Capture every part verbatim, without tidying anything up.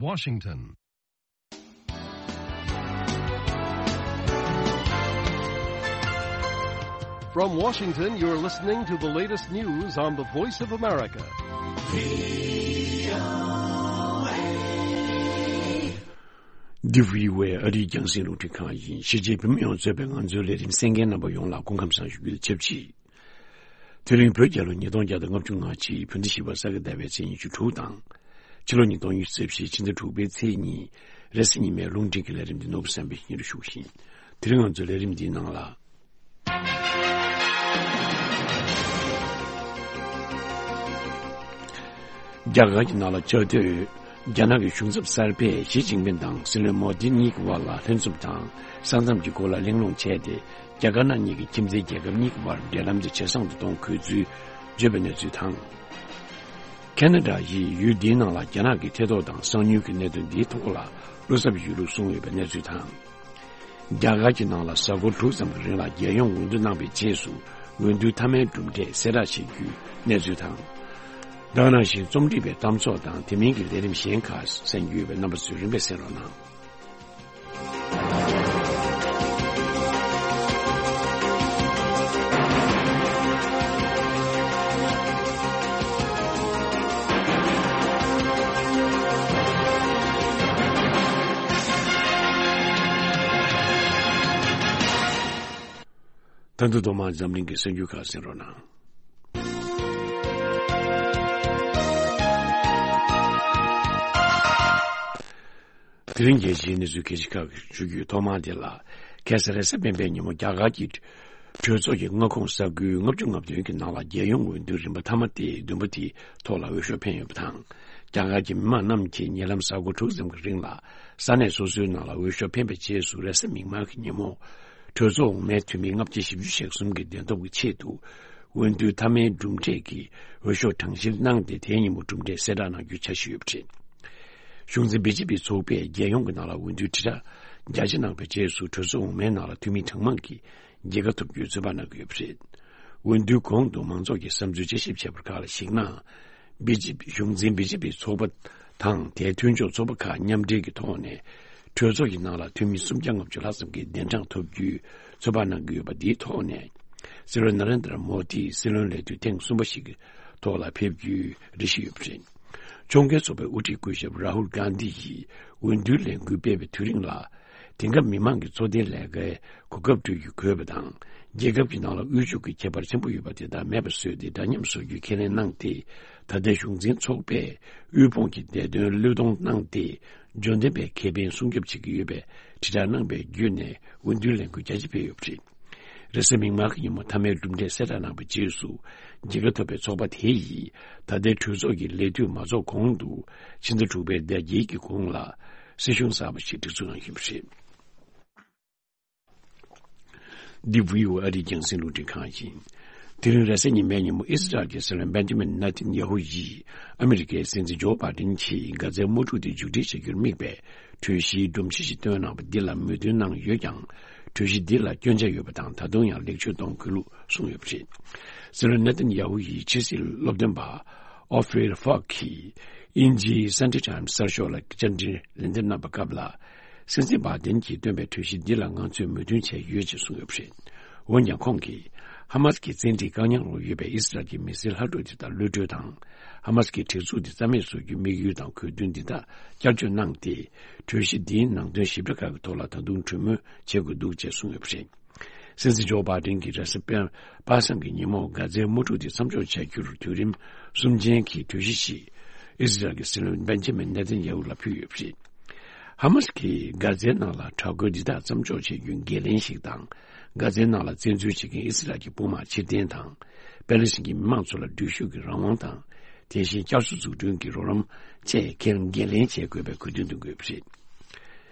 Washington. From Washington, you're listening to the latest news on the Voice of America. འདི་བྷི་ཨོ་ཨེ་ཨ་རིའི་རྒྱང་སྲིང་རླུང་འཕྲིན་ཁང་ཡིན། གཞིས་བྱེས་བོད་མི་ཡོངས་གཙོས་པའི་ང་ཚོའི་ལས་རིམ་གསན་མཁན་རྣམ་པ་ཡོངས་ལ་སྐུ་ཁམས་བཟང་ཞུ་རྒྱུ་དང་ཆབས་ཅིག་དེ་རིང་བོད་རྒྱལ་ལོ་ཉིས་སྟོང་བརྒྱ་དང་ལྔ་བཅུ་ང་གཅིག་བོད་ཟླ་བཞི་པ་ས་ག་ཟླ་བའི་ཚེས་ཉི་ཤུ་དྲུག་དང་། ཕྱི་ལོ་ཉིས་སྟོང་ཉི་ཤུ་རྩ་བཞི་ཕྱི་ཟླ་དྲུག་པའི་ཚེས་གཉིས། རེས་གཟའ་ཉི་མའི་རླུང་འཕྲིན་གྱི་ལས་རིམ་འདི་ནོར་བུ་བསམ་འཕེལ་གྱིས་སྙན་སྒྲོན་ཞུ་གི་ཡིན། དེ་རིང་ང་ཚོའི་ལས་རིམ་འདིའི་ནང་ལ། རྒྱ་གར་གྱི་ནང་ལ་བཅའ་སྡོད་རྒྱ་ནག་གི་གཞུང་ཚབ་གསར་པས་ཞི་ཅིན་ཕིང་དང་སྲིད་བློན་མོ་དི་གཉིས་ཀྱི་དབར་ལ་ལྷན་འཛོམས་དང་ས་མཚམས་ཀྱི་སྐོར་ལ་གླེང་སློང་བྱས་ཏེ། རྒྱ་དཀར་ནག་གཉིས་ཀྱི་ཁྱིམ་མཚེས་རྒྱལ་ཁབ་གཉིས་ཀྱི་བར་འབྲེལ་ལམ་དེ་ཇེ་བཟང་དུ་གཏོང་དགོས་ཚུལ་བརྗོད་པའི་གནས་ཚུལ་དང་། ཁེ་ན་ཌ་ཡིས་ཡུལ་འདིའི་ནང་ལ་རྒྱ་ནག་གི་ཐེ་གཏོགས་དང་གསང་ཉུལ་གྱི་གནད་དོན་འདིའི་ཐོག་ལ་བློ་འཚབ་ཡོད་ལུགས་གསུངས་ཡོད་པའི་གནས་ཚུལ་དང་། རྒྱ་གར་གྱི་ནང་ལ་གཟའ་འཁོར་དྲུག་ཙམ་གྱི་རིང་ལ་རྒྱལ་ཡོངས་འོས་བསྡུ་གནང་བའི་རྗེས་སུ་འོས་བསྡུའི་མཐའ་མའི་གྲུབ་འབྲས་གསལ་བསྒྲགས་བྱེད་རྒྱུའི་གནས་ཚུལ་དང་། ད་ག་ནང་བཞིན་རྩོམ་སྒྲིག་པའི་གཏམ་ཚོགས་དང་དེ་མིན་གྱི་ལས་རིམ་གཞན་ཁག་གསན་རྒྱུ་ཡོད་པས། རྣམ་པ་ཚོས་རིམ་པས་གསན་རོགས་གནང་། ད་དུང་ཐོག་མར་འཛམ་གླིང་གི་གསར་འགྱུར་ཁག་གསན་རོགས་གནང་། དེ་རིང་རྒྱལ་སྤྱིའི་གནས་ཚུལ་གལ་ཆེ་ཁག་ཞུ་རྒྱུའི་ཐོག་མར་དེ་ལ། ཁ་སང་རེས་གཟའ་སྤེན་པའི་ཉིན་མོ་རྒྱ་གར་གྱི་གྲོས་ཚོགས་ཀྱི་མངའ་ཁོངས་ས་ཁུལ་ལྔ་བཅུ་ང་བདུན་གྱི་ནང་ལ་རྒྱལ་ཡོངས་འོས་བསྡུའི་རིམ་པ་མཐའ་མ་སྟེ་བདུན་པ་དེའི་ཐོག་ལ་འོས་ཤོག་འཕེན་ཡོད་པ་དང་། རྒྱ་གར་གྱི་མི་མང་རྣམས་ཀྱིས་ཉེ་ལམ་གཟའ་འཁོར་དྲུག་ཙམ་གྱི་རིང་ལ་ས་གནས་སོ་སོའི་ནང་ལ་འོས་ཤོག་འཕེན་པའི་རྗེས་སུ་རེས་གཟའ་མིག་དམར་གྱི་ཉིན་མོ། གྲོས་ཚོགས་འོག་མའི་འཐུས་མི་ལྔ་བརྒྱ་བཞི་བཅུ་ཞེ་གསུམ་གྱི་བདེན་སྟོབས་ཀྱི་ཆེད་དུ། འོས་བསྡུའི་མཐའ་མའི་གྲུབ་འབྲས་ཀྱི་འོས་ཤོག་གྲངས་བཤེར་གནང་སྟེ། དེའི་ཉིན་མོ་གྲུབ་འབྲས་གསལ་བསྒྲགས་གནང་རྒྱུའི་འཆར་གཞི་ཡོད་པ་རེད། གཞུང་འཛིན་བི་ཇེ་པི་ཚོགས་པས་རྒྱལ་ཡོངས་ཀྱི་ནང་ལ་འོས་བསྡུའི་དྲིལ་བསྒྲགས་རྒྱ་ཆེ་གནང་བའི་རྗེས་སུ། གྲོས་ཚོགས་འོག་མའི་ནང་ལ་འཐུས་མི་གྲངས་མང་གིས་རྒྱལ་ཁ་ཐོབ་རྒྱུའི་ཚོད་དཔག་གནང་གི་ཡོད་པ་རེད། འོས་བསྡུའི་གོང་དུ་མང་ཚོགས་ཀྱིས་བསམ་ཚུལ་དཔྱད་ཞིབ་བྱས་པར་ཁག་ལ་གཞིགས་ན། བི་ཇེ་པི། གཞུང་འཛིན་བི་ཇེ་པི་ཚོགས་པ་དང་དེའི་མཐུན་ཕྱོགས་ཚོགས་པ་ཁག་མཉམ་འབྲེལ་གྱི་ཐོག་ནས། གྲོས་ཚོགས་ཀྱི་ནང་ལ་འཐུས་མི་སུམ་བརྒྱ་ལྔ་བཅུ་ལྷག་ཙམ་གྱིས་གདན་གྲངས་ཐོབ་རྒྱུའི་ཚོད་དཔག་གནང་གི་ཡོད་པ་འདིའི་ཐོག་ནས། སྲིད་བློན་ན་རེན་དྲ་མོ་དི་སྲིད་བློན་ལས་དུས་ཐེངས་གསུམ་པ་ཞིག་གི་ཐོག་ལ་ཕེབས་རྒྱུའི་རེ་ཞིག་ཡོད་པ་རེད། ཕྱོགས་འགལ་ཚོགས་པའི་དབུ་ཁྲིད་སྐུ་ཞབས་རཱ་ཧུལ་གྷན་དྷི་ཡིས་འོས་བསྡུའི་ལས་འགུལ་སྤེལ་བའི་དུས་རིང་ལ། དེང་སྐབས་མི་མང་གི་འཚོ་རྟེན་ལས་ཀའི་གོ་སྐབས་སྤྲོད་རྒྱུ་དགོས་པ་དང་། རྒྱལ་ཁབ་ཀྱི་ནང་ལ་དབུལ་ཕྱུག་གི་ཁྱད་པར་ཆེན་པོ་ཡོད་པ་དེ་དག་མེད་པ་བཟོས་ཏེ། འདྲ་མཉམ་བཟོ་རྒྱུའི་ཁས་ལེན་གནང་སྟེ། ད་ལྟའི་གཞུང་འཛིན་ཚོགས་པས་དབུལ་ཕོངས་ཀྱི་བདེ་དོན་བློས་གཏོང་གནང་སྟེ། འབྱོར་ལྡན་པའི་ཁེ་ཕན་སྲུང་སྐྱོབ་བྱེད་ཀྱི་ཡོད་པའི་དྲིལ་བསྒྲགས་གནང་པའི་བརྒྱུད་ནས། འོས་བསྡུའི་ལས་འགུལ་རྒྱ་ཆེ་སྤེལ་ཡོད་པ་རེད། རེས་གཟའ་མིག་དམར་གྱི་ཉིན་མོ་མཐའ་མའི་གྲུབ་འབྲས་གསལ་བསྒྲགས་གནང་བའི་རྗེས་སུ། རྒྱལ་ཁ་ཐོབ་པའི་ཚོགས་པ་དེ་ཡིས་ད་ལྟའི་གྲོས་ཚོགས་ཀྱི་ལས་དུས་མ་རྫོགས་གོང་དུ། ཕྱི་ཟླ་དྲུག་པའི་ཟླ་དཀྱིལ་གྱི་གོང་ལ་སྲིད་གཞུང་གསར་པ་ཞིག་སྒྲིག་འཛུགས་གནང་ཡོད་པ་རེད། འདི་བྷི་ཨོ་ཨེ་ཨ་རིའི་རྒྱང་སྲིང་རླུང་འཕྲིན་ཁང་ཡིན། དེ་རིང་རེས་གཟའ་ཉི་མའི་ཉིན་མོ་ཨི་སི་རལ་གྱི་སྲིད་བློན་བེན་ཇི་མིན་ནེ་ཐན་ཡ་ཧུ་ཡིས་ཨ་མི་རི་ཀའི་སྲིད་འཛིན་ཇོ་བྷའི་ཌེན་གྱིས་གྷ་ཛའི་དམག་འཁྲུག་དེ་མཇུག་སྒྲིལ་བྱ་རྒྱུར་དམིགས་པའི་གྲོས་གཞིའི་སྒྲོམ་གཞི་ཞིག་བཏོན་གནང་བ་འདི་ལ་མོས་མཐུན་གནང་ཡོད་ཀྱང་། གྲོས་གཞི་འདི་ལ་སྐྱོན་ཆ་ཡོད་པ་དང་། ད་དུང་ཡང་ལེགས་བཅོས་གཏོང་དགོས་ལུགས་གསུངས་ཡོད་པ་རེད། སྲིད་བློན་ནེ་ཐན་ཡ་ཧུ་ཡི་ཕྱི་སྲིད་སློབ་སྟོན་པ་ཨོ་ཧྥེ་ཧྥག་གིས་དབྱིན་ཇིའི་Sunday Times་གསར་ཤོག་ལ་བཅར་འདྲི་ལན་འདེབས་གནང་བའི་སྐབས་ལ། སྲིད་འཛིན་བྷའི་ཌེན་གྱིས་བཏོན་པའི་གྲོས་གཞི་འདི་ལ་ང་ཚོས་མོས་མཐུན་བྱས་ཡོད་ཅེས་གསུངས་ཡོད་པ་རེད། འོན་ཀྱང་ཁོང་གིས། ཧ་མ་སི་ཀྱི་བཙན་ཁྲིད་བཀག་ཉར་འོག་ཡོད་པའི་ཨི་སི་རལ་གྱི་མི་སེར་ལྷག་འཕྲོ་དེ་དག་གློད་གྲོལ་དང་། ཧ་མ་སི་ཀྱི་སྒྲིག་འཛུགས་དེ་རྩ་མེད་བཟོ་རྒྱུའི་དམིགས་ཡུལ་དང་དགོས་འདུན་འདི་དག་བསྐྱར་བཅོས་གནང་སྟེ། གྲོས་གཞི་འདིའི་ནང་དོན་ཞིབ་ཕྲ་ཁག་གི་ཐོག་ལ་ད་དུང་གྲོས་མོལ་བྱེད་དགོས་འདུག་ཅེས་གསུངས་ཡོད་པ་རེད། སྲིད་འཛིན་ཇོ་བྷའི་ཌེན་གྱིས་རེས་གཟའ་སྤེན་པ་སང་གི་ཉིན་མོ་གྷ་ཛའི་དམག་འཁྲུག་དེ་མཚམས་འཇོག་བྱ་རྒྱུར་དུས་རིམ་གསུམ་ཅན་གྱི་གྲོས་གཞི་ཞིག་ཨི་སི་རལ་གྱི་སྲིད་བློན་བེན་ཇི་མིན་ནེ་ཐན་ཡ་ཧུ་ལ་ཕུལ་ཡོད་པ་རེད། ཧ་མ་སི་ཀྱིས་གྷ་ཛའི་ནང་ལ་དྲག་རྒོལ་འདི་དག་མཚམས་འཇོག་བྱེད་རྒྱུའི་འགན་ལེན་ཞིག་དང་། གྷ་ཛའི་ནང་ལ་བཙན་འཛུལ་བྱེད་མཁན་ཨི་སི་རལ་གྱི་དཔུང་དམག་ཕྱིར་འཐེན་དང་། པེ་ལེ་སི་ཐན་གྱི་མི་མང་ཚོ་ལ་འགྲུལ་བཞུད་ཀྱི་རང་དབང་དང་། དེ་བཞིན་བསྐྱར་གསོ་འཛུགས་སྐྲུན་གྱི་རོགས་རམ་བཅས་འགན་ལེན་བྱེད་དགོས་པའི་དགོས་འདུན་བཏོན་དགོས་པ་རེད།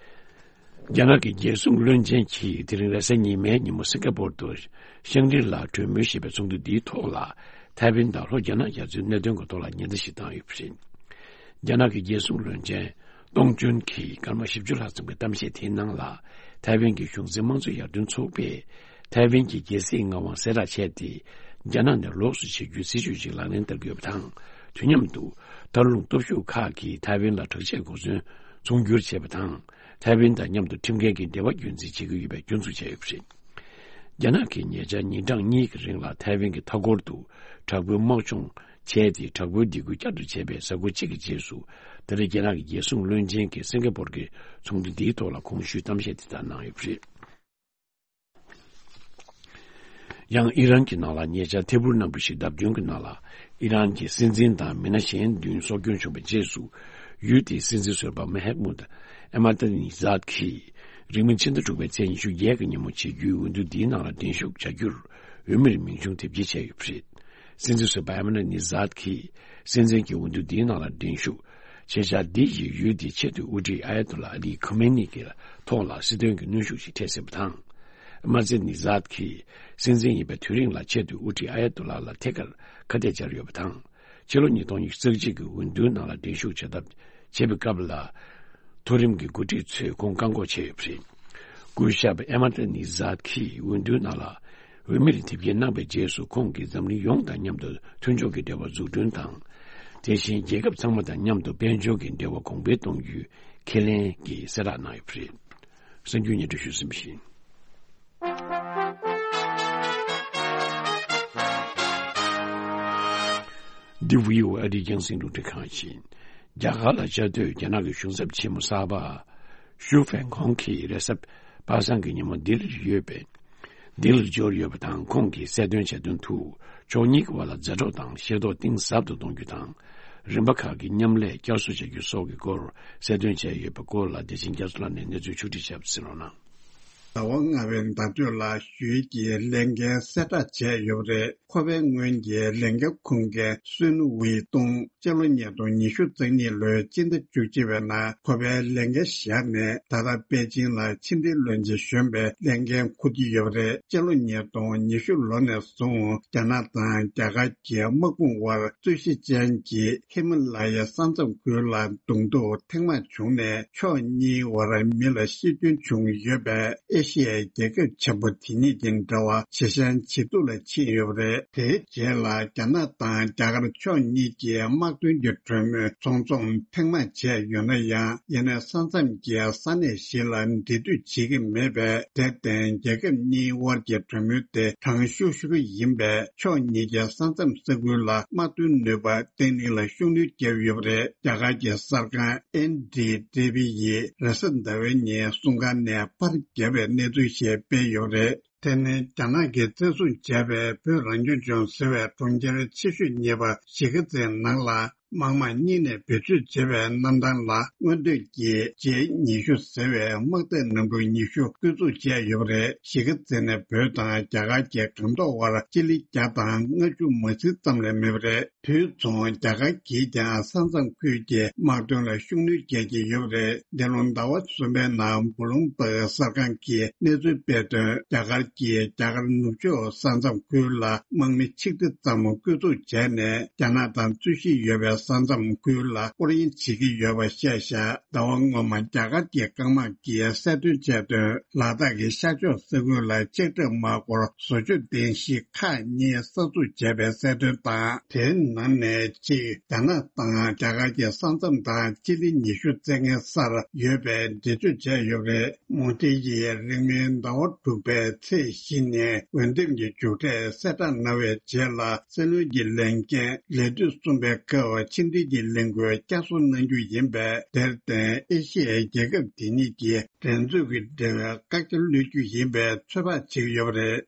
རྒྱ་ནག་གི་རྒྱལ་སྲུང་བློན་ཆེན་གྱིས་དེ་རིང་རེས་གཟའ་ཉི་མའི་ཉིན་མོ་སིང་ག་པོར་དུ་ཤང་ཀྲི་ལ་གྲོས་མོལ་ཞེས་པའི་ཚོགས་འདུ་འདིའི་ཐོག་ལ། ཐའེ་ཝན་དང་ལྷོ་རྒྱ་ནག་རྒྱ་མཚོའི་གནད་དོན་གྱི་ཐོག་ལ་ཉེན་བརྡ་ཞིག་བཏང་ཡོད་པ་རེད། རྒྱ་ནག་གི་རྒྱལ་སྲུང་བློན་ཆེན་ཏོང་ཅོན་གྱིས་སྐར་མ་བཞི་བཅུ་ལྷག་ཙམ་གྱི་གཏམ་བཤད་དེའི་ནང་ལ། ཐའེ་ཝན་གྱི་གཞུང་འཛིན་དམངས་གཙོ་ཡར་ཐོན་ཚོགས་པས་ཐའེ་ཝན་གྱི་རྒྱལ་སྲིད་མངའ་དབང་གསལ་བསྒྲགས་བྱས་ཏེ། རྒྱ་ནག་ནས་ལོགས་སུ་ཕྱིར་རྒྱུའི་སྲིད་ཇུས་ཤིག་ལག་ལེན་བསྟར་དགོས་པ་དང་། དུས་མཉམ་དུ། ད་ མཐར་ལྷུང་སྟོབས་ཤུགས་ཁག་གིས་ཐའེ་ཝན་ལ་དྲག་ཆས་གོ་མཚོན་ཚོང་སྒྱུར་བྱས་པ་དང་། ཐའེ་ཝན་དང་མཉམ་དུ་ཁྲིམས་འགལ་གྱི་འབྲེལ་བ་རྒྱུན་འཛིན་བྱེད་ཀྱི་ཡོད་པའི་སྐྱོན་འཛུགས་བྱས་ཡོད་པ་རེད། རྒྱ་ནག་གིས་ཉེ་ཆར་ཉིན་གྲངས་གཉིས་ཀྱི་རིང་ལ་ཐའེ་ཝན་གྱི་མཐའ་འཁོར་དུ་དྲག་པོའི་དམག་སྦྱོང་བྱས་ཏེ། དྲག་པོའི་སྡིགས་སྐུལ་བསྐྱར་དུ་བྱས་པའི་གཟའ་འཁོར་གཅིག་གི་རྗེས་སུ། ད་རེས་རྒྱ་ནག་གི་རྒྱལ་སྲུང་བློན་ཆེན་གྱིས་སིང་ག་པོར་གྱི་ཚོགས་འདུ་འདིའི་ཐོག་ལ་གོང་ཞུས་གཏམ་བཤད་དེ་ལྟར་གནང་ཡོད་པ་རེད། ཡང་ཨི་རན་གྱི་ནང་ལ་ཉེ་ཆར་ཐད་འཕུར་གནམ་གྲུ་ཞིག་བརྡབ་སྐྱོན་གྱི་ནང་ལ། ཨི་རན་གྱི་སྲིད་འཛིན་དང་མི་སྣ་གཞན་བདུན་སྲོག་སྐྱོན་བྱུང་བའི་རྗེས་སུ། ཡུལ་དེའི་སྲིད་འཛིན་ཟུར་པ་མ་ཧེ་མུད་ཨ་མ་ཏ་ནི་ཛཱད་ཀྱིས། རིང་མིན་ཕྱི་ཟླ་དྲུག་པའི་ཚེས་ཉི་ཤུ་བརྒྱད་ཀྱི་ཉིན་མོ་བྱེད་རྒྱུའི་འོས་བསྡུ་འདིའི་ནང་ལ་འགྲན་ཞུགས་བྱ་རྒྱུར། འོས་མིར་མིང་ཆུང་དེབ་སྐྱེལ་བྱས་ཡོད་པ་རེད། སྲིད་འཛིན་ཟུར་པ་ཨ་མ་ཏ་ནི་ཛཱད་ཀྱིས། སྲིད་འཛིན་གྱི་འོས་བསྡུ་འདིའི་ནང་ལ་འགྲན་ཞུགས་བྱེད་འཆར་འདི་ཡིས་ཡུལ་དེའི་ཆེས་མཐོའི་དབུ་ཁྲིད་ཨ་ཡ་ཏུ་ལ་ཨ་ལི་ཁོ་མེ་ནི་གི་ཐོག་ལ་སྲིད་དོན་གྱི་གནོན་ཤུགས་ཤིག་འཕྲད་སྲིད་པ་དང་། མ་ཟེ་ནི་ཛཱད་ཀྱིས་སྲིད་འཛིན་ཡིན་པའི་དུས་རིང་ལ་ཆེས་མཐོའི་དབུ་ཁྲིད་ཨ་ཡ་ཏུ་ལ་ལ་ཐད་ཀར་ཁ་གཏད་བཅར་ཡོད་པ་དང་། ཕྱི་ལོ་ཉིས་སྟོང་ཉི་ཤུ་རྩ་གཅིག་གི་འོས་བསྡུའི་ནང་ལ་འགྲན་ཞུགས་བྱ་ཐབས་བྱེད་པའི་སྐབས་ལ། མཐོ་རིམ་གྱི་འགོ་ཁྲིད་ཚོས་ཁོང་བཀག་འགོག་བྱས་ཡོད་པ་རེད། སྐུ་ཞབས་ཨེ་མ་ཏ་ནི་ཛཱད་ཀྱིས་འོས་བསྡུའི་ནང་ལ་འོས་མིར་དེབ་སྐྱེལ་གནང་བའི་རྗེས་སུ། ཁོང་གིས་འཛམ་གླིང་ཡོངས་དང་མཉམ་དུ་མཐུན་ཕྱོགས་ཀྱི་འབྲེལ་བ་འཛུགས་སྐྲུན་དང་། དེ་བཞིན་རྒྱལ་ཁབ་ཚང་མ་དང་མཉམ་དུ་དཔལ་འབྱོར་གྱི་འབྲེལ་བ་གོང་འཕེལ་གཏོང་རྒྱུའི་ཁས་ལེན་གྱི་གསལ་བསྒྲགས་གནང་ཡོད་པ་རེད། གསར་འགྱུར་སྙན་སྒྲོན་ཞུས་ཟིན་པ་ཡིན། འདི་བྷི་ཨོ་ཨེ་ཨ་རིའི་རྒྱང་སྲིང་རླུང་འཕྲིན་ཁང་ཡིན། རྒྱ་གར་ལ་བཅའ་སྡོད་རྒྱ་ནག་གི་གཞུང་ཚབ་ཆེན་མོ་གསར་པ་ཞུ་ཧྥན་ཁོང་གིས་རེས་གཟའ་པ་སངས་ཀྱི་ཉིན་མོ་ལྡི་ལིར་ཡོད་པའི། ལྡི་ལིར་འབྱོར་ཡོད་པ་དང་། ཁོང་གིས་གསལ་སྟོན་བྱས་དོན་དུ། ཕྱོགས་གཉིས་ཀྱི་བར་ལ་མཛའ་གྲོགས་དང་ཤེས་རྟོགས་གཏིང་ཟབ་ཏུ་གཏོང་རྒྱུ་དང་། རིམ་པ་ཁག་གི་མཉམ་ལས་བསྐྱར་གསོ་བྱ་རྒྱུ་སོགས་ཀྱི་སྐོར་གསལ་སྟོན་བྱས་ཡོད་པའི་སྐོར་ལ། བདེ་ཆེན་རྒྱ་མཚོ་ལགས་ནས་གནས་ཚུལ་ཕྱོགས་སྒྲིག་བྱས་པ་ཟིན་རོགས་གནང་། ཟླ་བ་ལྔ་པའི་ཟླ་སྟོད་ལ་ཞུས་ཀྱིས་ལས་འགན་གསལ་བསྒྲགས་བྱས་ཡོད་པ་རེད། ཁོ་པའི་སྔོན་གྱི་ལས་འགན་འཁུར་མཁན་སུན་ཝེ་ཏུང་སྤྱི་ལོ་ཉིས་སྟོང་ཉི་ཤུ་རྩ་གཉིས་ལོའི་སྤྱི་ཟླ་བཅུ་གཅིག་པའི་ནང་ཁོ་པའི་ལས་འགན་བཞག་ནས། ད་ལྟ་པེ་ཅིང་ལ་ཕྱི་འབྲེལ་བློན་ཆེན་གཞོན་པའི་ལས་འགན་འཁུར་གྱི་ཡོད་པ་རེད། སྤྱི་ལོ་ཉིས་སྟོང་ཉི་ཤུ་ལོ་ནས་བཟུང་རྒྱ་ནག་དང་རྒྱ་གར་གྱི་དམག་དཔུང་དབར་རྩོད་གཞི་ཅན་གྱི་ཧི་མ་ལ་ཡའི་ས་མཚམས་ཁུལ་ལ་གདོང་ཐུག་ཐེངས་མང་བྱུང་ནས། ཕྱོགས་གཉིས་དབར་མི་ལ་ཤི་སྐྱོན་བྱུང་ཡོད་པའི་ཨེ་ཤི་ཡའི་རྒྱལ་ཁབ་ཆེན་པོ་དེ་གཉིས་ཀྱི་འབྲེལ་བ་ཇེ་ཞན་ཇེ་སྡུག་ལ་ཕྱིན་ཡོད་པ་རེད། དེའི་རྗེས་ལ་རྒྱ་ནག་དང་རྒྱ་གར་ཕྱོགས་གཉིས་ཀྱི་དམག་དོན་གྱི་གྲོས་མོལ་ཚོང་ཚོང་ཐེངས་མང་བྱས་ཡོད་ན་ཡང་། ཡིན་ནའི་ས་མཚམས་ཀྱི་ས་གནས་ཤིག་ལ་འབྲེལ་མཐུད་བྱེད་ཀྱི་མེད་པས། དེར་བརྟེན་རྒྱལ་ཁབ་གཉིས་དབར་གྱི་གྲོས་མོལ་དེ་གྲང་ཤུར་ཤུར་ཡིན་པས། ཕྱོགས་གཉིས་ཀྱི་ས་མཚམས་ས་ཁུལ་ལ་དམག་དོན་ནུས་པ་བརྟན་ལྷིང་ལ་ཤུགས་སྣོན་བརྒྱབ་ཡོད་པ་རེད། རྒྱ་གར་གྱི་གསར་ཁང་ཨེན་ཌི་ཊི་ཝི་ཡིས་རེས་གཟའ་ཟླ་བའི་ཉིན་སྲུང་སྐར་ནས་པར་བརྒྱབ་པའི་གནས་ཚུལ་ཞིག་སྤེལ་ཡོད་པ་རེད། དེ་ནི་རྒྱ་ནག་གིས་བཙན་བཟུང་བྱས་པའི་བོད་རང་སྐྱོང་ལྗོངས་ཟེར་བའི་གྲོང་ཁྱེར་ཆེ་ཤོས་གཉིས་པ་གཞིས་ཀ་རྩེའི་ནང་ལ། དམག་དམངས་གཉིས་ནས་བེད་སྤྱོད་བྱས་པའི་གནམ་ཐང་ལ། མངོན་འདོད་ཀྱི་ཇེ་ཉི་ཤུ་ཟེར་བའི་དམག་སྡེ་རྣམ་གྲངས་ཉི་ཤུ་བཀོད་འཛུགས་བྱས་ཡོད་པ་རེད། གཞིས་ཀ་རྩེ་ནས་བོད་དང་རྒྱ་གར་གྱི་སྒང་ཐོག་བར་སྤྱི་ལེ་བརྒྱ་དང་ལྔ་བཅུ་མ་ཟིན་ཙམ་ལས་མེད་པ་རེད། དུས་མཚུངས་རྒྱ་གར་གྱིས་ཀྱང་ས་མཚམས་ཁུལ་གྱི་དམག་དོན་ལ་ཤུགས་སྣོན་རྒྱག་གི་ཡོད་པ་རེད། འདི་ལོ་ཟླ་བ་གསུམ་པའི་ནང་བུ་ལུང་པར་གསར་ཁང་གིས་གནས་ཚུལ་སྤེལ་དོན། རྒྱ་གར་གྱིས་རྒྱ་གར་ནུབ་ཕྱོགས་ས་མཚམས་ཁུལ་ལ་དམག་མི་ཆིག་ཁྲི་ཙམ་བསྐོས་ཚུགས་བྱས་ནས། རྒྱ་ནག་དང་རྩོད་གཞི་ཡོད་པའི་ས་མཚམས་ཁུལ་ལ་སྐོར་གཡེང་བྱེད་ཀྱི་ཡོད་པ་བཤད་བཞག་ཟླ་བ་སྔོན་མ་རྒྱ་གར་གྱི་རྐང་དམག་གིས་གསལ་སྟོན་བྱས་དོན། ལ་དྭགས་ཀྱི་ཤར་ཕྱོགས་ས་ཁུལ་ལ་ལྕགས་ཁྲབ་དམག་སྐོར་བཟོ་བཅོས་རྟེན་གཞི་ཁག་གཉིས་གསར་འཛུགས་བྱས་པའི་གསལ་སྟོན་དང་། དེའི་ནང་ནས་གཅིག་རྒྱ་ནག་དང་རྒྱ་གར་གྱི་ས་མཚམས་དང་སྤྱི་ལེ་ཉི་ཤུ་རྩ་ལྔའི་སར་ཡོད་པའི་འགྲེལ་བརྗོད་བྱས་ཡོད་པ་རེད། མོ་དྷི་ཡིས་རིང་མིན་ཟླ་བ་དྲུག་པའི་ཚེས་བཞི་ཉིན་འོས་འདེམས་ཀྱི་མཇུག་འབྲས་གསལ་བསྒྲགས་གནང་བའི་རྗེས་ལ། སྲིད་བློན་གྱི་ལས་འགན་ལས་དུས་གསུམ་པའི་སྐབས་ཕྱི་འབྲེལ་གྱི་ལས་འགུལ་བསྐྱར་གསོ་གནང་རྒྱུ་ཡིན་པས། དེར་བརྟེན་ཨེ་ཤི་ཡའི་རྒྱལ་ཁབ་དེ་གཉིས་ཀྱི་འགྲན་རྩོད་ཀྱི་འབྲེལ་བའི་བཀག་རྒྱ་གློད་རྒྱུ་ཡིན་པའི་ཚོད་དཔག་བྱེད་ཀྱི་ཡོད་པ་རེད།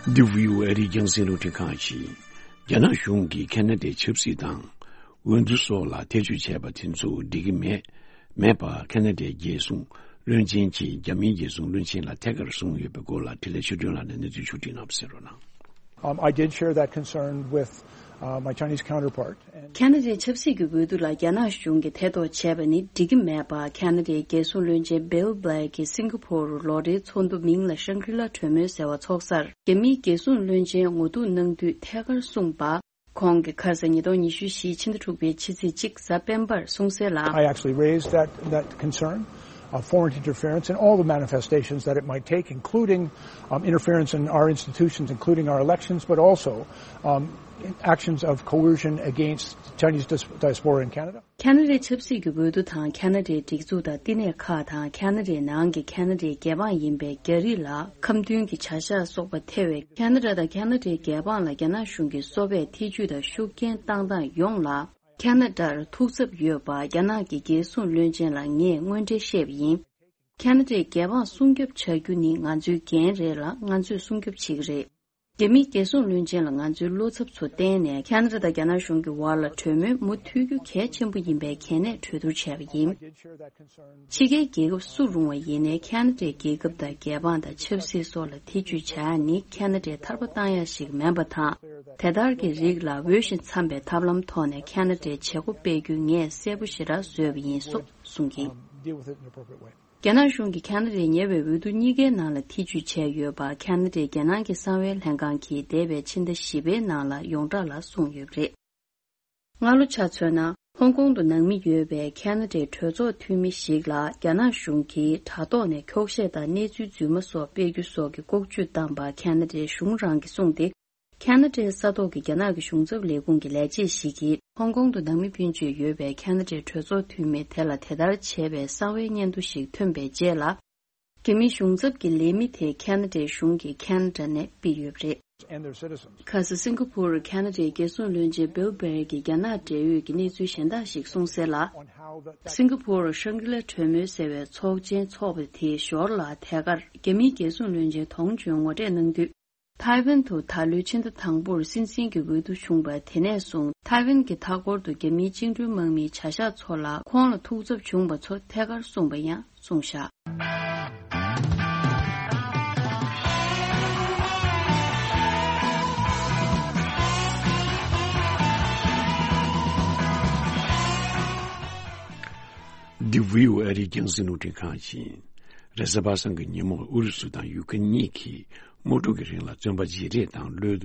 འདི་བྷི་ཨོ་ཨེ་རིགས་རྒྱང་སྲིང་རླུང་འཕྲིན་ཁང་ཡིན། རྒྱ་ནག་གཞུང་གིས་ཁ་ན་ཌའི་ཆབ་སྲིད་དང་། འོས་བསྡུ་སོགས་ལ་ཐེ་བྱུས་བྱས་པ་དེ་ཚོ་འགྲིག་གི་མེད། མེད་པ་ཁ་ན་ཌའི་རྒྱལ་སྲུང་བློན་ཆེན་གྱིས་རྒྱ་མིའི་རྒྱལ་སྲུང་བློན་ཆེན་ལ་ཐད་ཀར་གསུངས་ཡོད་པའི་སྐོར་ལ། འཕྲིན་ལས་ཆོས་སྒྲོན་ལགས་ནས་གནས་ཚུལ་ཕྱོགས་སྒྲིག་གནང་བ་གསན་རོགས་གནང་། Um, I did share that concern with, uh, my Chinese counterpart. And ཁ་ན་ཌའི་ཆབ་སྲིད་ཀྱི་འོས་བསྡུ་ལ་རྒྱ་ནག་གཞུང་གིས་ཐེ་གཏོགས་བྱས་པ་ནི་འགྲིག་གི་མེད་པ། ཁ་ན་ཌའི་རྒྱལ་སྲུང་བློན་ཆེན་Bill Black གིས་སིང་ག་པོར་ལོ་རེའི་ཚོགས་འདུ་མིང་ལ་ཤང་གྲི་ལ་གྲོས་མོལ་ཟེར་བ་ཚོགས་སར། རྒྱ་མིའི་རྒྱལ་སྲུང་བློན་ཆེན་ངོ་ཐུག་གནང་དུས་ཐད་ཀར་གསུངས་པ། ཁོང་གིས་ཁ་སང་ཉིས་སྟོང་ཉི་ཤུ་བཞི་ཕྱི་ཟླ་དྲུག་པའི་ཕྱི་ཚེས་གཅིག་གཟའ་སྤེན་པར་གསུངས་གསལ་ལ། I actually raised that, that concern, of foreign interference in all the manifestations that it might take, including um, interference in our institutions, including our elections, but also um, actions of coercion against Chinese dis- diaspora in Canada. ཁ་ན་ཌའི་ཆབ་སྲིད་ཀྱི་འོས་བསྡུ་དང་ཁ་ན་ཌའི་སྒྲིག་འཛུགས་དང་བསྟི་གནས་ཁག་དང་ཁ་ན་ཌའི་ནང་གི་ཁ་ན་ཌའི་རྒྱལ་འབངས་ཡིན་པའི་རྒྱ་རིགས་ལ་ཁ་མཐུན་གྱི་བྱ་གཞག་སོགས་པ་ཐེ་བའི་ཁ་ན་ཌ་དང་ཁ་ན་ཌའི་རྒྱལ་འབངས་ལ་རྒྱ་ནག་གཞུང་གིས་གསོ་བའི་ཐེ་ཇུས་དང་ཤུགས་རྐྱེན་བཏང་སྟངས་ཡོངས་ལ། ཁ་ན་ཌར་ཐུགས་འཚབ་ཡོད་པ་རྒྱ་ནག་གི་རྒྱལ་སྲུང་བློན་ཆེན་ལ་ངས་དངོས་འབྲེལ་བཤད་པ་ཡིན། ཁ་ན་ཌའི་རྒྱལ་འབངས་སྲུང་སྐྱོབ་བྱ་རྒྱུ་ནི་ང་ཚོའི་འགན་རེད་ལ་ང་ཚོས་སྲུང་སྐྱོབ་བྱེད་ཀྱི་རེད། རྒྱ་མིའི་རྒྱལ་སྲུང་བློན་ཆེན་ལ་ང་ཚོའི་བློ་འཚབ་ཚོ་བརྟེན་ནས་ཁ་ན་ཌ་དང་རྒྱ་ནག་གཞུང་གི་བར་ལ་གྲོས་མོལ་མུ་མཐུད་རྒྱུ་གལ་ཆེན་པོ་ཡིན་པའི་གལ་གནད་གྲོས་བསྡུར་བྱས་པ་ཡིན། ཕྱི་རྒྱལ་རྒྱལ་ཁབ་སུ་རུང་བ་ཡིན་ནའི་ཁ་ན་ཌའི་རྒྱལ་ཁབ་དང་རྒྱལ་འབངས་དང་ཆབ་སྲིད་སོགས་ལ་ཐེ་ཇུས་བྱ་ཡ་ནི་ཁ་ན་ཌའི་ཐར་པ་བཏང་ཡ་ཞིག་མིན་པ་དང་། དེ་ལྟར་གྱི་རིགས་ལ་འོས་ཤིང་འཚམ་པའི་ཐབས་ལམ་ཐོག་ནས་ཁ་ན་ཌའི་བྱེད་སྒོ་སྤེལ་རྒྱུ་ངས་གསལ་པོ་ཞེ་དྲག་བཟོས་པ་ཡིན་སོགས་གསུངས་ཀྱིན། རྒྱ་ནག་གཞུང་གིས་ཁ་ན་ཌའི་ཉེ་བའི་འོས་བསྡུ་གཉིས་ཀའི་ནང་ལ་ཐེ་ཇུས་བྱས་ཡོད་པ་ཁ་ན་ཌའི་རྒྱལ་ནང་གི་གསང་བའི་ལྷན་ཁང་གིས་འདས་པའི་ཕྱི་ཟླ་བཞི་པའི་ནང་ལ་ཡོངས་གྲགས་ལ་གསུངས་ཡོད་པ་རེད། སྔ་ལོ་ཆ་མཚོན་ན་ཧོང་ཀོང་དུ་ནང་མི་ཡོད་པའི་ཁ་ན་ཌའི་གྲོས་ཚོགས་འཐུས་མི་ཞིག་ལ་རྒྱ་ནག་གཞུང་གིས་དྲ་ཐོག་ནས་འཁྱོག་བཤད་དང་གནས་ཚུལ་རྫུན་མ་སོགས་སྤེལ་རྒྱུ་སོགས་ཀྱི་ལྐོག་ཇུས་བཏང་པ་ཁ་ན་ཌའི་གཞུང་རང་གིས་གསུངས་ཏེ། ཁ་ན་ཌའི་ས་ཐོག་གི་རྒྱ་ནག་གི་གཞུང་ཚབ་ལས་ཁུངས་ཀྱི་ལས་བྱེད་ཞིག་གིས་ཧོང་ཀོང་དུ་ནང་མི་སྤུན་མཆེད་ཡོད་པའི་ཁ་ན་ཌའི་གྲོས་ཚོགས་འཐུས་མི་དེ་ལ་དེ་ལྟར་བྱས་པའི་གསང་བའི་སྙན་ཐོ་ཞིག་ཐོན་པའི་རྗེས་ལ། རྒྱ་མིའི་གཞུང་ཚབ་ཀྱི་ལས་མི་དེ་ཁ་ན་ཌའི་གཞུང་གིས་ཁ་ན་ཌ་ནས་ཕུད་ཡོད་པ་རེད། ཁ་སང་སིང་ག་ཕོར་ཁ་ན་ཌའི་རྒྱལ་སྲུང་བློན་ཆེན་བྷིལ་བྷེར་གྱིས་རྒྱ་ནག་འབྲེལ་ཡོད་ཀྱི་གནས་ཚུལ་གཞན་དག་ཞིག་གསུངས་གསལ་ལ། སིང་ག་ཕོར་ཤང་གྲི་ལ་གྲོས་མོལ་ཟེར་བའི་ཚོགས་ཆེན་འཚོགས་པ་དེའི་ཞོར་ལ་ཐད་ཀར་རྒྱ་མིའི་རྒྱལ་སྲུང་བློན་ཆེན་དོང་ཇོན་ངོ་སྤྲོད་གནང་དུས། ཐའེ་ཝན་དུ་ད་ལོའི་ཕྱི་ཟླ་དང་པོར་སྲིད་འཛིན་གྱི་འོས་བསྡུ་བྱུང་བ་དེ་ནས་བཟུང་ཐའེ་ཝན་གྱི་མཐའ་འཁོར་དུ་རྒྱ་མིའི་བཅིངས་འགྲོལ་དམག་མིའི་བྱ་གཞག་ཚོ་ལ་ཁོང་ལ་ཐུགས་འཚབ་བྱུང་བ་ཚོ་ཐད་ཀར་གསུངས་པ་ཡང་གསུངས་བཞག་འདི་བྷི་ཨོ་ཨེ་རིའི་རྒྱང་སྲིང་རླུང་འཕྲིན་ཁང་ཡིན། རེས་གཟའ་པ་སངས་ཀྱི་ཉིན་མོར་ཨུ་རུ་སུ་དང་ཡུ་ཀེ་རེན་གཉིས་ཀྱིས་དམག་འཁྲུག་གི་རིང་ལ་བཙོན་པ་བརྗེ་རེས་དང་གློད་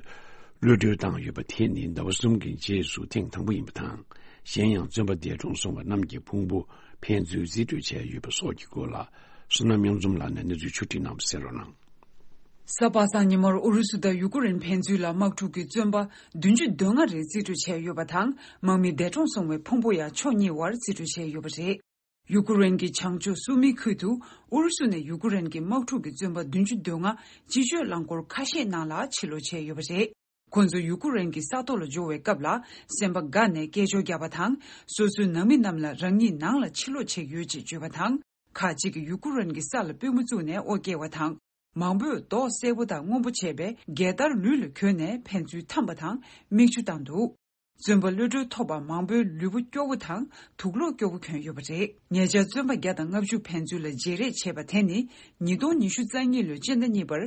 གློད་གྲོལ་བཏང་ཡོད་པ་དེ་ནི་ཟླ་བ་གསུམ་གྱི་རྗེས་སུ་ཐེངས་དང་པོ་ཡིན་པ་དང་། གཞན་ཡང་བཙོན་པ་འདས་གྲོངས་སོང་བ་རྣམས་ཀྱི་ཕུང་པོ་ཕན་ཚུན་རྩིས་སྤྲོད་བྱས་ཡོད་པ་སོགས་ཀྱི་སྐོར་ལ། བསོད་ནམས་གཡུང་འཛོམས་ལགས་ནས་གནས་ཚུལ་ཕྱོགས་སྒྲིག་གནང་བ་གསན་རོགས་གནང་། གཟའ་པ་སངས་ཉིན་མོར་ཨུ་རུ་སུ་དང་ཡུ་ཀུ་རེན་ཕན་ཚུན་ལ་དམག་འཁྲུག་གི་བཙོན་པ་བདུན་ཅུ་དོན་ལྔ་རེ་རྩིས་སྤྲོད་བྱས་ཡོད་པ་དང་། དམག་མི་འདས་གྲོངས་སོང་བའི་ཕུང་པོ་ཡང་ཕྱོགས་གཉིས་བར་རྩིས་སྤྲོད་བྱས་ཡོད་པ་རེད། ཡུ་ཀུ་རེན་གྱི་བྱང་ཕྱོགས་སུ་མི་ཁུལ་དུ་ཨུ་རུ་སུ་ནས་ཡུ་ཀུ་རེན་གྱི་དམག་འཁྲུག་གི་བཙོན་པ་བདུན་ཅུ་དོན་ལྔ་སྤྱི་སྤྱོད་རླངས་འཁོར་ཁ་ཤས་ནང་ལ་ཕྱིར་ལོག་བྱས་ཡོད་པ་རེད། ཁོ་ཚོ་ཡུ་ཀུ་རེན་གྱི་ས་ཐོག་ལ་འབྱོར་བའི་སྐབས་ལ་སེམས་པ་དགའ་ནས་སྐད་ཅོར་བརྒྱབ་པ་དང་། སོ་སོའི་ནང་མི་རྣམས་ལ་རང་ཉིད་ནང་ལ་ཕྱིར་ལོག་བྱས་ཡོད་ཅེས་བརྗོད་པ་དང་། ཁག་ཅིག་གིས་ཡུ་ཀུ་རེན་གྱི་ས་ལ་པུས་མོ་བཙུགས་ནས་དབུ་བསྐྱེད་པ་དང་། མང་པོས་མདོག་སེར་པོ་དང་སྔོན་པོ་བྱས་པའི་རྒྱལ་དར་ལུས་ལ་གྱོན་ནས་ཕན་ཚུན་འཐམས་པ་དང་མིག་ཆུ་བཏང་འདུག་བཙོན་པ་གློད་གྲོལ་ཐོབ་པ་མང་པོའི་ལུས་པོ་སྐྱོ་བོ་དང་དུག་ལོག་སྐྱོ་བོ་གྱོན་ཡོད་པ་རེད། ཉེ་ཆར་བཙོན་པ་བརྒྱ་དང་ལྔ་བཅུ་ཕན་ཚུན་ལ་བརྗེ་རེས་བྱས་པ་དེ་ནི་ཉིས་སྟོང་ཉི་ཤུ་རྩ་གཉིས་ལོའི་སྤྱི་ཟླ་གཉིས་པར་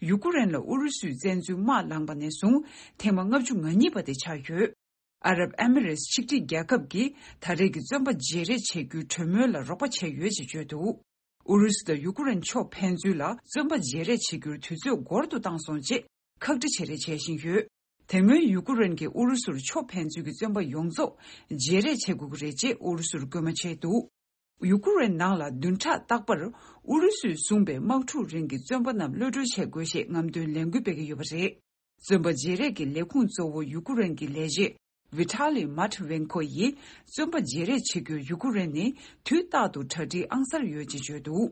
ཡུ་ཀུ་རེན་ལ་ཨུ་རུ་སུས་བཙན་འཛུལ་དམག་ལངས་པ་ནས་བཟུང་ཐེངས་མ་ལྔ་བཅུ་ང་གཉིས་པ་དེ་ཆགས་ཡོད། ཨ་རབ་ཨེ་མི་རེས་ཆིག་སྒྲིལ་རྒྱལ་ཁབ་ཀྱིས་ད་རེས་ཀྱི་བཙོན་པ་བརྗེ་རེས་བྱེད་རྒྱུའི་གྲོས་མོལ་ལ་རོགས་པ་བྱས་ཡོད་ཅེས་བརྗོད་འདུག་ཨུ་རུ་སུ་དང་ཡུ་ཀུ་རེན་ཕྱོགས་ཕན་ཚུན་ལ་བཙོན་པ་བརྗེ་རེས་བྱེད་རྒྱུར་དུས་ཚོད་འགོར་དུ་བཏང་སོང་ཅེས་ཁག་དཀྲི་བྱེད་རེས་བྱེད་བཞིན་ཡོད། དེ་སྔོན་ཡུ་ཀུ་རེན་གྱིས་ཨུ་རུ་སུར་ཕྱོགས་ཕན་ཚུན་གྱི་བཙོན་པ་ཡོངས་རྫོགས་བརྗེ་རེས་བྱེད་དགོས་ཀྱི་རེད་ཅེས་ཨུ་རུ་སུར་སྐུལ་མ་བྱས་འདུག་ཡུ་ཀུ་རེན་ནང་ལ་བདུན་ཕྲག་རྟག་པར་ཨུ་རུ་སུས་བཟུང་པའི་དམག་འཁྲུག་རིང་གི་བཙོན་པ་རྣམས་གློད་གྲོལ་བྱེད་དགོས་ཞེས་རྔམ་སྟོན་ལས་འགུལ་སྤེལ་གྱི་ཡོད་པ་རེད། བཙོན་པ་བརྗེ་རེས་ཀྱི་ལས་ཁུངས་གཙོ་བོ་ཡུ་ཀུ་རེན་གྱི་ལས་བྱེད་ཝི་ཐ་ལི་མཱ་ཐི་ཝེན་ཁོ་ཡིས་བཙོན་པ་བརྗེ་རེས་བྱེད་རྒྱུར་ཡུ་ཀུ་རེན་ནི་དུས་རྟག་ཏུ་གྲ་སྒྲིག་ཨང་གསར་ཡོད་ཅེས་བརྗོད་འདུག་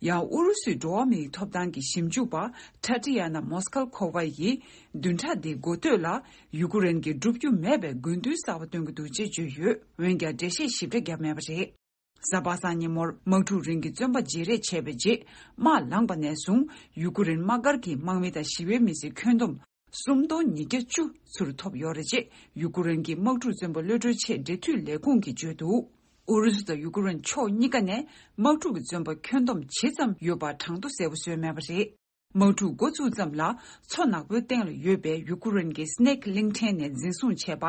ཡང་ཨུ་རུ་སུའི་འགྲོ་བ་མིའི་ཐོབ་ཐང་གི་ཞིབ་འཇུག་པ་ཁྲ་ཏི་ཡ་ན་མོ་སྐལ་ཁོ་ཝ་ཡིས་བདུན་ཕྲག་འདིའི་འགོ་སྟོད་ལ་ཡུ་ཀུ་རེན་གྱིས་བསྒྲུབ་རྒྱུ་མེད་པའི་དགོས་འདུན་གསར་པ་བཏོན་གྱི་འདུག་ཅེས་བརྗོད་ཡོད། འོན་ཀྱང་འགྲེལ་བཤད་ཞིབ་ཕྲ་བརྒྱབ་མེད་པ་རེད། གཟའ་པ་སངས་ཉིན་མོར་དམག་འཁྲུག་རིང་གི་བཙོན་པ་བརྗེ་རེས་བྱས་པའི་རྗེས་དམག་ལངས་པ་ནས་བཟུང་ཡུ་ཀུ་རེན་དམག་སྒར་གྱི་དམག་མི་དང་ཞི་བའི་མི་སེར་ཁྱོན་བསྡོམས་སུམ་སྟོང་ཉིས་བརྒྱ་བཅུ་ཚུར་ཐོབ་ཡོད་རེད་ཅེས་ཡུ་ཀུ་རེན་གྱི་དམག་འཁྲུག་བཙོན་པ་གློད་གྲོལ་ཆེད་འབྲེལ་མཐུད་ལས་ཁུངས་ཀྱིས་བརྗོད་འདུག་ཨུ་རུ་སུ་དང་ཡུ་ཀུ་རེན་ཕྱོགས་གཉིས་ཀ་ནས་དམག་འཁྲུག་གི་བཙོན་པ་ཁྱོན་བསྡོམས་ཇི་ཙམ་ཡོད་པ་གྲངས་ཐོ་གསལ་པོ་བཟོས་མེད་པ་རེད། དམག་འཁྲུག་འགོ་བཙུགས་ཙམ་ལ་མཚོ་ནག་པོའི་སྟེང་ལ་ཡོད་པའི་ཡུ་ཀུ་རེན་གྱི་སི་ནེག་གླིང་ཕྲན་ནས་འཛིན་བཟུང་བྱས་པ་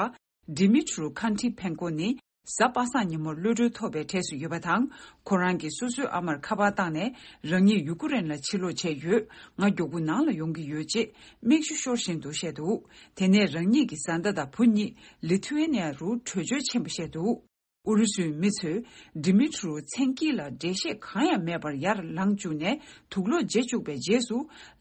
ཌི་མི་ཊྲོ་ཁན་ཊི་ཕེན་ཀོ་ནི་གཟའ་པ་སངས་ཉིན་མོར་གློད་གྲོལ་ཐོབ་པའི་གྲས་སུ་ཡོད་པ་དང་། ཁོ་རང་གིས་སོ་སོའི་ཨ་མར་ཁ་པར་བཏང་ནས་རང་ཉིད་ཡུ་ཀུ་རེན་ལ་ཕྱིར་ལོག་བྱས་ཡོད། ང་མགྱོགས་པོ་ནང་ལ་ཡོང་གི་ཡོད་ཅེས་མིག་ཆུ་ཤོར་བཞིན་དུ་བཤད་འདུག་དེ་ནས་རང་ཉིད་ཀྱི་བཟའ་ཟླ་དང་བུ་གཉིས་ལི་ཐུ་ཝེ་ནི་ཡ་རུ་བྲོས་བྱོལ་ཕྱིན་པ་བཤད་འདུག་ཨུ་རུ་སུའི་མི་ཚོས་ཌི་མི་ཊི་རུ་མཚན་དཀྱིལ་ལ་འགྲེལ་བཤད་གང་ཡང་མེད་པར་ཡར་ལངས་བཅུག་ནས་དུག་ལོག་བརྗེ་བཅུག་པའི་རྗེས་སུ།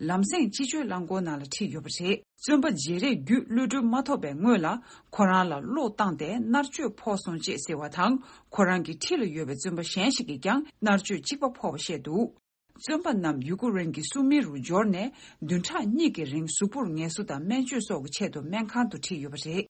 ལམ་སེང་སྤྱི་སྤྱོད་རླངས་འཁོར་ནང་ལ་ཁྲིད་ཡོད་པ་རེད། བཙོན་པ་བརྗེ་རེས་བརྒྱུད་གློད་གྲོལ་མ་ཐོབ་པའི་སྔོན་ལ། ཁོ་རང་ལ་གློག་བཏང་སྟེ་མནར་གཅོད་ཕོག་སོང་ཅེས་ཟེར་བ་དང་། ཁོ་རང་གི་འཁྲིས་ལ་ཡོད་པའི་བཙོན་པ་གཞན་ཞིག་གིས་ཀྱང་མནར་གཅོད་གཅིག་པ་ཕོག་པ་བཤད་འདུག་བཙོན་པ་རྣམས་ཡུ་ཀུ་རེན་གྱི་སུ་མི་རུ་འབྱོར་ནས། བདུན་ཕྲག་གཉིས་ཀྱི་རིང་གཟུགས་པོར་ངལ་གསོ་དང་སྨན་བཅོས་སོགས་ཀྱི་ཆེད་དུ་སྨན་ཁང་དུ་ཁྲིད་ཡོད་པ་རེད།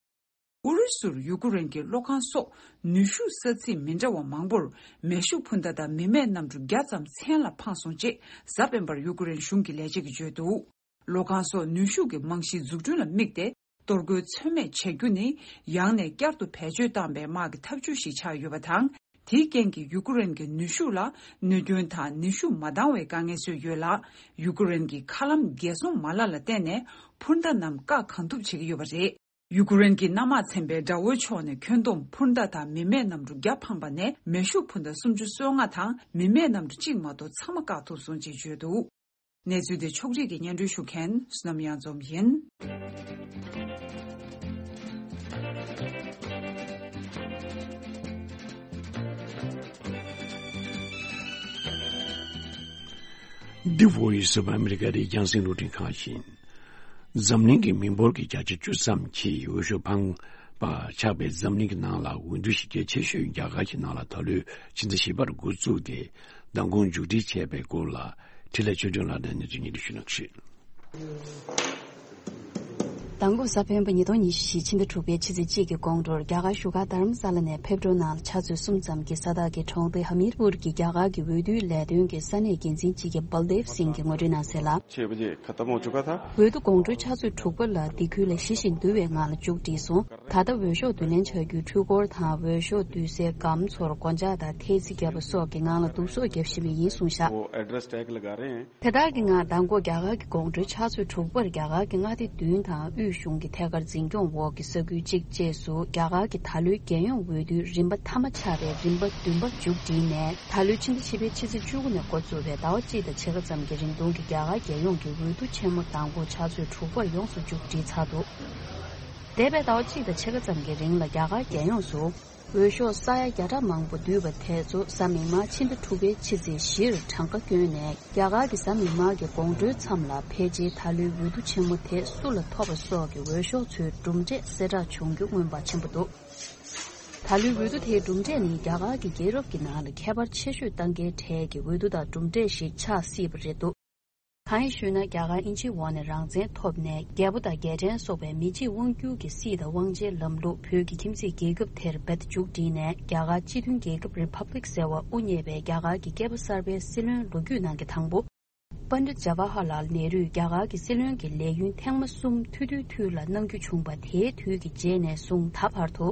ཨུ་རུ་སུར་ཡུ་ཀུ་རེན་གྱི་གློག་ཁང་སོགས་ནུས་ཤུགས་ས་ཚིགས་མི་འདྲ་བ་མང་པོར་མེ་ཤུགས་འཕུར་མདའ་དང་མི་མེད་གནམ་གྲུ་བརྒྱ་ཙམ་མཚན་ལ་འཕངས་སོང་ཅེས་གཟའ་སྤེན་པར་ཡུ་ཀུ་རེན་གཞུང་གི་ལས་བྱེད་ཀྱིས་བརྗོད་འདུག་གློག་ཁང་སོགས་ནུས་ཤུགས་ཀྱི་རྨང་གཞིའི་འཛུགས་སྐྲུན་ལ་དམིགས་ཏེ། གཏོར་རྒོལ་ཚོད་མེད་བྱ་རྒྱུ་ནི། ཡང་ནས་བསྐྱར་དུ་བེད་སྤྱོད་བཏང་བའི་དམག་གི་ཐབས་ཇུས་ཤིག་ཆགས་ཡོད་པ་དང་། དེའི་རྐྱེན་གྱིས་ཡུ་ཀུ་རེན་གྱི་ནུས་ཤུགས་ལ་གནོད་སྐྱོན་དང་ནུས་ཤུགས་མ་འདང་བའི་དཀའ་ངལ་བཟོས་ཡོད་ལ། ཡུ་ཀུ་རེན་གྱི་མཁའ་ལམ་རྒྱལ་སྲུང་མ་ལག་ལ་བརྟེན་ནས་འཕུར་མདའ་རྣམས་བཀག་གང་ཐུབ་བྱེད་ཀྱི་ཡོད་པ་རེད། ཡུ་ཀུ་རེན་གྱི་གནམ་དམག་ཚན་པས་དགྲ་བོའི་ཕྱོགས་ནས་ཁྱོན་བསྡོམས་འཕུར་མདའ་དང་མི་མེད་གནམ་གྲུ་བརྒྱ་འཕངས་པ་ནས་མེ་ཤུགས་འཕུར་མདའ་སུམ་ཅུ་སོ་ལྔ་དང་མི་མེད་གནམ་གྲུ་གཅིག་མ་གཏོགས་ཚང་མ་བཀག་ཐུབ་སོང་ཅེས་བརྗོད་འདུག་གནས་ཚུལ་དེ་ཕྱོགས་སྒྲིག་གིས་སྙན་སྒྲོན་ཞུ་མཁན་བསོད་ནམས་གཡང་འཛོམས་ཡིན། The Voice of America རེད། རྒྱང་སྲིང་རླུང་འཕྲིན་ཁང་ཡིན། འཛམ་གླིང་གི་མི་འབོར་གྱི་བརྒྱ་ཆ་བཅུ་ཙམ་གྱིས་འོས་ཤོག་འཕངས་པ་ཆགས་པའི་འཛམ་གླིང་གི་ནང་ལ་འོས་བསྡུ་གཞི་རྒྱ་ཆེ་ཤོས་རྒྱ་གར་གྱི་ནང་ལ་ད་ལོའི་ཕྱི་ཟླ་བཞི་པར་འགོ་བཙུགས་ཏེ་མདང་དགོང་མཇུག་སྒྲིལ་བྱས་པའི་སྐོར་ལ་འཕྲིན་ལས་ཆོས་སྒྲོན་ལགས་ནས་གནས་ཚུལ་སྙན་སྒྲོན་ཞུ་གནང་ཞུ། མདང་དགོང་གཟའ་སྤེན་པ་ཉིས་སྟོང་ཉི་ཤུ་ཕྱི་ཟླ་དྲུག་པའི་ཕྱི་ཚེས་གཅིག་གི་དགོང་དྲོར་རྒྱ་གར་བཞུགས་སྒར་རྡ་རམ་ས་ལ་ནས་ཕེབས་འགྲོའི་ནང་ལ་ཆུ་ཚོད་གསུམ་ཙམ་གྱི་ས་ཐག་གི་གྲོང་སྡེ་ཧ་མིར་པུར་གྱི་རྒྱ་གར་གྱི་འོས་བསྡུའི་ལས་དོན་གྱི་ས་གནས་འགན་འཛིན་ཅིག་གིས་བལ་དེབ་སིང་གིས་ངོ་སྤྲོད་གནང་གསལ་ལ། छह बजे खत्म हो चुका था। འོས་བསྡུ་དགོང་དྲོའི་ཆུ་ཚོད་དྲུག་པ་ལ་འདི་ཁུལ་ལ་གཞི་བཞིན་འདུལ་བའི་ངང་ལ་མཇུག་བསྒྲིལ་སོང་། ད་ལྟ་འོས་ཤོག་བསྡུ་ལེན་བྱ་རྒྱུའི་འཕྲུལ་འཁོར་དང་འོས་ཤོག་བསྡུ་སའི་སྒམ་ཚོར་སྒོ་ལྕགས་དང་ཐེལ་ཙེ་བརྒྱབ་པ་སོགས་ཀྱི་ངང་ལ་བསྡུ་གསོག་བརྒྱབ་བཞིན་པ་ཡིན་གསུངས་བཞག། वो address tag लगा रहे हैं। དེ་དག་གི་ངང་མདང་དགོང་རྒྱ་གར་གྱི་དགོང་དྲོའི་ཆུ་ཚོད་དྲུག་པར་རྒྱ་གར་གྱི་མངའ་སྡེ་བདུན་དང་དབུས་གཞུང་གི་ཐད་ཀར་འཛིན་སྐྱོང་འོག་གི་ས་ཁུལ་གཅིག་བཅས་སུ་རྒྱ་གར་གྱི་ད་ལོའི་རྒྱལ་ཡོངས་འོས་བསྡུའི་རིམ་པ་མཐའ་མ་ཆགས་པའི་རིམ་པ་བདུན་པ་མཇུག་བསྒྲིལ་ནས། ད་ལོའི་ཕྱི་ཟླ་བཞི་པའི་ཕྱི་ཚེས་བཅུ་དགུ་ནས་འགོ་བཙུགས་པའི་ཟླ་བ་གཅིག་དང་ཕྱེད་ཀ་ཙམ་གྱི་རིང་ཐུང་གི་རྒྱ་གར་རྒྱལ་ཡོངས་ཀྱི་འོས་བསྡུ་ཆེན་མོ་མདང་དགོང་ཆུ་ཚོད་དྲུག་པར་ཡོངས་སུ་མཇུག་བསྒྲིལ་ཚར་འདུག་འདས་པའི་ཟླ་བ་གཅིག་དང་ཕྱེད་ཀ་ཙམ་གྱི་རིང་ལ་རྒྱ་གར་རྒྱལ་ཡོངས་སུ། འོས་ཤོག་ས་ཡ་བརྒྱ་ཕྲག་མང་པོ་བསྡུས་པ་དེ་ཚོ་གཟའ་མིག་དམར་ཕྱི་ཟླ་དྲུག་པའི་ཕྱི་ཚེས་བཞིར་གྲངས་ཀ་བསྐྱོན་ནས། རྒྱ་གར་གྱི་གཟའ་མིག་དམར་གྱི་དགོང་དྲོའི་མཚམས་ལ་ཕལ་ཆེར་ད་ལོའི་འོས་བསྡུ་ཆེན་མོ་དེ་སུ་ལ་ཐོབ་པ་སོགས་ཀྱི་འོས་ཤོག་ཚོའི་གྲུབ་འབྲས་གསལ་བསྒྲགས་བྱུང་རྒྱུ་མངོན་པ་ཆེན་པོ་འདུག་ད་ལོའི་འོས་བསྡུ་དེའི་གྲུབ་འབྲས་ནི་རྒྱ་གར་གྱི་རྒྱལ་རབས་ཀྱི་ནང་ལ་ཁྱད་པར་ཆེ་ཤོས་གཏང་མཁན་གྲས་ཀྱི་འོས་བསྡུ་དང་གྲུབ་འབྲས་ཤིག་ཆགས་སྲིད་པ་རེད་འདུག་གང་ཡིན་ཞུས་ན། རྒྱ་གར་དབྱིན་ཇིའི་འོག་ནས་རང་བཙན་ཐོབ་ནས། རྒྱལ་པོ་དང་རྒྱལ་ཕྲན་སོགས་པའི་མི་གཅིག་དབང་བསྒྱུར་གྱི་སྲིད་དང་དབང་ཆའི་ལམ་ལུགས་བོད་ཀྱི་ཁྱིམ་མཚེས་རྒྱལ་ཁབ་དེར་རྦད་མཇུག་བསྒྲིལ་ནས། རྒྱ་གར་སྤྱི་མཐུན་རྒྱལ་ཁབ་རི་ཕབ་ལིག་ཟེར་བ་དབུ་བརྙེས་པའི་རྒྱ་གར་གྱི་སྐྱེས་པ་གསར་པའི་སྲིད་བློན་ལོ་རྒྱུས་ནང་གི་དང་པོ། པཎྜི་ཏ་ཇ་ཝ་ཧར་ལཱལ་ནེ་རུས་རྒྱ་གར་གྱི་སྲིད་བློན་གྱི་ལས་ཡུན་ཐེངས་མ་གསུམ་ཐུང་ཐུང་དུས་ལ་གནང་རྒྱུ་བྱུང་བ། དེའི་དུས་ཀྱི་རྗེས་ནས་བཟུང་ད་བར་དུ།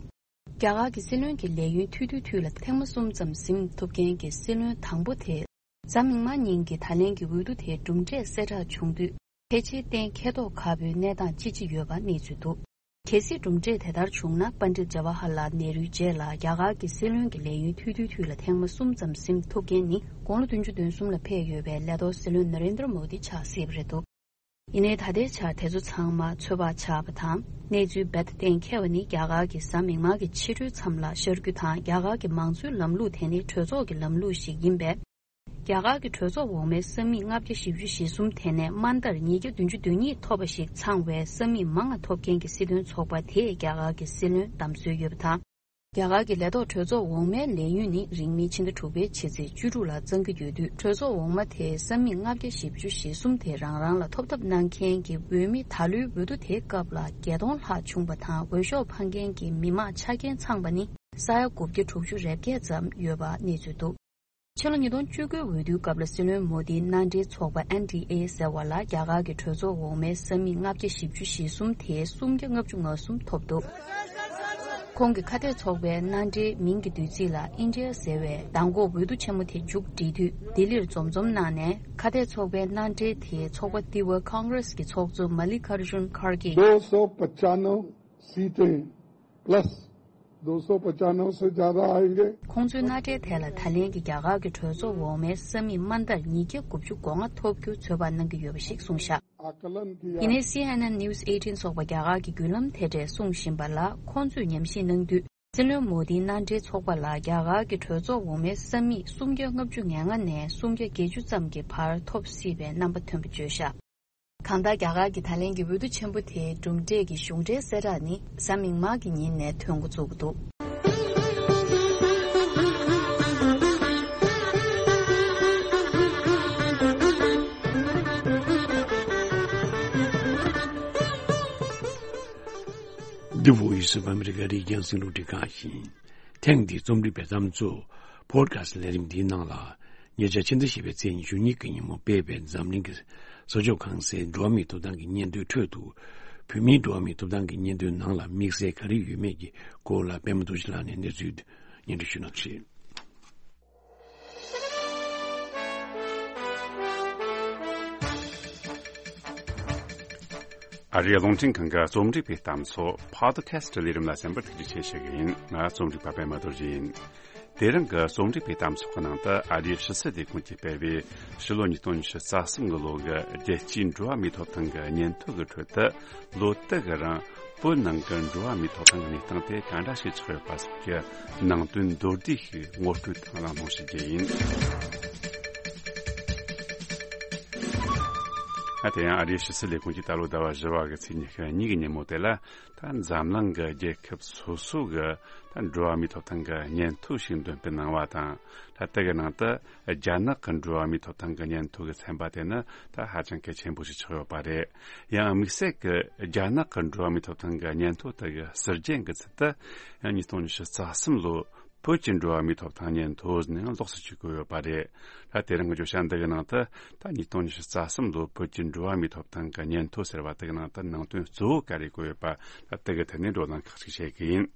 རྒྱ་གར་གྱི་སྲིད་བློན་གྱི་ལས་ཡུན་ཐུང་ཐུང་དུས་ལ་ཐེངས་མ་གསུམ་ཙམ་ཟིན་ཐུབ་མཁན་གྱི་སྲིད་བློན་དང་པོ་དེ། གཟའ་མིག་དམར་ཉིན་གྱི་ད་ལན་གྱི་འོས་བསྡུ་དེའི་གྲུབ་འབྲས་གསལ་བསྒྲགས་བྱུང་དུས། ཕལ་ཆེར་གཏན་འཁེལ་མདོག་ཁ་པོའི་གནས་སྟངས་ཅིག་ཅིག་ཡོད་པ་གནས་ཚུལ་འདུག་གལ་སྲིད་གྲུབ་འབྲས་དེ་ལྟར་བྱུང་ན། པཎྜི་ཏ་ཇ་ཝ་ཧར་ལཱལ་ནེ་རུའི་རྗེས་ལ་རྒྱ་གར་གྱི་སྲིད་བློན་གྱི་ལས་ཡུན་ཐུང་ཐུང་དུས་ལ་ཐེངས་མ་གསུམ་ཙམ་ཟིན་ཐུབ་མཁན་ནི། དགུང་ལོ་བདུན་ཅུ་དོན་གསུམ་ལ་ཕེབས་ཡོད་པའི་ལས་ཐོག་སྲིད་བློན་ན་རེན་དྲ་མོ་དི་ཆགས་སྲིད་པ་རེད་འདུག་ཡིན་ནའི་ད་ལྟའི་ཆར་དེ་ཚོ་ཚང་མ་ཚོད་དཔག་ཆགས་པ་དང་། གནས་ཚུལ་རྦད་དེ་གཏན་འཁེལ་བ་ནི། རྒྱ་གར་གྱི་གཟའ་མིག་དམར་གྱི་ཕྱི་དྲོའི་མཚམས་ལ་ཤར་རྒྱུ་དང་། རྒྱ་གར་གྱི་མང་གཙོའི་ལམ་ལུགས་དེ་ནི་གྲོས་ཚོགས་ཀྱི་ལམ་ལུགས་ཤིག་ཡིན་པས། རྒྱ་གར་གྱི་གྲོས་ཚོགས་འོག་མའི་ས་མིག་ལྔ་བརྒྱ་བཞི་བཅུ་ཞེ་གསུམ་དེ་ནས་དམའ་མཐར་ཉིས་བརྒྱ་བདུན་ཅུ་དོན་གཉིས་ཐོབ་པ་ཞིག་ཚང་བའི་ས་མིག་མང་ང་ཐོབ་མཁན་གྱི་སྲིད་དོན་ཚོགས་པ་དེས་རྒྱ་གར་གྱི་སྲིད་བློན་བདམས་སྲོལ་ཡོད་པ་དང་། རྒྱ་གར་གྱི་ལས་ཐོག་གྲོས་ཚོགས་འོག་མའི་ལས་ཡུན་ནི་རིང་མིན་ཕྱི་ཟླ་དྲུག་པའི་ཕྱི་ཚེས་བཅུ་དྲུག་ལ་གཙང་གི་ཡོད་དུས། གྲོས་ཚོགས་འོག་མ་དེའི་ས་མིག་ལྔ་བརྒྱ་བཞི་བཅུ་ཞེ་གསུམ་དེ་རང་རང་ལ་ཐོབ་ཐབས་གནང་མཁན་གྱི་འོས་མི་ད་ལོའི་འོས་བསྡུ་དེའི་སྐབས་ལ་བརྒྱད་སྟོང་ལྷག་བྱུང་བ་དང་། འོས་ཤོག་འཕངས་མཁན་གྱི་མི་མང་ཆ་རྐྱེན་ཚང་པ་ནི་ས་ཡ་དགུ་བརྒྱ་དྲུག་ཅུ་རེ་བརྒྱད་ཙམ་ཡོད་པ་གནས་ཚུལ་འདུག་ཕྱི་ལོ་ཉིས་སྟོང་བཅུ་དགུའི་འོས་བསྡུའི་སྐབས་ལ་སྲིད་བློན་མོ་དིའི་མནའ་འབྲེལ་ཚོགས་པ་ཨེན་ཌི་ཨེ་ཟེར་བ་ལ་རྒྱ་གར་གྱི་གྲོས་ཚོགས་འོག་མའི་ས་མིག་ལྔ་བརྒྱ་བཞི་བཅུ་ཞེ་གསུམ་དེའི་སུམ་བརྒྱ་ལྔ་བཅུ་ང་གསུམ་ཐོབ་འདུག་ཁོང་གི་ཁ་གཏད་ཚོགས་པའི་མནའ་འབྲེལ་མིང་གི་བསྡུས་ཚིག་ལ་ཨིན་ཌི་ཡ་ཟེར་བས་མདང་དགོང་འོས་བསྡུ་ཆེན་མོ་དེ་མཇུག་བསྒྲིལ་དུས་ལྡི་ལིར་འཛོམས་འཛོམས་གནང་ནས། ཁ་གཏད་ཚོགས་པའི་མནའ་འབྲེལ་དེའི་ཚོགས་པ་ཏི་ཝ་ཀོང་གྷི་རེས་ཀྱི་ཚོགས་གཙོ་མ་ལི་ཀར་ཇུན་ཁར་གེ། दो सौ पचानवे सीटें प्लस दो सौ पचानवे से ज्यादा आएंगे। ཁོང་ཚོའི་མནའ་འབྲེལ་དེ་ལ་ད་ལན་གྱི་རྒྱ་གར་གྱི་གྲོས་ཚོགས་འོག་མའི་ས་མིག་དམའ་མཐར་ཉིས་བརྒྱ་དགུ་བཅུ་གོ་ལྔ་ཐོབ་རྒྱུ་ཚོད་དཔག་གནང་གི་ཡོད་པ་ཞིག་གསུངས་བཞག་ཡིན་ནའི་སི་ཨེན་ཨེན་News eighteen སོགས་པ་རྒྱ་གར་གྱི་བརྒྱུད་ལམ་དེ་འདྲས་གསུངས་བཞིན་པ་ལ། ཁོང་ཚོས་ཉམས་ཞིབ་གནང་དུས། སྲིད་བློན་མོ་དིའི་མནའ་འབྲེལ་ཚོགས་པ་ལ་རྒྱ་གར་གྱི་གྲོས་ཚོགས་འོག་མའི་ས་མིག་སུམ་བརྒྱ་ལྔ་བཅུ་ང་ལྔ་ནས་སུམ་བརྒྱ་བརྒྱད་ཅུ་ཙམ་གྱི་བར་ཐོབ་སྲིད་པའི་རྣམ་པ་ཐོན་པ་བརྗོད་བཞག་གང་ལྟར་རྒྱ་གར་གྱི་ད་ལན་གྱི་འོས་བསྡུ་ཆེན་པོ་དེའི་གྲུབ་འབྲས་ཀྱི་གཞུང་འབྲེལ་གསལ་བསྒྲགས་ནི་གཟའ་མིག་དམར་གྱི་ཉིན་ནས་ཐོན་འགོ་བཙུགས་ཀྱི་འདུག་འདི་བོད་ཡིག་གཟུགས་ཨ་མི་རི་ཀ་རིག་གཞུང་སློབ་ཁྲིད་ཁང་ཡིན། ཐེངས་འདིའི་རྩོམ་སྒྲིག་པའི་བརྩམས་ཆོས་པོ་ཌི་ཁ་སི་ལས་རིམ་འདིའི་ནང་ལ། ཉེ་ཆར་ཕྱི་ཟླ་བཞི་པའི་ཚེས་ཉི་ཤུ་གཉིས་ཀྱི་ཉིན་མོ་སྤེལ་བའི་འཛམ་གླིང་གི་གསོ་སྐྱོང་ཁང་གསར་འགྲོ་བ་མིའི་ཐོབ་ཐང་གི་སྙན་ཐོའི་ཁྲོད་དུ། བོད་མིའི་འགྲོ་བ་མིའི་ཐོབ་ཐང་གི་སྙན་ཐོའི་ནང་ལ་དམིགས་བསལ་ག་རེ་ཡོད་མེད་ཀྱི་སྐོར་ལ་པད་མ་རྡོ་རྗེ་ལགས་ནས་གནས་ཚུལ་སྙན་སྒྲོན་ཞུ་གནང་ཞུ། ཨ་རིའི་རླུང་འཕྲིན་ཁང་གི་རྩོམ་སྒྲིག་པའི་གཏམ་ཚོགས་པོ་ཌི་ཁ་སི་ལས་རིམ་ལ་གསན་པར་ཐུགས་རྗེ་ཆེ་ཞུ་གི་ཡིན། ང་རྩོམ་སྒྲིག་པ་པད་མ་རྡོ་རྗེ་ཡིན། དེ་རིང་གི་རྩོམ་སྒྲིག་པའི་གཏམ་ཚོགས་ཀྱི་ནང་དུ་ཨ་རིའི་ཕྱི་སྲིད་ལས་ཁུངས་ཀྱིས་སྤེལ་བའི་ཕྱི་ལོ་ཉིས་སྟོང་ཉི་ཤུ་རྩ་གསུམ་གི་ལོ་གི་རྒྱལ་སྤྱིའི་འགྲོ་བ་མིའི་ཐོབ་ཐང་གི་སྙན་ཐོ་གི་ཁྲོད་དུ། ལོ་དུ་གི་རིང་བོད་ནང་གི་འགྲོ་བ་མིའི་ཐོབ་ཐང་གི་གནས་སྟངས་དེ་ག་འདྲ་ཞིག་ཆགས་ཡོད་པ་སོགས་ཀྱི་ནང་དོན་མདོར་བསྡུས་ཤིག་ངོ་སྤྲོད་དང་གླེང་སློང་ཞུ་རྒྱུ་ཡིན། ཨ། དེ་ཡང་ཨ་རིའི་ཕྱི་སྲིད་ལས་ཁུངས་ཀྱིས་ད་ལོ་ཟླ་བ་བཞི་པ་གི་ཚེས་ཉི་ཤུ་གཉིས་ཀྱི་ཉིན་མོ་དེ་ལ། ད་འཛམ་གླིང་གི་རྒྱལ་ཁབ་སོ་སོ་གི་ད་འགྲོ་བ་མིའི་ཐོབ་ཐང་གི་སྙན་ཐོ་ཞིག་འདོན་སྤེལ་གནང་བ་དང་། ད་ལྟ་གི་ནང་དུ་རྒྱ་ནག་གི་འགྲོ་བ་མིའི་ཐོབ་ཐང་གི་སྙན་ཐོ་གི་ཚན་པ་དེ་ནི་ད་ཧ་ཅང་གལ་ཆེན་པོ་ཞིག་ཆགས་ཡོད་པ་རེད། ཡང་དམིགས་བསལ་གྱི་རྒྱ་ནག་གི་འགྲོ་བ་མིའི་ཐོབ་ཐང་གི་སྙན་ཐོ་དེ་གི་ཟུར་རྒྱན་གྱི་ཚུལ་དུ། ཡང་ཉིས་སྟོང་ཉི་ཤུ་རྩ་གསུམ་ལོ་བོད་ཀྱི་འགྲོ་བ་མིའི་ཐོབ་ཐང་སྙན་ཐོ་ཟེར་ནས་ཡང་ལོགས་སུ་བྲིས་བཀོད་ཡོད་པ་རེད། ད་དེ་རིང་གི་བརྗོད་བྱ་འདི་གི་ནང་དུ། ད་ཉིས་སྟོང་ཉི་ཤུ་རྩ་གསུམ་ལོ་བོད་ཀྱི་འགྲོ་བ་མིའི་ཐོབ་ཐང་གི་སྙན་ཐོ་ཟེར་བ་དེ་གི་ནང་དུ་ནང་དོན་གཙོ་བོ་ག་རེ་བཀོད་ཡོད་པ། ད་དེ་གི་ཐད་ནས་བགྲོ་གླེང་ཁག་ཅིག་བྱེད་ཀྱི་ཡིན།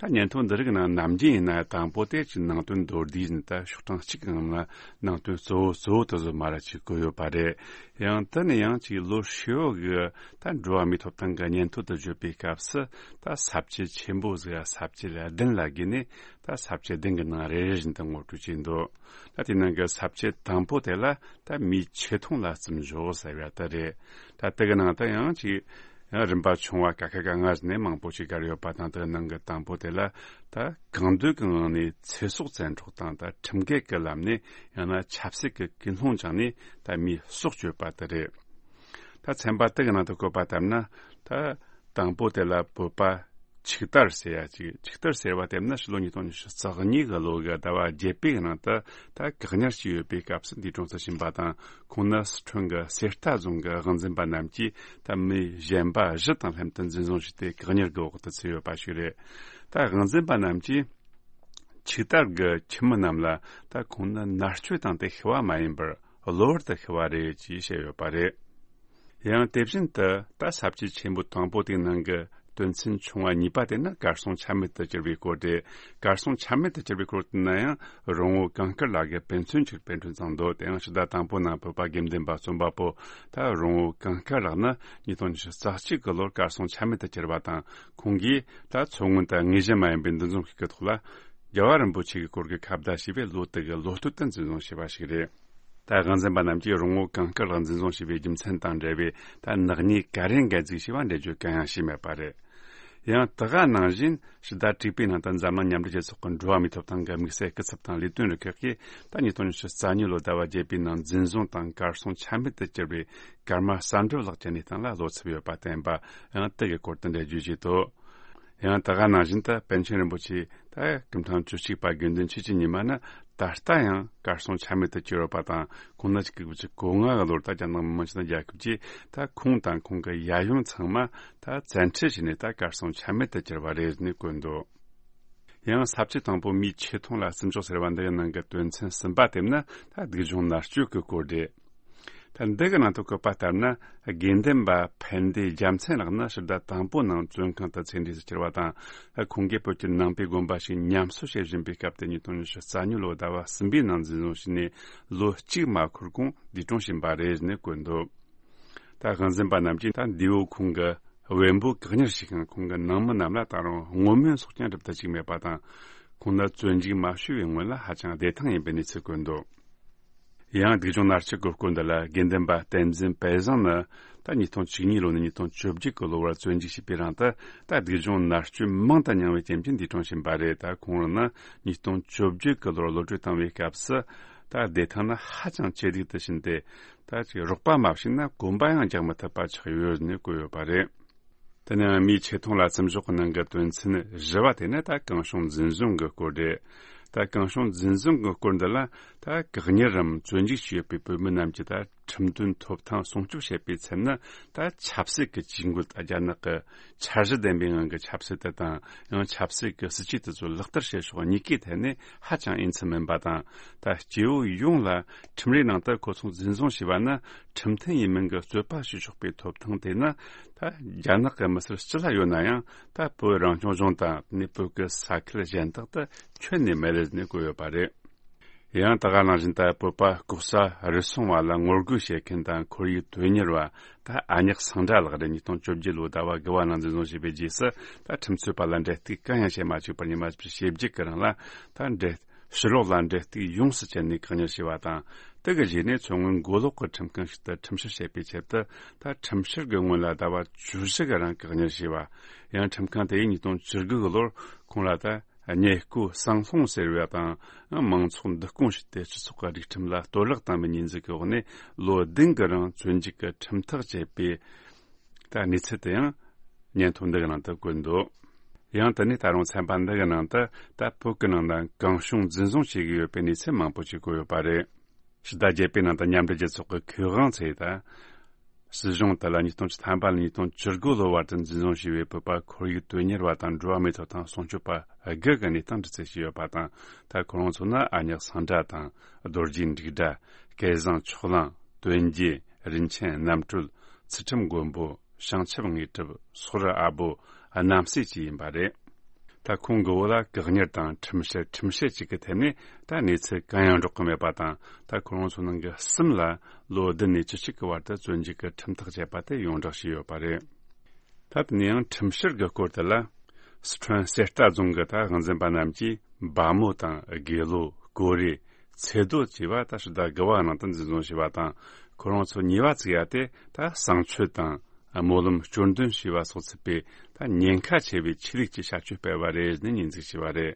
ད་སྙན་ཐོ་འདི་རིགས་ནང་ནམ་རྒྱུན་ཡིན་ན་དང་པོ་དེ་ཅིག་ནང་དོན་མདོར་བསྡུས་ཟིན། ད་ཤོག་གྲངས་གཅིག་གི་ནང་ལ་ནང་དོན་གཙོ་བོ་གཙོ་བོ་དེ་ཚོ་མར་ཅིག་བཀོད་ཡོད་པ་རེད། ཡང་དེ་ནས་ཡང་ཅིག་ལོ་ཧྲིལ་བོ་གི་ད་འགྲོ་བ་མིའི་ཐོབ་ཐང་གི་སྙན་ཐོ་དེ་བརྗོད་པའི་སྐབས་སུ། ད་ས་བཅད་ཆེན་པོ་ཟིག་ས་བཅད་བདུན་ལ་བགོས་ནས། ད་ས་བཅད་བདུན་གི་ནང་རེ་རེ་བཞིན་དུ་ངོ་སྤྲོད་བྱས་འདུག་ད་དེའི་ནང་གི་ས་བཅད་དང་པོ་དེ་ལ་ད་མིའི་ཆེ་མཐོང་ལ་བརྩི་འཇོག་ཟེར་བ་དེ་རེད། ད་དེ་གི་ནང་དུ་ཡང་ཅིག་ཡང་རིམ་པ་ཆུང་བ་ཀ་ཁ་ག་ང་ཟེར་ནས་མང་པོ་ཞིག་བཀར་ཡོད་པ་དང་། དེ་གི་ནང་གི་དང་པོ་དེ་ལ་ད་གང་འདོད་ཀྱི་ངང་ནས་ཚེ་སྲོག་བཙན་འཕྲོག་དང་། ད་ཁྲིམས་འགལ་གྱི་ལམ་ནས། ཡང་ན་ཆབ་སྲིད་ཀྱི་ཀུན་སློང་སྦྱངས་ནས་ད་མིའི་སྲོག་གཅོད་པ་དེ་རེད། ད་ཚན་པ་དེ་གི་ནང་དུ་བཀོད་པ་ལྟར་ན། ད་དང་པོ་དེ་ལ་བོད་པ་ཆིག་སྟར་ཟེར་ཡ་ཅིག་ཆིག་སྟར་ཟེར་བ་དེ་ནི་ཕྱི་ལོ་ཉིས་སྟོང་ཉི་ཤུ་རྩ་གཉིས་གི་ལོ་གི་ཟླ་བ་བརྒྱད་པའི་ནང་དུ་ད་བཀག་ཉར་བྱས་ཡོད་པའི་སྐབས་སུ་འདས་གྲོངས་སུ་ཕྱིན་པ་དང་། ཁོང་ནི་སི་ཁྲོན་གྱི་གསེར་རྟ་རྫོང་གི་དབང་འཛིན་པ་རྣམས་ཀྱིས་ད་མི་གཞན་པ་བཞི་དང་ལྷན་དུ་འཛིན་བཟུང་བྱས་ཏེ་བཀག་ཉར་གྱི་འོག་ཏུ་ཚུད་ཡོད་པ་ཞིག་རེད། ད་དབང་འཛིན་པ་རྣམས་ཀྱིས་ཆིག་སྟར་གྱི་ཁྱིམ་མི་རྣམས་ལ། ད་ཁོང་ནི་མནར་གཅོད་དང་དེ་ཤི་བ་མ་ཡིན་པར་གློ་བུར་དུ་ཤི་བ་རེད་ཅེས་བཤད་ཡོད་པ་རེད། ཡང་དེ་བཞིན་དུ་ད་ས་བཅད་ཆེན་པོ་དང་པོ་དེའི་ནང་གི་དོན་ཚན་ཆུང་བ་གཉིས་པ་དེ་ནི་གར་སོང་ཆ་མེད་དུ་གྱུར་བའི་སྐོར་རེད། གར་སོང་ཆ་མེད་དུ་གྱུར་བའི་སྐོར་དེ་ན་ཡང་རོང་བོ་གངས་དཀར་ལགས་ཀྱི་དཔེ་མཚོན་གཅིག་དཔེ་སྐྲུན་བཏང་འདུག་དེ་ཡང་ཕྱི་ཟླ་དང་པོ་ནང་བོད་པ་དགེ་འདུན་པ་རྩོམ་པ་པོ་ད་རོང་བོ་གངས་དཀར་ལགས་ནི་ཉིས་སྟོང་ཉི་ཤུ་རྩ་གཅིག་གི་ལོར་གར་སོང་ཆ་མེད་དུ་གྱུར་བ་དང་། ཁོང་གིས་ད་མཚོ་སྔོན་དུ་དངོས་གཞི་མ་ཡིན་པའི་འདུ་འཛོམས་ཤིག་གི་ཐོག་ལ། རྒྱལ་བ་རིན་པོ་ཆེ་གི་སྐོར་གྱི་ཁ་བརྡ་ཞེས་པའི་ལོ་དེ་གི་ལོ་སྟོད་དུ་འཛིན་བཟུང་བྱས་པ་ཞིག་རེད། ད་དབང་འཛིན་པ་རྣམས་ཀྱིས་རོང་བོ་གངས་དཀར་ལགས་འཛིན་བཟུང་བྱས་པའི་རྒྱུ་མཚན་དང་འབྲེལ་བའི་ད་ནག་ཉེས་ག་རེ་འགན་འཛུགས་བྱས་པ་འགྲེལ་བརྗོད་གང་ཡང་བྱས་མེད་པ་རེད། ཡང་དེ་ག་ནང་བཞིན་ཕྱི་ཟླ་དྲུག་པའི་ནང་དུ་འཛམ་གླིང་མཉམ་འབྲེལ་རྒྱལ་ཚོགས་ཀྱི་འགྲོ་བ་མིའི་ཐོབ་ཐང་གི་དམིགས་བསལ་སྐུ་ཚབ་དང་ལས་དོན་རུ་ཁག་གིས་ད་ཉིས་སྟོང་ཉི་ཤུ་རྩ་གཉིས་ལོ་ཟླ་བ་བརྒྱད་པའི་ནང་འཛིན་བཟུང་དང་གར་སོང་ཆ་མེད་དུ་གྱུར་བའི་ཀརྨ་བསམ་གྲུབ་ལགས་ཀྱི་གནས་སྟངས་ལ་བློ་འཚབ་ཡོད་པ་བསྟན་པ་ཡང་དེ་གི་སྐོར་དུ་འགྲེལ་བརྗོད་བྱས་འདུག་ཡང་དེ་ག་ནང་བཞིན་དུ་པཎ་ཆེན་རིན་པོ་ཆེ་ད་སྐུ་ཕྲེང་བཅུ་གཅིག་པ་དགེ་འདུན་ཆོས་ཀྱི་ཉི་མ་ནི་ད་ལྟ་ཡང་གར་སོང་ཆ་མེད་དུ་གྱུར་ཡོད་པ་དང་། ཁོང་ནི་ཆིག་སྟོང་དགུ་བརྒྱ་གོ་ལྔ་གི་ལོར་ད་རྒྱ་ནག་མི་དམངས་སྤྱི་མཐུན་རྒྱལ་ཁབ་ཀྱིས་ད་ཁོང་དང་ཁོང་གི་ཡབ་ཡུམ་ཚང་མ་ད་བཙན་ཁྲིད་བྱས་ནས་ད་གར་སོང་ཆ་མེད་དུ་གྱུར་བ་རེད་ནས་བཀོད་འདུག་ཡང་ས་བཅད་དང་པོ་མིའི་ཆེ་མཐོང་ལ་བརྩི་འཇོག་ཟེར་བ་འདི་ཡི་ནང་གི་དོན་ཚན་གསུམ་པ་དེ་ནི་ད་སྡུག་སྦྱོང་མནར་གཅོད་ཀྱི་སྐོར་རེད། ད་འདི་གི་ནང་དུ་བཀོད་པ་ལྟར་ན། དགེ་འདུན་པ་ཕན་བདེ་རྒྱལ་མཚན་ལགས་ནི་ཕྱི་ཟླ་དང་པོ་ནང་བཙོན་ཁང་དུ་ཚེ་འདས་སུ་གྱུར་བ་དང་། ཁོང་གིས་བོད་ཀྱི་ནང་པའི་དགོན་པ་ཞིག་ཉམས་གསོ་བྱེད་བཞིན་པའི་སྐབས་དེ་ཉིས་སྟོང་ཉི་ཤུ་རྩ་གཉིས་ལོ་ཟླ་བ་གསུམ་པའི་ནང་འཛིན་བཟུང་བྱས་ནས་ལོ་གཅིག་མ་འཁོར་གོང་འདས་གྲོངས་ཕྱིན་པ་རེད་ནས་བཀོད་འདུག་ད་དབང་འཛིན་པ་རྣམས་ཀྱིས་ད་འདས་པོ་ཁོང་གི་བེམ་པོ་བཀག་ཉར་བྱས་ཤིང་། ཁོང་གི་ནང་མི་རྣམས་ལ་ད་རུང་བསྔོ་སྨོན་སོགས་ཀྱང་སྒྲུབ་ཐུབ་ཅིག་མེད་པ་དང་། ཁོང་ནི་བཙོན་འཇུག་མ་བྱས་པའི་སྔོན་ལ་ཧ་ཅང་བདེ་ཐང་ཡིན་པའི་གནས་ཚུལ་བཀོད་འདུག་ཡང་སྡུག་སྦྱོང་མནར་གཅོད་ཀྱི་སྐོར་འདི་ལ་དགེ་འདུན་པ་བསྟན་འཛིན་དཔལ་བཟང་ནི་ ད་ཉིས་སྟོང་བཅུ་གཉིས་ལོ་ནས་ཉིས་སྟོང་བཅོ་བརྒྱད་གི་ལོ་བར་བཙོན་འཇུག་བྱས་པའི་རིང་དུ། ད་སྡུག་སྦྱོང་མནར་གཅོད་མང་དུ་མྱངས་པའི་རྐྱེན་གྱིས་འདས་གྲོངས་ཕྱིན་པ་རེད། ད་ཁོང་རང་ནི་ཉིས་སྟོང་བཅོ་བརྒྱད་གི་ལོར་གློད་གྲོལ་བཏང་བའི་སྐབས་སུ། ད་བདེ་ཐང་ནི་ཧ་ཅང་ཇེ་སྡུག་ཏུ་ཕྱིན་ཏེ། ད་ཅིག་རོགས་པ་མ་བྱུང་ན་གོམ་པ་ཡང་རྒྱག་མི་ཐུབ་པ་ཆགས་ཡོད་ནས་བཀོད་ཡོད་པ་རེད། དེ་ནས་མིའི་ཆེ་མཐོང་ལ་བརྩི་འཇོག་གི་ནང་གི་དོན་ཚན་བཞི་བ་དེ་ནི་ད་གང་བྱུང་འཛིན་བཟུང་གི་སྐོར་རེད། ད་གང་བྱུང་འཛིན་བཟུང་གི་སྐོར་འདི་ལ། ད་བཀག་ཉར་རམ་བཙོན་འཇུག་བྱས་ཡོད་པའི་བོད་མི་རྣམས་ཀྱི་ད་ཁྲིམས་དོན་ཐོབ་ཐང་སྲུང་སྐྱོབ་བྱེད་པའི་ཚད་ནི། ད་ཆབ་སྲིད་ཀྱི་ཇུས་འགོད། རྒྱ་ནག་གི་འཆར་གཞི་ལྡན་པའི་ངང་གི་ཆབ་སྲིད་དེ་དང་། ཡང་ཆབ་སྲིད་ཀྱི་སྲིད་ཇུས་དེ་ཚོ་ལག་བསྟར་བྱེད་ཕྱོགས་གཉིས་ཀའི་ཐད་ནས་ཧ་ཅང་འོས་འཚམ་མིན་པ་དང་། ད་སྐྱེ་བོ་ཡོངས་ལ་ཁྲིམས་རའི་ནང་དུ་ཁོ་ཚོ་འཛིན་བཟུང་བྱས་པ་ན། ཁྲིམས་མཐུན་ཡིན་མིན་གྱི་རྩོད་པ་བྱེད་ཆོག་པའི་ཐོབ་ཐང་དེ་ནི། ད་རྒྱ་ནག་གི་མི་སེར་སྤྱི་ལ་ཡོད་ན་ཡང་། ད་བོད་རང་སྐྱོང་ལྗོངས་དང་། དེ་ནས་བོད་ཀྱི་ས་ཁུལ་གཞན་དག་ཏུ་ཁྱོན་ནས་མེད་ལེ་ནས་བཀོད་ཡོད་པ་རེད། ཡང་ད་ག་ནང་བཞིན་ད་བོད་པ་ལྐོག་ཟ་རུལ་སུངས་པ་ལ་ངོ་རྒོལ་བྱེད་མཁན་དང་ཁོར་ཡུག་དོན་གཉེར་བ། ད་ཨ་ཉག་སངས་སྒྲ་ལགས་རེད། ཉིས་སྟོང་བཅོ་བརྒྱད་ལོའི་ཟླ་བ་དགུ་བ་ནང་འཛིན་བཟུང་བྱས་པའི་རྗེས་སུ། ད་ཁྲིམས་རྩོད་པ་ལ་འབྲེལ་གཏུག་གང་ཡང་བྱེད་མ་བཅུག་པར་ཉི་མ་བཞི་བཅུ་ཞེ་བརྒྱད་ཀྱི་རིང་ལ། ད་འབྲེལ་ཕྱི་ལོགས་ལ་འབྲེལ་གཏུག་ཡོངས་སུ་བཅད་ནས་བཀག་ཉར་བྱས་པ་དང་། དེ་གི་རྗེས་ནས་མཚོ་སྔོན་མགོ་ལོག་གི་ཁྲིམས་ཁང་ཞིག་ཏུ་ཁྲིམས་བཤེར་བྱེད་པའི་ཆེད་དུ། ད་ཁྲིམས་བཤེར་གྱི་སྔོན་ལ་ཟླ་བ་བཅུ་བཞི་གི་རིང་བཀག་ཉར་བྱས་པ། ཡང་ཁྲིམས་ཁང་དེ་ཡིས་ཉིས་སྟོང་བཅུ་དགུ་གི་ལོར་ཁོང་ལ་ད་ཉེས་བཀོད་གསང་སློང་ཟེར་བ་དང་། མང་ཚོགས་བསྡུ་སྐོང་བྱས་ཏེ་སྤྱི་ཚོགས་ཀྱི་སྒྲིག་ཁྲིམས་ལ་གཏོར་བརླག་བཏང་བའི་ཉེས་འཛུགས་ཀྱི་འོག་ནས། ལོ་བདུན་གྱི་རིང་བཙོན་འཇུག་གི་ཁྲིམས་ཐག་བཅད་པའི་ད་གནས་ཚུལ་དེ་ཡང་སྙན་ཐོ་འདི་གི་ནང་དུ་བཀོད་འདུག། ཡང་དེ་ནས་ད་རུང་ཚན་པ་འདི་གི་ནང་དུ། ད་བོད་ཀྱི་ནང་ན་གང་བྱུང་འཛིན་བཟུང་བྱེད་ཀྱི་ཡོད་པའི་གནས་ཚུལ་མང་པོ་ཞིག་བཀོད་ཡོད་པ་རེད། ཕྱི་ཟླ་བརྒྱད་པའི་ནང་དུ་མཉམ་འབྲེལ་རྒྱལ་ཚོགས་ཀྱི་མཁས་དབང་ཚོས་ད། སྲིད་གཞུང་དེ་ལ་ཉིས་སྟོང་བཅུ་ཐམ་པ་ནས་ཉིས་སྟོང་བཅུ་དགུ་ལོ་བར་དུ་འཛིན་བཟུང་བྱས་པའི་བོད་པ་ཁོར་ཡུག་དོན་གཉེར་བ་དང་འགྲོ་བ་མིའི་ཐོབ་ཐང་སྲུང་སྐྱོབ་པ་དགུ་གི་གནས་སྟངས་འདྲི་རྩད་བྱས་ཡོད་པ་དང་། ད་ཁོ་རང་ཚོ་ནི་ཨ་ཉག་སངས་སྒྲ་དང་། རྡོ་རྗེ་འབྲུག་སྒྲ། སྐལ་བཟང་ཕྱོགས་གླང་། དོན་རྒྱལ། རིན་ཆེན་རྣམ་གྲོལ། ཚུལ་ཁྲིམས་མགོན་པོ། བྱང་ཆུབ་དངོས་གྲུབ། སོག་རི་ཨ་བོ། རྣམ་སྲས་བཅས་ཡིན་པ་རེད། ད་ཁོང་གི་འོག་ལ་བཀག་ཉར་དང་ཁྲིམས་བཤེར། ཁྲིམས་བཤེར་བཅས་ཀྱི་ཐད་ནས་ད་གནས་ཚུལ་གང་ཡང་འབྲོག་གི་མེད་པ་དང་། ད་ཁོ་རང་ཚོ་ནང་གི་གསུམ་ལ་ལོ་བདུན་ནས་བཅུ་གཅིག་གི་བར་དུ་བཙོན་འཇུག་གི་ཁྲིམས་ཐག་བཅད་པ་དེ་ཡོངས་བསྒྲགས་བྱས་ཡོད་པ་རེད། ད་དེ་ནས་ཡང་ཁྲིམས་བཤེར་གྱི་སྐོར་དེ་ལ། སི་ཁྲོན་གསེར་རྟ་རྫོང་གི་ད་དབང་འཛིན་པ་རྣམས་ཀྱིས་འབའ་མོ་དང་དགེ་ལོ། ཀོ་རེ། ཚེ་རྡོ་བཅས་པ་ད་ཕྱི་ཟླ་དགུ་བ་ནང་དུ་འཛིན་བཟུང་བྱས་པ་དང་། ཁོ་རང་ཚོ་ཉེས་པ་བཙུགས་ཡ་དེ་ད་གསང་སྤྱོད་དང་། སྨོན་ལམ་སྐྱོར་འདོན་བྱས་པ་སོགས་ཚུད་པའི་ད་ཉེན་ཁ་ཆེ་བའི་ཆོས་ལུགས་ཀྱི་བྱ་སྤྱོད་སྤེལ་བ་རེད་ནས་ཉེས་འཛུགས་བྱས་པ་རེད།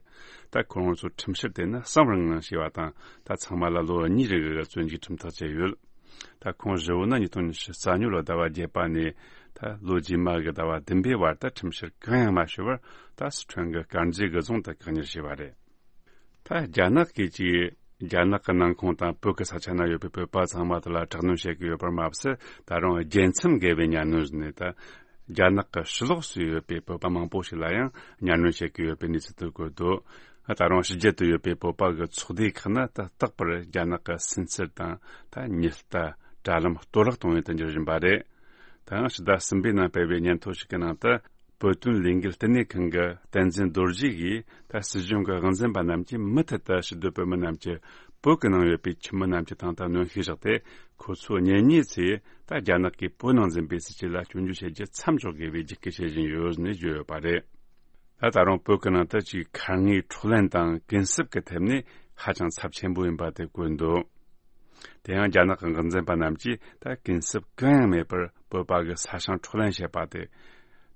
ད་ཁོ་རང་ཚོ་ཁྲིམས་བཤེར་དེ་ནི་གསང་བར་ངང་བྱས་པ་དང་། ད་ཚང་མ་ལ་ལོ་གཉིས་རེ་གི་བཙོན་འཇུག་ཁྲིམས་ཐག་བཅད་ཡོད། ད་ཁོང་བཞི་བོ་ནི་ཉིས་སྟོང་ཉི་ཤུ་རྩ་གཉིས་ལོ་ཟླ་བ་བརྒྱད་པ་ནས་ད་ལོ་རྗེས་མ་གི་ཟླ་བ་བདུན་པའི་བར་དུ་ཁྲིམས་བཤེར་གང་ཡང་མ་བྱས་པར། ད་སི་ཁྲོན་གྱི་དཀར་མཛེས་གི་རྫོང་དུ་བཀག་ཉར་བྱས་པ་རེད། ད་རྒྱ་ནག་གིས་ཀྱིས་རྒྱ་ནག་གི་ནང་ཁོངས་དང་བོད་ཀྱི་ས་ཆ་ན་ཡོད་པའི་བོད་པ་ཚང་མ་དེ་ལ་དྲག་གནོན་བྱེད་ཀྱི་ཡོད་པར་མ་ཟད། ད་རུང་རྒྱལ་མཚམས་བརྒལ་བའི་གཉའ་གནོན་ནས་ད་རྒྱ་ནག་གི་ཕྱི་ལོགས་སུ་ཡོད་པའི་བོད་པ་མང་པོ་ཞིག་ལ་ཡང་གཉའ་གནོན་བྱེད་ཀྱི་ཡོད་པའི་གནས་ཚུལ་དུ་བཀོད་འདུག། ད་རུང་ཕྱི་རྒྱལ་དུ་ཡོད་པའི་བོད་པ་གི་ཚོགས་སྡེ་ཁག་ནི་ད་རྟག་པར་རྒྱ་ནག་གི་སུན་གཙེར་དང་ད་ཉི་ལྟ། དྲ་ལམ་གཏོར་བརླག་གཏོང་ཡུལ་དུ་འགྱུར་བཞིན་པ་རེད། ད་ཡང་ཕྱི་ཟླ་གསུམ་པའི་ནང་སྤེལ་བའི་སྙན་ཐོ་ཞིག་གི་ནང་དུ། བོད་དོན་ལས་འགུལ་ལྟེ་གནས་ཁང་གི་བསྟན་འཛིན་རྡོ་རྗེ་གིས། ད་སྲིད་གཞུང་གི་དབང་འཛིན་པ་རྣམས་ཀྱིས་མུ་མཐུད་དུ་ཕྱི་སྡོད་བོད་མི་རྣམས་ཀྱི་བོད་ཀྱི་ནང་ཡོད་པའི་ཁྱིམ་མི་རྣམས་ཀྱི་སྟེང་དུ་གནོན་ཤུགས་བཞག་སྟེ། ཁོ་ཚོ་གཉེན་ཉེ་ཚོས་ད་རྒྱ་ནག་གིས་བོད་ནང་འཛིན་པའི་སྲིད་བྱུས་ལ་སྐྱོན་བརྗོད་བྱེད་རྒྱུ་མཚམས་འཇོག་དགོས་པའི་རྒྱུགས་སྐུལ་བྱེད་བཞིན་ཡོད་ནས་བརྗོད་ཡོད་པ་རེད། ད་ད་རུང་བོད་ཀྱི་ནང་དུ་ཅིག་ཁ་ངོའི་འཕྲོག་ལེན་དང་གུན་གསབ་ཀྱི་ཐད་ནས་ཧ་ཅང་ཚབས་ཆེན་པོ་ཡིན་པ་དེ་བཀོད་འདུག། དེ་ཡང་རྒྱ་ནག་གི་དབང་འཛིན་པ་རྣམས་ཀྱིས་ད་གུན་གསབ་གང་ཡང་མེད་པར་བོད་པ་གི་ས་ཞིང་འཕྲོག་ལེན་བྱས་པ་དེ།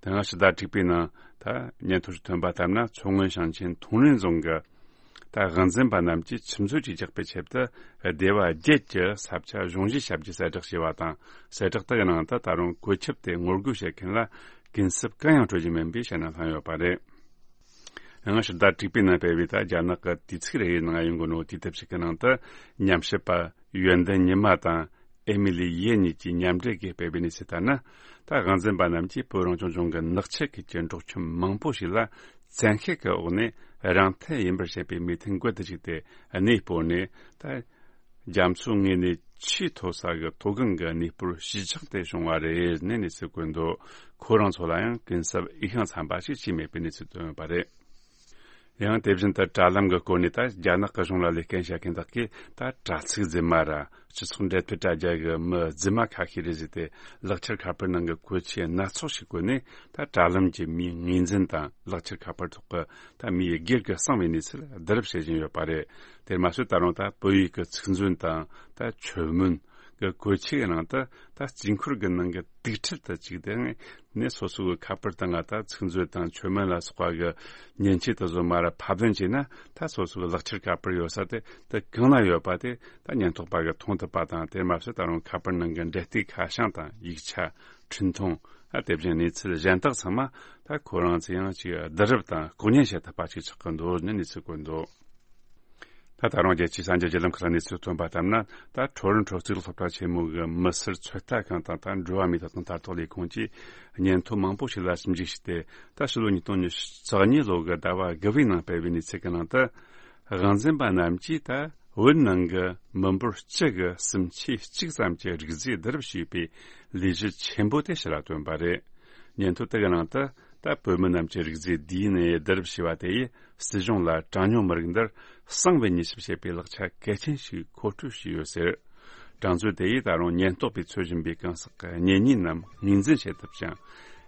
དེ་ཡང་ཕྱི་ཟླ་དྲུག་པའི་ནང་ད་སྙན་ཐོ་ཞིག་ཐོན་པ་ལྟར་ན། མཚོ་སྔོན་ཞིང་ཆེན་ཐུང་ལིན་རྫོང་གི་ད་དབང་འཛིན་པ་རྣམས་ཀྱིས་ཆུ་མཛོད་ཅིག་རྒྱག་པའི་ཆེད་དུ་སྡེ་བ་བརྒྱད་ཀྱི་ས་ཆ་གཞུང་བཞེས་བྱ་རྒྱུའི་གསལ་བསྒྲགས་བྱས་པ་དང་། གསལ་བསྒྲགས་དེ་གི་ནང་དུ་ད་རུང་བཀོད་ཁྱབ་དེ་ངོ་རྒོལ་བྱེད་མཁན་ལ་གུན་གསབ་གང་ཡང་སྤྲོད་རྒྱུ་མིན་པའི་བཤད་ན་ལྷག་ཡོད་པ་རེད། ཡང་ཕྱི་ཟླ་དྲུག་པའི་ནང་སྤེལ་བའི་ད་རྒྱ་ནག་གི་དུས་ཚིགས་རེའི་ནང་ཡོང་གི་ནོ་དུས་དེབ་ཞིག་གི་ནང་དུ། ཉམས་ཞིབ་པ་ཡོན་ཏན་ཉི་མ་དང་ཨེ་མི་ལི་ཡེ་གཉིས་ཀྱིས་མཉམ་འབྲེལ་གྱིས་སྤེལ་བའི་གནས་ཚུལ་ལྟར་ན། ད་དབང་འཛིན་པ་རྣམས་ཀྱིས་བོད་རང་སྐྱོང་ལྗོངས་ཀྱི་ནགས་ཆུ་ཁུལ་གྱི་འབྲོག་ཁྱིམ་མང་པོ་ཞིག་ལ་བཙན་ཤེད་ཀྱི་འོག་ནས་རང་འཐད་ཡིན་པར་བཤད་པའི་མོས་མཐུན་འགོད་དུ་བཅུག་སྟེ། གནས་སྤོར་ནས་ད་རྒྱ་མཚོའི་ངོས་ནས་ཆེས་མཐོ་ས་གི་མཐོ་སྒང་གི་གནས་སྤོར་གཞིས་ཆགས་དེ་བྱུང་བ་རེད་ནས་གནས་ཚུལ་བཀོད་འདུག། ཁོ་རང་ཚོ་ལ་ཡང་གུན་གསབ་འོས་ཤིང་འཚམ་པ་ཞིག་བྱས་མེད་པའི་གནས་ཚུལ་བཏོན་ཡོད་པ་རེད། ཡང་དེ་བཞིན་དུ་དྲ་ལམ་གྱི་སྐོར་ནས་ད་རྒྱ་ནག་གི་གཞུང་ལ་ལས་ཀ་བྱེད་མཁན་དག་གིས་ད་དྲ་ཚིགས་རྫུན་མ་ར་སྤྱི་ཚོགས་འབྲེལ་མཐུད་དྲ་རྒྱ་གི་མི་རྫུན་མ་ཁ་ཤས་རེད་ཟེར་ཏེ། ལག་འཁྱེར་ཁ་པར་ནང་གི་གོད་ཆས་སྣ་ཚོགས་ཤིག་བཀོལ་ནས། ད་དྲ་ལམ་གྱི་མིའི་ངོས་འཛིན་དང་ལག་འཁྱེར་ཁ་པར་ཐོག་གི་ད་མིའི་སྒེར་གྱི་གསང་བའི་གནས་ཚུལ་བསྡུ་རུབ་བྱེད་བཞིན་ཡོད་པ་རེད། དེར་མ་ཟད་ད་རུང་ད་བོད་ཡིག་གི་ཚིག་མཛོད་དང་ད་མཆོད་མོན། གི་གོས་ཆས་ཀྱི་ནང་དུ་ད་རྩིས་འཁོར་གྱི་ནང་གི་དུག་ཁྲལ་དུ་བཅུག་སྟེ་ནས་སོ་སོ་གི་ཁ་པར་དང་ང་ད་ཚིག་མཛོད་དང་མཆོད་མེ་ལ་སོགས་པ་གི་མཉེན་ཆས་དེ་ཚོ་མར་ར་ཕབ་ལེན་བྱས་ན། ད་སོ་སོ་གི་ལག་ཁྱེར་ཁ་པར་ཡོད་ས་དེ་དེ་གང་ན་ཡོད་པ་དེ་ད་ཉེན་རྟོག་པ་གིས་མཐོང་ཐུབ་པ་དང་། དེར་མ་ཟད་ད་རུང་ཁ་པར་ནང་གི་འབྲེལ་གཏུག་ཁ་བྱང་དང་ཡིག་ཆ། འཕྲིན་ཐུང་། ཨ་དེ་བཞིན་གནས་ཚུལ་གཞན་དག་ཚང་མ་ད་ཁོ་རང་ཚོས་ཡང་ཅིག་བསྡུ་རུབ་དང་ལྐོག་ཉན་བྱེད་ཐུབ་པ་ཞིག་ཆགས་ཀྱི་འདུག་ནས་གནས་ཚུལ་བཀོད་འདུག་ད་ད་རུང་རྒྱལ་སྤྱིའི་གསར་འགྱུར་བརྒྱུད་ལམ་ཁག་གནས་ཚུལ་ཐོན་པ་ལྟར་ན། ད་ཁྲོ་རོན་ཁྲོ་རྩིས་སློབ་གྲྭ་ཆེན་མོ་གི་མི་སེར་ཚོད་ལྟ་ཁང་དང་ད་འགྲོ་བ་མིའི་ཐོབ་ཐང་ལྟ་རྟོག་ལས་ཁུངས་ཀྱིས་སྙན་ཐོ་མང་པོ་ཞིག་ལ་ཞིབ་འཇུག་བྱས་ཏེ། ད་ཕྱི་ལོ་ཉིས་སྟོང་ཉི་ཤུ་རྩ་གཉིས་ལོ་གི་ཟླ་བ་དགུ་པའི་ནང་སྤེལ་བའི་གནས་ཚུལ་གྱི་ནང་དུ། དབང་འཛིན་པ་རྣམས་ཀྱིས་ད་བོད་ནང་གི་མི་འབོར་སྤྱི་གི་གསུམ་ཆའི་གཅིག་ཙམ་གྱི་རིགས་རྫས་བསྡུ་རུབ་བྱས་པའི་ལས་གཞི་ཆེན་པོ་དེ་ཕྱི་ལ་བཏོན་པ་རེད། སྙན་ཐོ་དེ་གི་ནང་དུ། ད་བོད་མི་རྣམས་ཀྱི་རིགས་རྫས་ཌི་ཨེན་ཨེ་བསྡུ་རུབ་བྱས་པ་དེ་ཡིས་སྲིད་གཞུང་ལ་གྲངས་ཉུང་མི་རིགས་འདིར་གསང་བའི་ཉེས་ཆད་བྱེད་པའི་ལག་ཆ་གལ་ཆེན་ཞིག་མཁོ་སྤྲོད་བྱས་ཡོད་ཟེར། གྲངས་མཛོད་དེ་ཡིས་ད་རུང་ཉེན་རྟོག་པས་འཚོལ་བཞིན་པའི་གང་ཟག་གི་གཉེན་ཉེ་རྣམས་ངོས་འཛིན་བྱེད་ཐུབ་ཅིང་།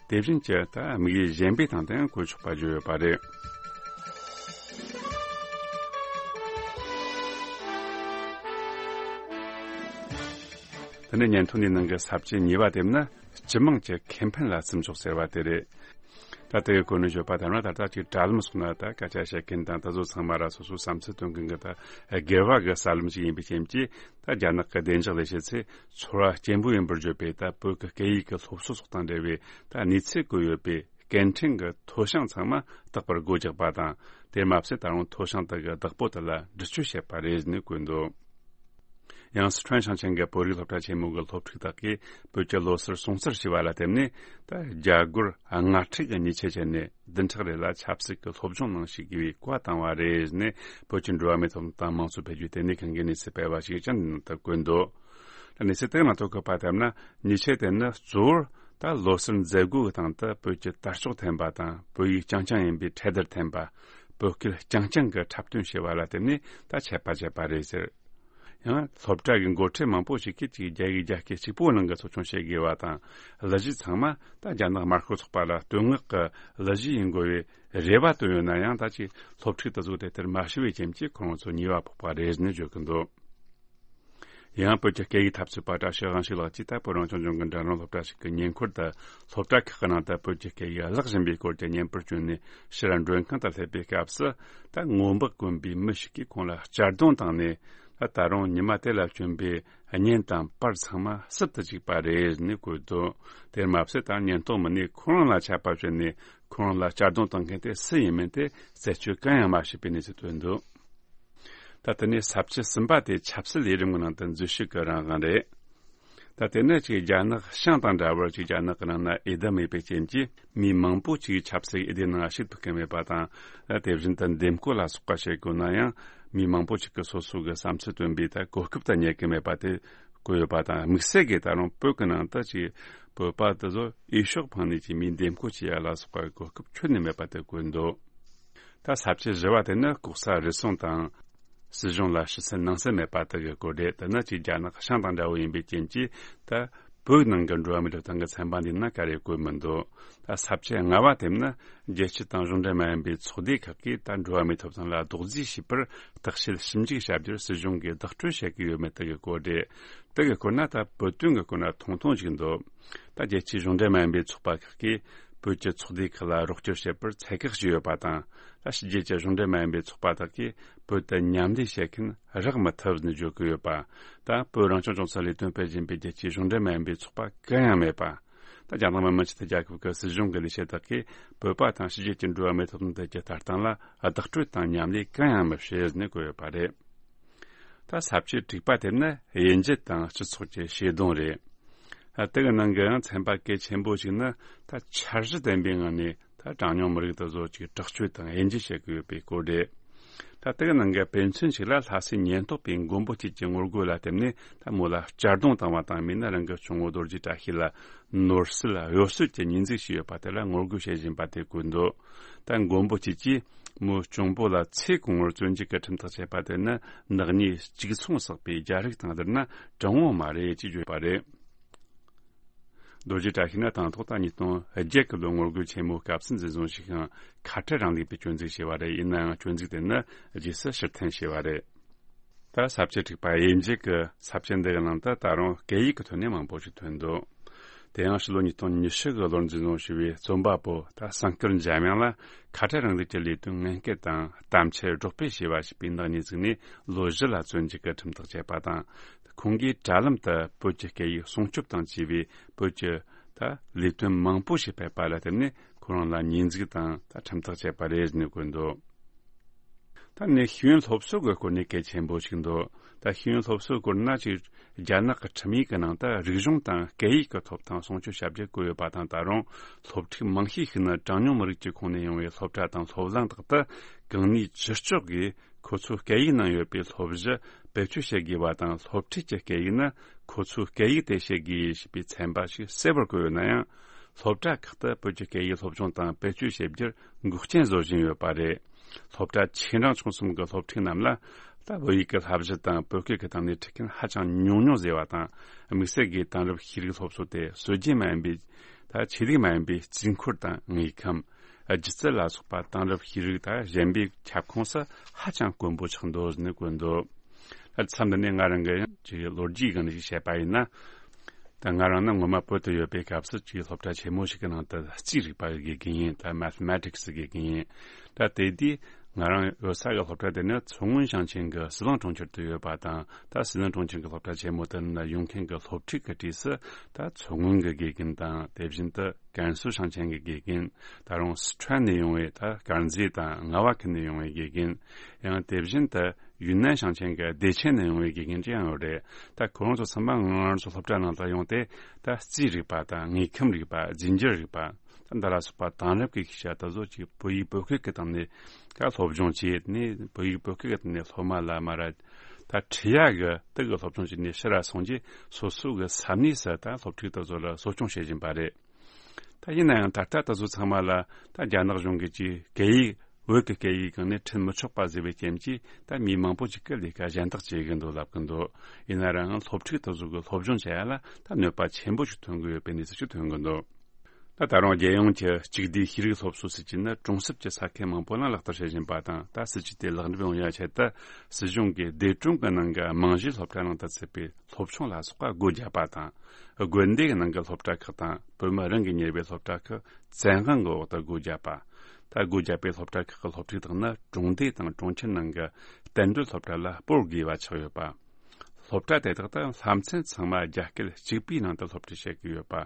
དེ་བཞིན་གྱི་ད་དམིགས་ཡུལ་གཞན་པའི་སྟེང་དུ་ཡང་བཀོལ་ཆོག་པ་བརྗོད་ཡོད་པ་རེད། དེ་ནས་སྙན་ཐོ་འདིའི་ནང་གི་ས་བཅད་གཉིས་པ་དེ་ནི་སྤྱི་དམངས་ཀྱི་ཁེ་ཕན་ལ་བརྩི་འཇོག་ཟེར་བ་དེ་རེད། ད་ལྟའི་གོ་གནས་བརྗོད་པ་ལྟར་ན། ད་ལྟ་ཅིག་དྲ་ལམ་སོགས་ན་ད་སྐད་ཆ་བཤད་མཁན་དང་དེ་ཚོ་ཚང་མ་ར་སོ་སོའི་བསམ་ཚུལ་སྟོན་མཁན་གྱི་ད་སྒེར་བ་གི་གསར་ལམ་ཞིག་ཡིན་པའི་རྐྱེན་གྱིས། ད་རྒྱ་ནག་གི་བདེ་འཇགས་ལས་བྱེད་ཚོས་ཚོར་བ་སྐྱེན་པོ་ཡིན་པར་བརྗོད་པའི་ད་བོད་ཀྱི་སྐད་ཡིག་གི་སློབ་གསོ་སོགས་དང་འབྲེལ་བའི་ད་གནས་ཚུལ་བཀོད་ཡོད་པའི་སྐད་འཕྲིན་གྱི་མཐོ་བྱང་ཚང་མ་རྟག་པར་སྒོ་རྒྱག་པ་དང་། དེར་མ་ཟད་ད་རུང་མཐོ་བྱང་དག་གི་བདག་པོ་དག་ལ་འདྲི་གཅོད་བྱས་པ་རེད་ནས་བཀོད་འདུག་ཡང་སི་ཁྲོན་ཞིང་ཆེན་གྱི་བོད་རིགས་སློབ་གྲྭ་ཆེན་མོ་གི་སློབ་ཕྲུག་དག་གིས་བོད་ཀྱི་ལོ་སར་སྲུང་བརྩི་བྱས་པ་ལ་བརྟེན་ནས། ད་རྒྱ་སྒོར་ལྔ་ཁྲི་གི་ཉེས་ཆད་བཅད་ནས་བདུན་ཕྲག་རེ་ལ་ཆབ་སྲིད་ཀྱི་སློབ་སྦྱོང་གནང་ཞིག་དགོས་པའི་བཀའ་བཏང་བ་རེད་ནས། བོད་ཀྱི་འགྲོ་བ་མིའི་ཐོབ་ཐང་དང་མང་གཙོ་འཕེལ་རྒྱས་ལྟེ་གནས་ཁང་གིས་གནས་ཚུལ་སྤེལ་བ་ཞིག་ཀྱང་འདི་ནང་དུ་བཀོད་འདུག་གནས་ཚུལ་དེ་ནང་དུ་བཀོད་པ་ལྟར་ན། ཉེས་ཆད་དེ་ནི་གཙོ་བོར་ད་ལོ་སར་མཛད་སྒོ་གི་སྟེང་དུ་བོད་ཀྱི་དར་ལྕོག་འཐེན་པ་དང་། བོད་ཡིག་རྐྱང་རྐྱང་ཡིན་པའི་འཕྲེད་དར་འཐེན་པ། བོད་སྐད་རྐྱང་རྐྱང་གི་འཁྲབ་སྟོན་བྱས་པ་ལ་བརྟེན་ནས་ད་ཆད་པ་བཅད་པ་རེད་ཟེར། ཡང་སློབ་གྲྭ་གི་འགོ་ཁྲིད་མང་པོ་ཞིག་གིས་ཅིག་རྒྱ་ཡིག་རྒྱ་སྐད་གཅིག་པོའི་ནང་གི་ཚོགས་ཆུང་བྱེད་དགོས་པ་དང་། གླུ་གཞས་ཚང་མ་ད་རྒྱ་ནག་དམར་ཤོག་ཚོགས་པ་ལ་བསྟོད་བསྔགས་ཀྱི་གླུ་གཞས་ཡིན་དགོས་པའི་རེ་བ་བཏོན་ཡོད་ན་ཡང་། ད་ཅིག་སློབ་ཕྲུག་དེ་ཚོ་དེ་ལྟར་མ་ཞུ་བའི་རྐྱེན་གྱིས་ཁོ་རང་ཚོ་ཉེས་པ་ཕོག་པ་རེད་ནས་བརྗོད་ཀྱི་འདུག་ཡང་བོད་ཀྱི་སྐད་ཡིག་འཐབ་རྩོད་པ་བཀྲ་ཤིས་དབང་ཕྱུག་ལགས་ཀྱིས་ད་བོད་རང་སྐྱོང་ལྗོངས་ཀྱི་འབྲིང་རིམ་སློབ་གྲྭ་ཞིག་གི་ཉེ་འཁོར་དུ་སློབ་གྲྭ་ཁག་གི་ནང་དུ་བོད་ཀྱི་སྐད་ཡིག་བརླག་བཞིན་པའི་སྐོར་གྱི་བརྙན་པར་བསྐྱོན་ནས་ཕྱིར་མགྲོན་ཁང་དུ་སླེབས་པའི་སྐབས་སུ། ད་སྔོན་དཔག་དཀོན་པའི་མི་ཞིག་གིས་ཁོང་ལ་གཅར་རྡུང་བཏང་ནས། ད་ད་རུང་ཉི་མ་དེ་ལ་བསྐྱོན་པའི་བརྙན་དང་པར་ཚང་མ་སུབ་ཏུ་བཅུག་པ་རེད་ནས་བཀོད་འདུག་དེར་མ་ཟད་ད་ཉེན་རྟོག་མི་སྣས་ཁོ་རང་ལ་ཆད་པ་བཅད་ནས། ཁོ་རང་ལ་གཅར་རྡུང་བཏང་མཁན་དེ་སུ་ཡིན་མིན་དེ་རྩད་གཅོད་གང་ཡང་མ་བྱས་པའི་གནས་ཚུལ་བཏོན་འདུག་ད་དེ་ནས་ས་བཅད་གསུམ་པ་དེ་ཆབ་སྲིད་ལས་རིམ་གྱི་ནང་དུ་འཛུལ་ཞུགས་ཀྱི་རང་དབང་རེད། ད་དེ་ནི་ཅིག་རྒྱ་ནག་བྱང་དང་འདྲ་བར་ཅིག་རྒྱ་ནག་གི་ནང་ན་འོས་བསྡུ་མེད་པའི་རྐྱེན་གྱིས། མི་མང་པོ་ཅིག་ཆབ་སྲིད་འོས་བསྡུའི་ནང་ཞུགས་ཐུབ་ཀྱི་མེད་པ་དང་། དེ་བཞིན་དུ་འདེམས་བསྐོ་ལ་སོགས་པ་བྱེད་དགོས་ན་ཡང་། མི་མང་པོ་ཅིག་གིས་སོ་སོ་གི་བསམ་ཚུལ་བཏོན་པའི་ད་གོ་སྐབས་དེ་རྙེད་ཀྱི་མེད་པ་དེ་བཀོད་ཡོད་པ་དང་། དམིགས་བསལ་གྱིས་ད་རུང་བོད་ཀྱི་ནང་དུ་ཅིག་བོད་པ་དེ་ཚོ་འོས་ཤོག་འཕངས་ནས་ཅིག་མིའི་འདེམས་བསྐོ་བྱེད་ཡ་ལ་སོགས་པའི་གོ་སྐབས་ཁྱོན་ནས་མེད་པ་དེ་བཀོད་འདུག་ད་ས་བཅད་བཞི་བ་དེ་ནི་ལྐོག་ཟ་རུལ་སུངས་དང་། སྲིད་གཞུང་ལ་ཕྱི་གསལ་ནང་གསལ་མེད་པ་དག་གི་སྐོར་རེད། དེ་ནི་ཅིག་རྒྱ་ནག་བྱང་དང་འདྲ་བོ་ཡིན་པའི་རྐྱེན་གྱིས། ད་བོད་ནང་གི་འགྲོ་བ་མིའི་ཐོབ་ཐང་གི་ཚན་པ་འདིའི་ནང་ག་རེ་བཀོད་མི་འདུག་ད་ས་བཅད་ལྔ་བ་དེ་ནི་རྒྱལ་སྤྱི་དང་གཞུང་འབྲེལ་མ་ཡིན་པའི་ཚོགས་སྡེ་ཁག་གིས་ད་འགྲོ་བ་མིའི་ཐོབ་ཐང་ལ་རྡོག་རྫིས་བྱས་པར་བརྟག་དཔྱད་ཞིབ་འཇུག་བྱ་རྒྱུར་སྲིད་གཞུང་གིས་བདག་སྤྲོད་བྱེད་ཀྱི་ཡོད་མེད་དག་གི་སྐོར་རེད། དེ་གི་སྐོར་ན་ད་བོད་དོན་གྱི་སྐོར་ན་ཐུང་ཐུང་ཞིག་འདུག་ད་རྒྱལ་སྤྱིའི་གཞུང་འབྲེལ་མ་ཡིན་པའི་ཚོགས་པ་ཁག་གིས་བོད་ཀྱི་ཚོགས་སྡེ་ཁག་ལ་རོགས་སྐྱོར་བྱེད་པར་ཚད་བཀག་བྱས་ཡོད་པ་དང་། ད་ཕྱི་རྒྱལ་གྱི་གཞུང་འབྲེལ་མ་ཡིན་པའི་ཚོགས་པ་དག་གིས་བོད་དུ་མཉམ་ལས་བྱེད་མཁན་རག་མི་ཐུབ་ནས་བརྗོད་ཀྱི་ཡོད་པ། ད་བོད་རང་སྐྱོང་ལྗོངས་སུ་ལས་དོན་སྤེལ་བཞིན་པའི་རྒྱལ་སྤྱིའི་གཞུང་འབྲེལ་མ་ཡིན་པའི་ཚོགས་པ་གང་ཡང་མེད་པ། ད་རྒྱ་ནག་མི་དམངས་སྤྱི་མཐུན་རྒྱལ་ཁབ་ཀྱི་སྲིད་གཞུང་གི་ལས་བྱེད་དག་གིས་བོད་པ་དང་ཕྱི་རྒྱལ་གྱི་འགྲོ་བ་མིའི་ཐོབ་ཐང་ཐད་ཀྱི་ལྟ་སྟངས་ལ་བདག་སྤྲོད་དང་མཉམ་ལས་གང་ཡང་མི་བྱེད་ནས་བཀོད་ཡོད་པ་རེད། ད་ས་བཅད་དྲུག་པ་དེ་ནི་དབྱེ་འབྱེད་དང་སྤྱི་ཚོགས་ཀྱི་ཤེས་ལྡོང་རེད། ད་དེ་གི་ནང་གི་ཡང་ཚན་པ་གལ་ཆེན་པོ་ཞིག་ནི་ད་འཆར་གཞི་ལྡན་པའི་ངང་ནས་ད་གྲངས་ཉུང་མི་རིགས་དེ་ཚོ་ཅིག་དྲག་སྤྱོད་དང་དབྱེ་འབྱེད་བྱེད་ཀྱི་ཡོད་པའི་སྐོར་རེད། ད་དེ་གི་ནང་གི་དཔེ་མཚོན་ཞིག་ལ། ལྷ་སའི་ཉེན་རྟོག་པས་མགོན་པོ་གཅིག་གི་ངོ་རྒོལ་ལ་བརྟེན་ནས་ད་མོ་ལ་གཅར་རྡུང་བཏང་བ་དང་། མིན་ན་རང་གི་གཅུང་པོ་རྡོ་རྗེ་བཀྲ་ཤིས་ལ་ནོར་སྲིད་གཡོ་ཟོལ་གྱི་ཉེས་འཛུགས་བྱས་ཡོད་པ་དེ་ལ་ངོ་རྒོལ་བྱེད་བཞིན་པ་དེ་བཀོད་འདུག་ད་མགོན་པོ་གཅིག་གིས་མོའི་གཅུང་པོ་ལ་ཚེ་གང་བོར་བཙོན་འཇུག་གི་ཁྲིམས་ཐག་བཅད་པ་དེ་ནི་ནག་ཉེས་གཅིག་མཚུངས་བསགས་པའི་རྒྱ་རིགས་དང་བསྡུར་ན་དྲང་བོ་མ་རེད་ཅེས་བརྗོད་པ་རེད། རྡོ་རྗེ་བཀྲ་ཤིས་ནི་དང་ཐོག་ད་ཉིས་སྟོང་བརྒྱད་གི་ལོ་ངོ་རྒོལ་ཆེན་མོའི་སྐབས་སུ་འཛིན་བཟུང་བྱས་ཤིང་། ཁ་བྲལ་རིང་ལུགས་པའི་སྐྱོན་འཛུགས་བྱས་པ་རེད། ཡིན་ནའང་སྐྱོན་འཛུགས་དེ་ནི་རྗེས་སུ་ཕྱིར་འཐེན་བྱས་པ་རེད། ད་ས་བཅད་དྲུག་པ་དབྱེ་འབྱེད་ཀྱི་ས་བཅད་འདི་གི་ནང་དུ་ད་རུང་སྐད་ཡིག་གི་ཐོག་ནས་མང་པོ་ཞིག་ཐོན་འདུག་དེ་ཡང་ཕྱི་ལོ་ཉིས་སྟོང་ཉི་ཤུ་གི་ལོར་འཛིན་བཟུང་བྱས་པའི་རྩོམ་པ་པོ་ད་སངས་སྐར་འཇམ་དབྱངས་ལ་ཁ་བྲལ་རིང་ལུགས་ཀྱི་ལས་དོན་ངན་སྐུལ་དང་གཏམ་འཆལ་སྒྲོག་སྤེལ་བྱས་པ་ཞེས་པའི་ནག་ཉེས་བཙུགས་ནས་ལོ་བཞི་ལ་བཙོན་འཇུག་གི་ཁྲིམས་ཐག་བཅད་པ་དང་། ཁོང་གིས་དྲ་ལམ་དུ་བོད་ཀྱི་སྐད་ཡིག་སྲུང་སྐྱོབ་དང་བཅས་པའི་བོད་ཀྱི་ད་ལས་དོན་མང་པོ་ཞིག་སྤེལ་པ་ལ་བརྟེན་ནས་ཁོ་རང་ལ་ཉེས་འཛུགས་དང་ད་ཁྲིམས་ཐག་བཅད་པ་རེད་ཟེར་ནས་བཀོད་འདུག་ད་ནི་ཤེས་ཡོན་སློབ་གསོ་གི་སྐོར་ནས་གལ་ཆེན་པོ་ཞིག་འདུག་ད་ཤེས་ཡོན་སློབ་གསོའི་སྐོར་ན་ཅིག་རྒྱ་ནག་གི་ཁྲིམས་ཡིག་གི་ནང་དུ་རིག་གཞུང་དང་སྐད་ཡིག་གི་ཐོབ་ཐང་སྲུང་སྐྱོབ་བྱ་རྒྱུ་བཀོད་ཡོད་པ་དང་། ད་རུང་སློབ་ཕྲུག་མང་ཤས་ཤིག་ནི་གྲངས་ཉུང་མི་རིགས་ཀྱི་ཁོངས་ནས་ཡོང་བའི་སློབ་གྲྭ་དང་སློབ་གླིང་དག་ཏུ་གང་ནུས་ཅི་ལྕོགས་ཀྱིས་ཁོ་ཚོའི་སྐད་ཡིག་ནང་ཡོད་པའི་སློབ་གཞི་བེད་སྤྱོད་བྱེད་དགོས་པ་དང་། སློབ་ཁྲིད་ཀྱི་སྐད་ཡིག་ནི་ཁོ་ཚོའི་སྐད་ཡིག་དེ་བྱེད་དགོས་ཞེས་པའི་ཚན་པ་ཞིག་གསལ་བོར་བཀོད་ཡོད་ན་ཡང་། སློབ་གྲྭ་ཁག་ཏུ་བོད་ཀྱི་སྐད་ཡིག་སློབ་སྦྱོང་དང་བེད་སྤྱོད་བྱེད་རྒྱུར་འགོག་རྐྱེན་བཟོ་བཞིན་ཡོད་པ་རེད། སློབ་གྲྭ་ཆེ་འབྲིང་ཆུང་གསུམ་གྱི་སློབ་ཕྲུག་རྣམས་ལ་ད་བོད་ཡིག་གི་བསླབ་གཞི་དང་བོད་སྐད་ཀྱི་སྟེང་ནས་ཁྲིད་མཁན་ཧ་ཅང་ཉུང་ཉུང་ཟེར་བ་དང་། དམིགས་བསལ་གྱིས་དེང་རབས་ཤེས་རིག་སློབ་གསོ་དེ་སྲོལ་རྒྱུན་མ་ཡིན་པའི་ད་ཆོས་ལུགས་མ་ཡིན་པའི་རྩིས་འཁོར་དང་དངོས་ཁམས། སྒྱུ་རྩལ་ལ་སོགས་པ་དེང་རབས་ཤེས་རིག་དང་གཞན་པའི་ཁྱབ་ཁོངས་སུ་ཧ་ཅང་དཀོན་པོ་ཆགས་འདུག་ཟེར་ནས་བཀོད་འདུག་ད་མཚམས་འདི་ནས་ང་རང་གི་ཡང་ཅིག་ལོ་རྒྱུས་སྒང་ནས་ཞིག་བཤད་པ་ཡིན་ན། ད་ང་རང་ནི་སྔོན་མ་བོད་དུ་ཡོད་པའི་སྐབས་སུ་ཅིག་སློབ་གྲྭ་ཆེན་མོ་ཞིག་གི་ནང་དུ་རྩིས་རིག་པ་དགེ་རྒན་ཡིན། ད་Mathematics་དགེ་རྒན་ཡིན། ད་དེ་དུས་ང་རང་ཡོད་ས་གི་སློབ་གྲྭ་དེ་ནི་མཚོ་སྔོན་ཞིང་ཆེན་གྱི་ཟི་ལིང་གྲོང་ཁྱེར་དུ་ཡོད་པ་དང་། ད་ཟི་ལིང་གྲོང་ཁྱེར་གྱི་སློབ་གྲྭ་ཆེན་མོ་དེ་ནང་ཡོང་མཁན་གྱི་སློབ་ཕྲུག་གི་གྲས་སུ་ད་མཚོ་སྔོན་གྱི་དགེ་རྒན་དང་། དེ་བཞིན་དུ་ཀན་སུའུ་ཞིང་ཆེན་གྱི་དགེ་རྒན། ད་རུང་སི་ཁྲོན་ནས་ཡོང་བའི་ད་དཀར་མཛེས་དང་རྔ་བ་ཁུལ་ནས་ཡོང་བའི་དགེ་རྒན། ཡང་དེ་བཞིན་དུ་ཡུན་ནན་ཞིང་ཆེན་གྱི་བདེ་ཆེན་ནས་ཡོང་བའི་དགེ་རྒན་ཅིག་ཡང་ཡོད་རེད། ད་ཁོ་རང་ཚོ་ཚང་མ་ང་རང་ཚོ་སློབ་གྲྭ་ནང་དུ་ཡོང་སྟེ་ད་རྩིས་རིག་པ་དང་དངོས་ཁམས་རིག་པ། རྫས་འགྱུར་རིག་པ། ད་འདི་ལ་སོགས་པ་དེང་རབས་ཀྱི་ཤེས་བྱ་དེ་ཚོ་ཅིག་བོད་ཡིག་བོད་སྐད་ཀྱི་སྟེང་ནས་ད་སློབ་སྦྱོང་བྱས་ནས། བོད་ཡིག་བོད་སྐད་ཀྱི་སྟེང་ནས་སློབ་མ་ལ་མར་ད་ཁྲིད་ཡག་གི་དེ་གི་སློབ་སྦྱོང་བྱས་ནས་ཕྱིར་ར་སོང་རྗེས་སོ་སོ་གི་ས་གནས་སུ་ད་སློབ་ཕྲུག་དེ་ཚོ་ལ་གསོ་སྐྱོང་བྱེད་བཞིན་པ་རེད། ད་ཡིན་ན་ཡང་ད་ལྟ་དེ་ཚོ་ཚང་མ་ལ་ད་རྒྱ་ནག་གཞུང་གིས་ཀྱིས་སྐད་ཡིག་བོད་ཀྱི་སྐད་ཡིག་སྒང་ནས་ཁྲིད་མི་ཆོག་པ་ཟེར་བའི་རྐྱེན་གྱིས། ད་མི་མང་པོ་ཅིག་གིས་ལས་ཀ་གཞན་དག་བྱེད་གི་འདུག་ལབ་གི་འདུག་ཡིན་ན་རང་སློབ་ཕྲུག་དེ་ཚོ་གི་སློབ་སྦྱོང་བྱེད་ཡ་ལ་ད་གནོད་པ་ཆེན་པོ་ཞིག་ཐོན་གི་ཡོད་པའི་གནས་ཚུལ་ཞིག་ཐོན་གི་འདུག་ད་ད་རུང་རྒྱལ་ཡོངས་ཀྱི་གཅིག་བསྡུས་ཤེས་རིག་སློབ་གསོ་སྲིད་ཇུས་ནི་གྲོང་གསེབ་ཀྱི་ས་ཁུལ་མང་པོ་ལ་ལག་བསྟར་བྱེད་བཞིན་པ་དང་། ད་སྲིད་ཇུས་དེ་ལེགས་འགྲུབ་ཡོང་ཡ་ཆེད་དུ་སྲིད་གཞུང་གིས་སྡེ་གྲོང་གི་ནང་གི་རྨང་གཞིའི་སློབ་གྲྭ་ནང་དུ་ཚུད་པའི་སློབ་ཆུང་ལ་སོགས་པ་སྒོ་བརྒྱབ་པ་དང་། དགོན་སྡེ་གི་ནང་གི་སློབ་གྲྭ་ཁག་དང་བོད་མི་རང་གིས་གཉེར་བའི་སློབ་གྲྭ་ཁག་བཙན་དབང་གི་འོག་ཏུ་སྒོ་བརྒྱབ་པ། ད་སྒོ་བརྒྱབ་པའི་སློབ་གྲྭ་ཁག་གི་སློབ་ཕྲུག་དག་ནི་གྲོང་སྡེ་དང་གྲོང་ཁྱེར་ནང་གི་བསྟན་འགྲོའི་སློབ་གྲྭ་ལ་སྤོར་དགོས་པ་ཆགས་ཡོད་པ། སློབ་གྲྭ་དེ་དག་ཏུ་བསླབ་ཚན་ཚང་མ་རྒྱ་སྐད་གཅིག་པུའི་ནང་དུ་སློབ་ཁྲིད་བྱེད་ཀྱི་ཡོད་པ།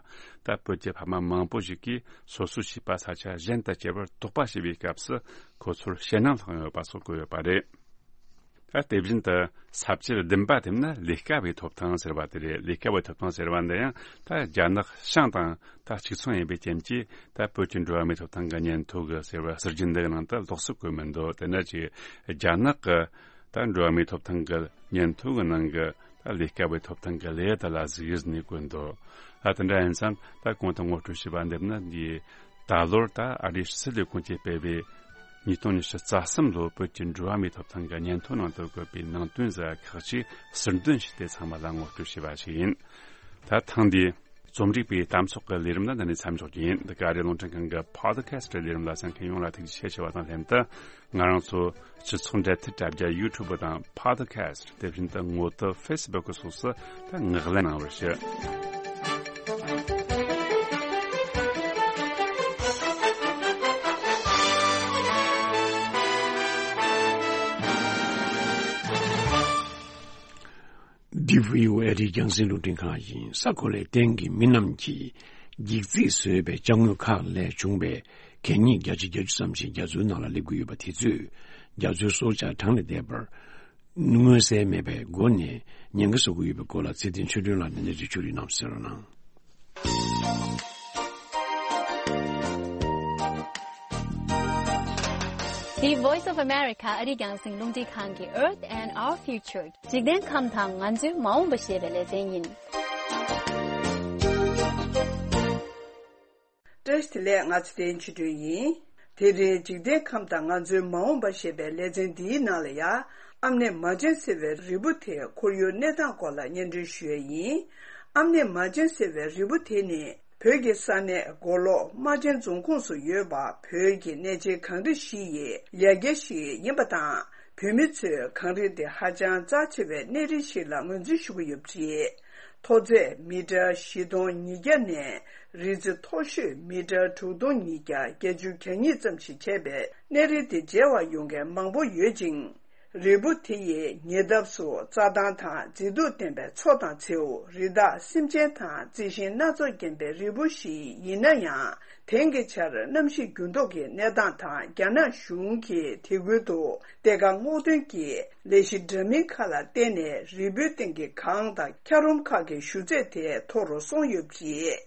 ད་བོད་ཀྱི་ཕ་མ་མང་པོ་ཞིག་གིས་སོ་སོའི་བྱིས་པ་ས་ཆ་གཞན་དུ་བསྐྱལ་བར་དོགས་པ་བྱེད་པའི་སྐབས་སུ་ཁོ་ཚོར་ཞེད་སྣང་ལྷག་ཡོད་པ་སོགས་བཀོད་ཡོད་པ་རེད། ད་དེ་བཞིན་དུ་ས་བཅད་བདུན་པ་དེ་ནི་ལས་ཀ་བའི་ཐོབ་ཐང་ཟེར་བ་དེ་རེད། ལས་ཀ་བའི་ཐོབ་ཐང་ཟེར་བ་འདི་ཡང་ད་རྒྱ་ནག་ཤང་དང་ད་གཅིག་མཚུངས་ཡིན་པའི་རྐྱེན་གྱིས། ད་བོད་ཀྱི་འགྲོ་བ་མིའི་ཐོབ་ཐང་གི་སྙན་ཐོ་གི་ཟེར་བ་ཟུར་རྒྱན་འདི་གི་ནང་དུ་ལོགས་སུ་བཀོད་མི་འདུག་དེ་ནི་ཅིག་རྒྱ་ནག་གི་ད་འགྲོ་བ་མིའི་ཐོབ་ཐང་གི་སྙན་ཐོ་གི་ནང་གི་ད་ལས་ཀ་བའི་ཐོབ་ཐང་གི་ལེའུ་དེ་ལ་གཟིགས་ཡིན་ནས་བཀོད་འདུག་ཨ། དེ་འདྲ་ཡིན་ཙང་ད་གོང་དུ་ངོ་སྤྲོད་བྱས་པ་འདི་ནི་འདིའི་ད་ལོར་ད་ཨ་རིའི་ཕྱི་སྲིད་ལས་ཁུངས་ཀྱིས་སྤེལ་བའི་ཉིས་སྟོང་ཉི་ཤུ་རྩ་གསུམ་ལོའི་བོད་ཀྱི་འགྲོ་བ་མིའི་ཐོབ་ཐང་གི་སྙན་ཐོ་ནང་དུ་བཀོད་པའི་ནང་དོན་ཟེར་ཁག་ཅིག་ཟུར་འདོན་བྱས་ཏེ་ཚང་མ་ལ་ངོ་སྤྲོད་བྱས་པ་ཞིག་ཡིན། ད་ཐེངས་འདིའི་རྩོམ་སྒྲིག་པའི་གཏམ་ཚོགས་ཀྱི་ལས་རིམ་ལ་འདི་ནས་མཚམས་འཇོག་རྒྱུ་ཡིན། འདི་ག་རེ་རླུང་འཕྲིན་ཁང་གི་Podcast་ལས་རིམ་ལ་གསན་མཁན་ཡོངས་ལ་ཐུགས་རྗེ་ཆེ་ཞུ་བ་དང་ལྷན་དུ། ང་རང་ཚོ་སྤྱི་ཚོགས་འབྲེལ་མཐུད་དྲ་རྒྱ་YouTube་དང་Podcast། དེ་བཞིན་དུ་ངོ་དེབ་Facebook་སོགས་སུ་ད་ངག་ལན་གནང་བར་ཞུ། འདི་བྷི་ཨོ་ཨེ་རིའི་རྒྱང་སྲིང་རླུང་འཕྲིན་ཁང་ཡིན། ས་གོ་ལའི་སྟེང་གི་མི་རྣམས་ཀྱིས་འགྱིག་རྩིས་བཟོས་པའི་ཅ་དངོས་ཁག་ལས་བྱུང་བའི་གད་སྙིགས་བརྒྱ་ཆ་བརྒྱད་ཅུ་ཙམ་ཞིག་རྒྱ་མཚོའི་ནང་ལ་སླེབས་ཀྱི་ཡོད་པ་དེ་ཚོས་རྒྱ་མཚོའི་སྲོག་ཆགས་གྲངས་ལས་འདས་པར་མངོན་གསལ་མེད་པའི་སྒོ་ནས་ཉེན་ཁ་བཟོ་གི་ཡོད་པའི་སྐོར་ལ་ཚེ་བརྟན་ཆོས་སྒྲོན་ལགས་ནས་གནས་ཚུལ་ཕྱོགས་བསྒྲིགས་གནང་ཟེར་རོ་གནང་། The Voice of America ཨ་རིའི་རྒྱང་སྲིང་རླུང་འཕྲིན་ཁང་གི Earth and Our Future། འཇིག་རྟེན་ཁམས་དང་ང་ཚོའི་མ་འོངས་པ་ཞེས་པའི་ལེ་ཚན་ཡིན། བཀྲ་ཤིས་བདེ་ལེགས། ང་ཚེ་བརྟན་ཆོས་སྒྲོན་ཡིན། དེ་རིང་འཇིག་རྟེན་ཁམས་དང་ང་ཚོའི་མ་འོངས་པ་ཞེས་པའི་ལེ་ཚན་འདིའི་ནང་ལ་ཡ། ཨམ་ནེ་མ་ཅན་ཟེར་བའི་རིལ་བུ་དེའི་ཁོར་ཡུག་གནས་སྟངས་སྐོར་ལ་སྙན་སྒྲོན་ཞུ་ཡས་ཡིན། ཨམ་ནེ་མ་ཅན་ཟེར་བའི་རིལ་བུ་དེ་ནི་བོད་ཀྱི་ས་གནས་མགོ་ལོག་རྨ་ཆེན་རྫོང་ཁོངས་སུ་ཡོད་པ། བོད་ཀྱི་གནས་ཆེན་གངས་རི་བཞི་ཡི་ཡ་གྱལ་ཞིག་ཡིན་པ་དང་། བོད་མི་ཚོས་གངས་རི་དེ་ཧ་ཅང་རྩ་ཆེ་བའི་གནས་རི་ཞིག་ལ་ངོས་འཛིན་ཞུ་གི་ཡོད་པ་རེད། མཐོ་ཚད་མི་ཊར་བཞི་སྟོང་ཉིས་བརྒྱ་ནས་རི་རྩེ་མཐོ་ཤོས་མི་ཊར་དྲུག་སྟོང་ཉིས་བརྒྱ་བརྒྱད་ཅུ་གྱ་གཉིས་ཙམ་ཞིག་བྱས་པའི་གནས་རི་དེ་མཇལ་བར་ཡོང་མཁན་མང་པོ་ཡོད་ཅིང་། རི་བོ་དེ་ཡི་ཉེ་འདབས་སུ་རྩྭ་ཐང་དང་མཛེས་སྡུག་ལྡན་པའི་མཚོ་དང་མཚེའུ། རི་དྭགས་སེམས་ཅན་དང་རྩི་ཤིང་སྣ་ཚོགས་ལྡན་པའི་རི་བོ་ཞིག་ཡིན་ན་ཡང་། དེང་གི་ཆར་གནམ་གཤིས་འགྱུར་ལྡོག་གི་གནས་སྟངས་དང་རྒྱ་ནག་གཞུང་གིས་དེ་ཁུལ་དུ་གཏེར་ཁ་སྔོག་འདོན་གྱི་ལས་གཞི་འདྲ་མིན་ཁག་ལ་བརྟེན་ནས་རི་བོའི་སྟེང་གི་གངས་དང་འཁྱགས་རོམ་ཁག་གི་ཞུ་ཚད་དེ་མཐོ་རུ་སོང་ཡོད་པ་རེད།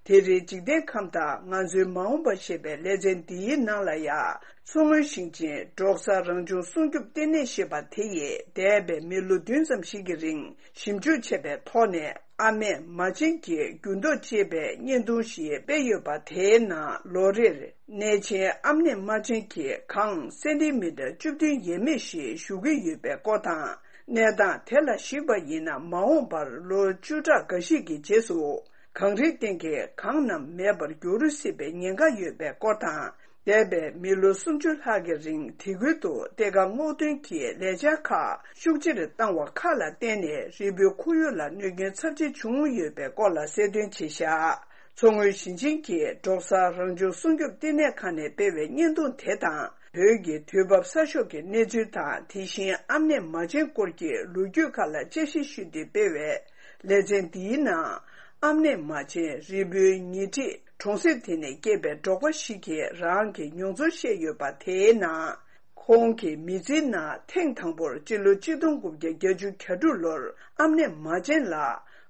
དེ་རིང་འཇིག་རྟེན་ཁམས་དང་ང་ཚོའི་མ་འོངས་པ་ཞེས་པའི་ལེ་ཚན་འདིའི་ནང་ལ་ཡང་། མཚོ་སྔོན་ཞིང་ཆེན་འབྲོག་གསར་རང་བྱུང་སྲུང་སྐྱོབ་ལྟེ་གནས་ཞེས་པ་དེ་ཡིས་འདས་པའི་མི་ལོ་བདུན་ཙམ་ཞིག་གི་རིང་ཞིབ་འཇུག་བྱས་པའི་ཐོག་ནས། ཨ་མྲས་མ་བྱན་གྱི་འགྱུར་ལྡོག་ཅེས་པའི་བརྙན་ཐུང་ཞིག་སྤེལ་ཡོད་པ། དེའི་ནང་ལོ་རེར་གནས་ཆེན་ཨ་མྲས་མ་བྱན་གྱི་གངས་སེན་ཏི་མི་ཊར་བཅུ་བདུན་ཡས་མས་ཤིག་ཞུ་གི་ཡོད་པའི་སྐོར་དང་། གནས་སྟངས་དེ་ལ་གཞིགས་པ་ཡིན་ན། མ་འོངས་པར་ལོ་བཅུ་ཕྲག་འགའ་ཞིག་གི་རྗེས་སུ། གངས་རིའི་སྟེང་གི་གངས་རྣམས་མེད་པར་འགྱུར་སྲིད་པའི་ཉེན་ཁ་ཡོད་པའི་སྐོར་དང་། འདས་པའི་མི་ལོ་སུམ་ཅུ་ལྷག་གི་རིང་དེ་ཁུལ་དུ་གཏེར་ཁ་སྔོག་འདོན་གྱི་ལས་འཆར་ཁག་ཤུགས་ཆེར་བཏང་བ་ཁག་ལ་བརྟེན་ནས་རི་བོའི་ཁོར་ཡུག་ལ་གནོད་སྐྱོན་ཚབས་ཆེ་བྱུང་ཡོད་པའི་སྐོར་ལ་གསལ་སྟོན་བྱས་བཞག་མཚོ་སྔོན་ཞིང་ཆེན་གྱི་འབྲོག་གསར་རང་བྱུང་སྲུང་སྐྱོབ་ལྟེ་གནས་ཁང་ནས་སྤེལ་བའི་བརྙན་ཐུང་དེ་དང་། བོད་ཀྱི་དུས་བབ་གསར་ཤོག་གི་གནས་ཚུལ་དང་། དེ་བཞིན་ཨ་མྲས་མ་བྱན་སྐོར་གྱི་ལོ་རྒྱུས་ཁག་ལ་དཔྱད་ཞིབ་ཞུས་ཏེ་སྤེལ་བའི་ལེ་ཚན་འདིའི་ནང་། ཨ་མྲས་མ་བྱན་རི་བོའི་ཉེ་འཁྲིས་གྲོང་གསེབ་དེ་ནས་སྐྱེས་པའི་འབྲོག་པ་ཞིག་གིས་རང་གི་མྱོང་ཚོར་བཤད་ཡོད་པ། དེའི་ནང་། ཁོང་གི་མི་ཚེའི་ནང་ཐེངས་དང་པོར་སྤྱི་ལོ་གཅིག་སྟོང་དགུ་བརྒྱ་བརྒྱད་ཅུ་གྱ་དྲུག་ལོར་ཨ་མྲས་མ་བྱན་ལ་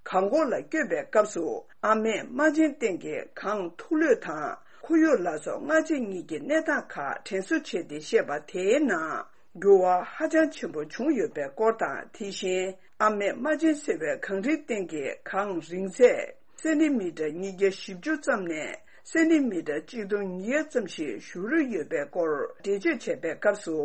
གངས་སྐོར་ལ་བསྐྱོད་པའི་སྐབས་སུ། ཨ་མྲས་མ་བྱན་སྟེང་གི་གངས་ཐུག་ལོས་དང་། ཁོར་ཡུག་ལ་སོགས་སྔ་རྗེས་གཉིས་ཀྱི་གནས་སྟངས་ཁག་དྲན་གསོ་བྱས་ཏེ་བཤད་པ། དེའི་ནང་འགྱུར་བ་ཧ་ཅང་ཆེན་པོ་བྱུང་ཡོད་པའི་སྐོར་དང་། དེ་བཞིན་ཨ་མྲས་མ་བྱན་ཟེར་བའི་གངས་རིའི་སྟེང་གི་གངས་རིང་ཚད་སེན་ཏི་མི་ཊར་ཉིས་བརྒྱ་བཞི་བཅུ་ཙམ་ནས་སེན་ཏི་མི་ཊར་གཅིག་སྟོང་ཉིས་བརྒྱ་ཙམ་ཞིག་བཞུར་ཡོད་པའི་སྐོར་འགྲེལ་བརྗོད་བྱས་པའི་སྐབས་སུ།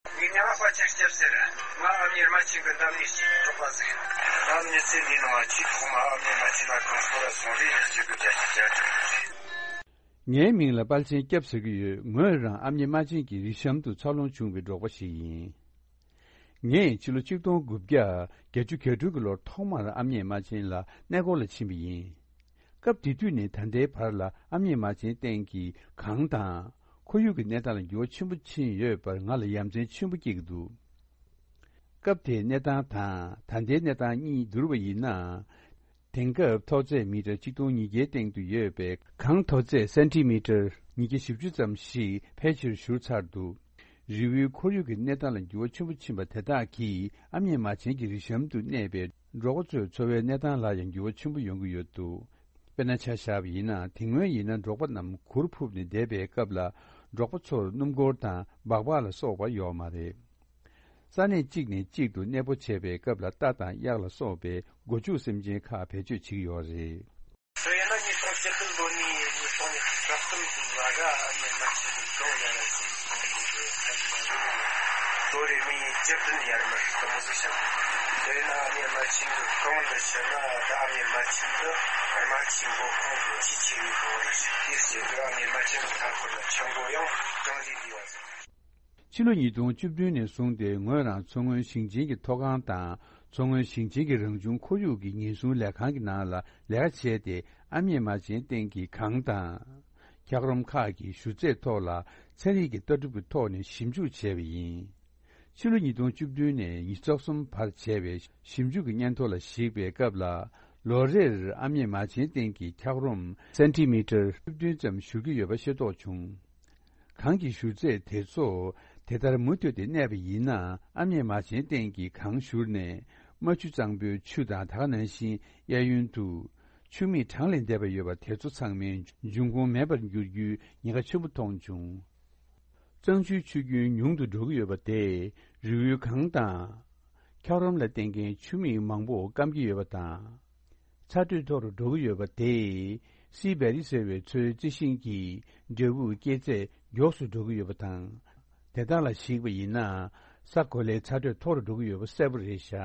ངའི་མྱིང་ལ་དཔལ་ཆེན་སྐྱབས་ཟེར། ང་ཨ་མྱེས་རྨ་ཆེན་གྱི་འདབས་ནས་ཤིག་འབྲོག་པ་ཟིག་ཡིན། ད་མི་ཚེ་འདིའི་ནང་ཆེས་ཐོག་མ་ཨ་མྱེས་རྨ་ཆེན་ལ་གངས་སྐོར་ལ་སོང་རེ་ཡག་ཅིག་གི་རྒྱ་ཆེ་རྒྱ་ཆེ་རེད། ངའི་མིང་ལ་དཔལ་ཆེན་སྐྱབས་ཟེར་གྱི་ཡོད། ངོས་རང་ཨ་མྱེས་རྨ་ཆེན་གྱི་རི་གཤམ་དུ་འཚར་ལོངས་བྱུང་བའི་འབྲོག་པ་ཞིག་ཡིན། ངས་ཕྱི་ལོ་ཆིག་སྟོང་དགུ་བརྒྱ་བརྒྱད་ཅུ་གྱ་དྲུག་གི་ལོར་ཐོག་མར་ཨ་མྱེས་རྨ་ཆེན་ལ་གནས་སྐོར་ལ་ཕྱིན་པ་ཡིན། སྐབས་དེ་དུས་ནས་ད་ལྟའི་བར་ལ་ཨ་མྱེས་རྨ་ཆེན་སྟེང་གི་གངས་དང་ཁོར་ཡུག་གི་གནས་སྟངས་ལ་འགྱུར་བ་ཆེན་པོ་ཕྱིན་ཡོད་པར་ང་ལ་ཡ་མཚན་ཆེན་པོ་སྐྱེ་གི་འདུག་སྐབས་དེའི་གནས་སྟངས་དང་ད་ལྟའི་གནས་སྟངས་གཉིས་བསྡུར་བ་ཡིན་ན། དེང་སྐབས་མཐོ་ཚད་མི་ཊར་གཅིག་སྟོང་ཉིས་བརྒྱའི་སྟེང་དུ་ཡོད་པའི་གངས་མཐོ་ཚད་སེན་ཏི་མི་ཊར་ཉིས་བརྒྱ་བཞི་བཅུ་ཙམ་ཞིག་ཕལ་ཆེར་བཞུར་ཚར་འདུག་རི་བོའི་ཁོར་ཡུག་གི་གནས་སྟངས་ལ་འགྱུར་བ་ཆེན་པོ་ཕྱིན་པ་དེ་དག་གིས་ཨ་མྱེས་རྨ་ཆེན་གྱི་རི་གཤམ་དུ་གནས་པའི་འབྲོག་པ་ཚོའི་འཚོ་བའི་གནས་སྟངས་ལ་ཡང་འགྱུར་བ་ཆེན་པོ་ཡོང་གི་ཡོད་འདུག་དཔེར་ན་ཆ་བཞག་པ་ཡིན་ན། དེ་སྔོན་ཡིན་ན་འབྲོག་པ་རྣམས་གུར་ཕུབ་ནས་བསྡད་པའི་སྐབས་ལ། འབྲོག་པ་ཚོར་སྣུམ་འཁོར་དང་སྦག་སྦག་ལ་སོགས་པ་ཡོད་མ་རེད། ས་གནས་གཅིག་ནས་གཅིག་ཏུ་གནས་སྤོ་བྱས་པའི་སྐབས་ལ་རྟ་དང་གཡག་ལ་སོགས་པའི་སྒོ་ཕྱུགས་སེམས་ཅན་ཁག་བེད་སྤྱོད་བྱེད་ཀྱི་ཡོད་རེད། དེ་ཡིན་ན་ཉིས་སྟོང་བཅུ་བདུན་ལོ་ནས་ཉིས་སྟོང་ཉི་ཤུ་རྩ་གསུམ་བར་ཨ་མྱེས་རྨ་ཆེན་གྱི་གངས་ཡར་ར་ཅིག་སོང་ནས་ཡོད་ཁན་མ་རེད། ལོ་རེ་མི་བཅུ་བདུན་ཡར་མར་དུ་མོ་ཟིག་བྱུང་། དེ་ཡིན་ན་ཨ་མྱེས་རྨ་ཆེན་གྱི་གངས་འདི་ཕྱིན་ན། ད་ཨ་མྱེས་རྨ་ཆེན་འདི་རྨ་ཆུའི་མགོ་ཁུངས་སུ་ཆེས་ཆེ་བའི་གངས་རེད། དེའི་རྗེས་སུ་ཨ་མྱེས་རྨ་ཆེན་གྱི་མཐའ་འཁོར་ལ་ཆུ་མགོ་ཡང་ཅུང་ཟད་ལུས་པ་ཟིག་ཕྱི་ལོ་ཉིས་སྟོང་བཅུ་བདུན་ནས་བཟུང་སྟེ་ངོས་རང་མཚོ་སྔོན་ཞིང་ཆེན་གྱི་མཐོ་སྒང་དང་མཚོ་སྔོན་ཞིང་ཆེན་གྱི་རང་བྱུང་ཁོར་ཡུག་གི་ཉེན་སྲུང་ལས་ཁང་གི་ནང་ལ་ལས་ཀ་བྱས་ཏེ། ཨ་མྱེས་རྨ་ཆེན་སྟེང་གི་གངས་དང་། འཁྱགས་རོམ་ཁག་གི་ཞུ་ཚད་ཐོག་ལ་ཚན་རིག་གི་ལྟ་གྲུབ་ཀྱི་ཐོག་ནས་ཞིབ་འཇུག་བྱས་པ་ཡིན། ཕྱི་ལོ་ཉིས་སྟོང་བཅུ་བདུན་ནས་ཉི་ཤུ་རྩ་གསུམ་བར་བྱས་པའི་ཞིབ་འཇུག་གི་སྙན་ཐོ་ལ་གཞིགས་པའི་སྐབས་ལ། ལོ་རེར་ཨ་མྱེས་རྨ་ཆེན་སྟེང་གི་འཁྱགས་རོམ་སེན་ཏི་མི་ཊར་བཅུ་བདུན་ཙམ་བཞུར་གྱི་ཡོད་པ་ཤེས་རྟོགས་བྱུང་། གངས་ཀྱི་བཞུར་ཚད་དེ་ཚོ་དེ་ལྟར་མུ་མཐུད་དེ་གནས་པ་ཡིན་ན། ཨ་མྱེས་རྨ་ཆེན་སྟེང་གི་གངས་བཞུར་ནས་རྨ་ཆུ་གཙང་པོའི་ཆུ་དང་། ད་ག་ནང་བཞིན་གཡས་གཡོན་དུ་ཆུ་མིག་གྲངས་ལས་འདས་པ་ཡོད་པ་དེ་ཚོ་ཚང་མའི་འབྱུང་ཁུངས་མེད་པར་འགྱུར་རྒྱུའི་ཉེན་ཁ་ཆེན་པོ་མཐོང་བྱུང་། གཙང་ཆུའི་ཆུ་རྒྱུན་ཉུང་དུ་འགྲོ་གི་ཡོད་པ་དེས་རི་བོའི་གངས་དང་། འཁྱགས་རོམ་ལ་བརྟེན་མཁན་ཆུ་མིག་མང་པོ་སྐམ་གྱི་ཡོད་པ་དང་། ཚ་དྲོད་མཐོ་རུ་འགྲོ་གི་ཡོད་པ་དེས་སི་བེ་རི་ཟེར་བའི་མཚོའི་རྩི་ཤིང་གི་འབྲས་བུ་སྐྱེ་ཚད་མགྱོགས་སུ་འགྲོ་གི་ཡོད་པ་དང་། དེ་དག་ལ་གཞིགས་པ་ཡིན་ན། ས་གོ་ལའི་ཚ་དྲོད་མཐོ་རུ་འགྲོ་གི་ཡོད་པ་གསལ་པོ་རེད་བཞག་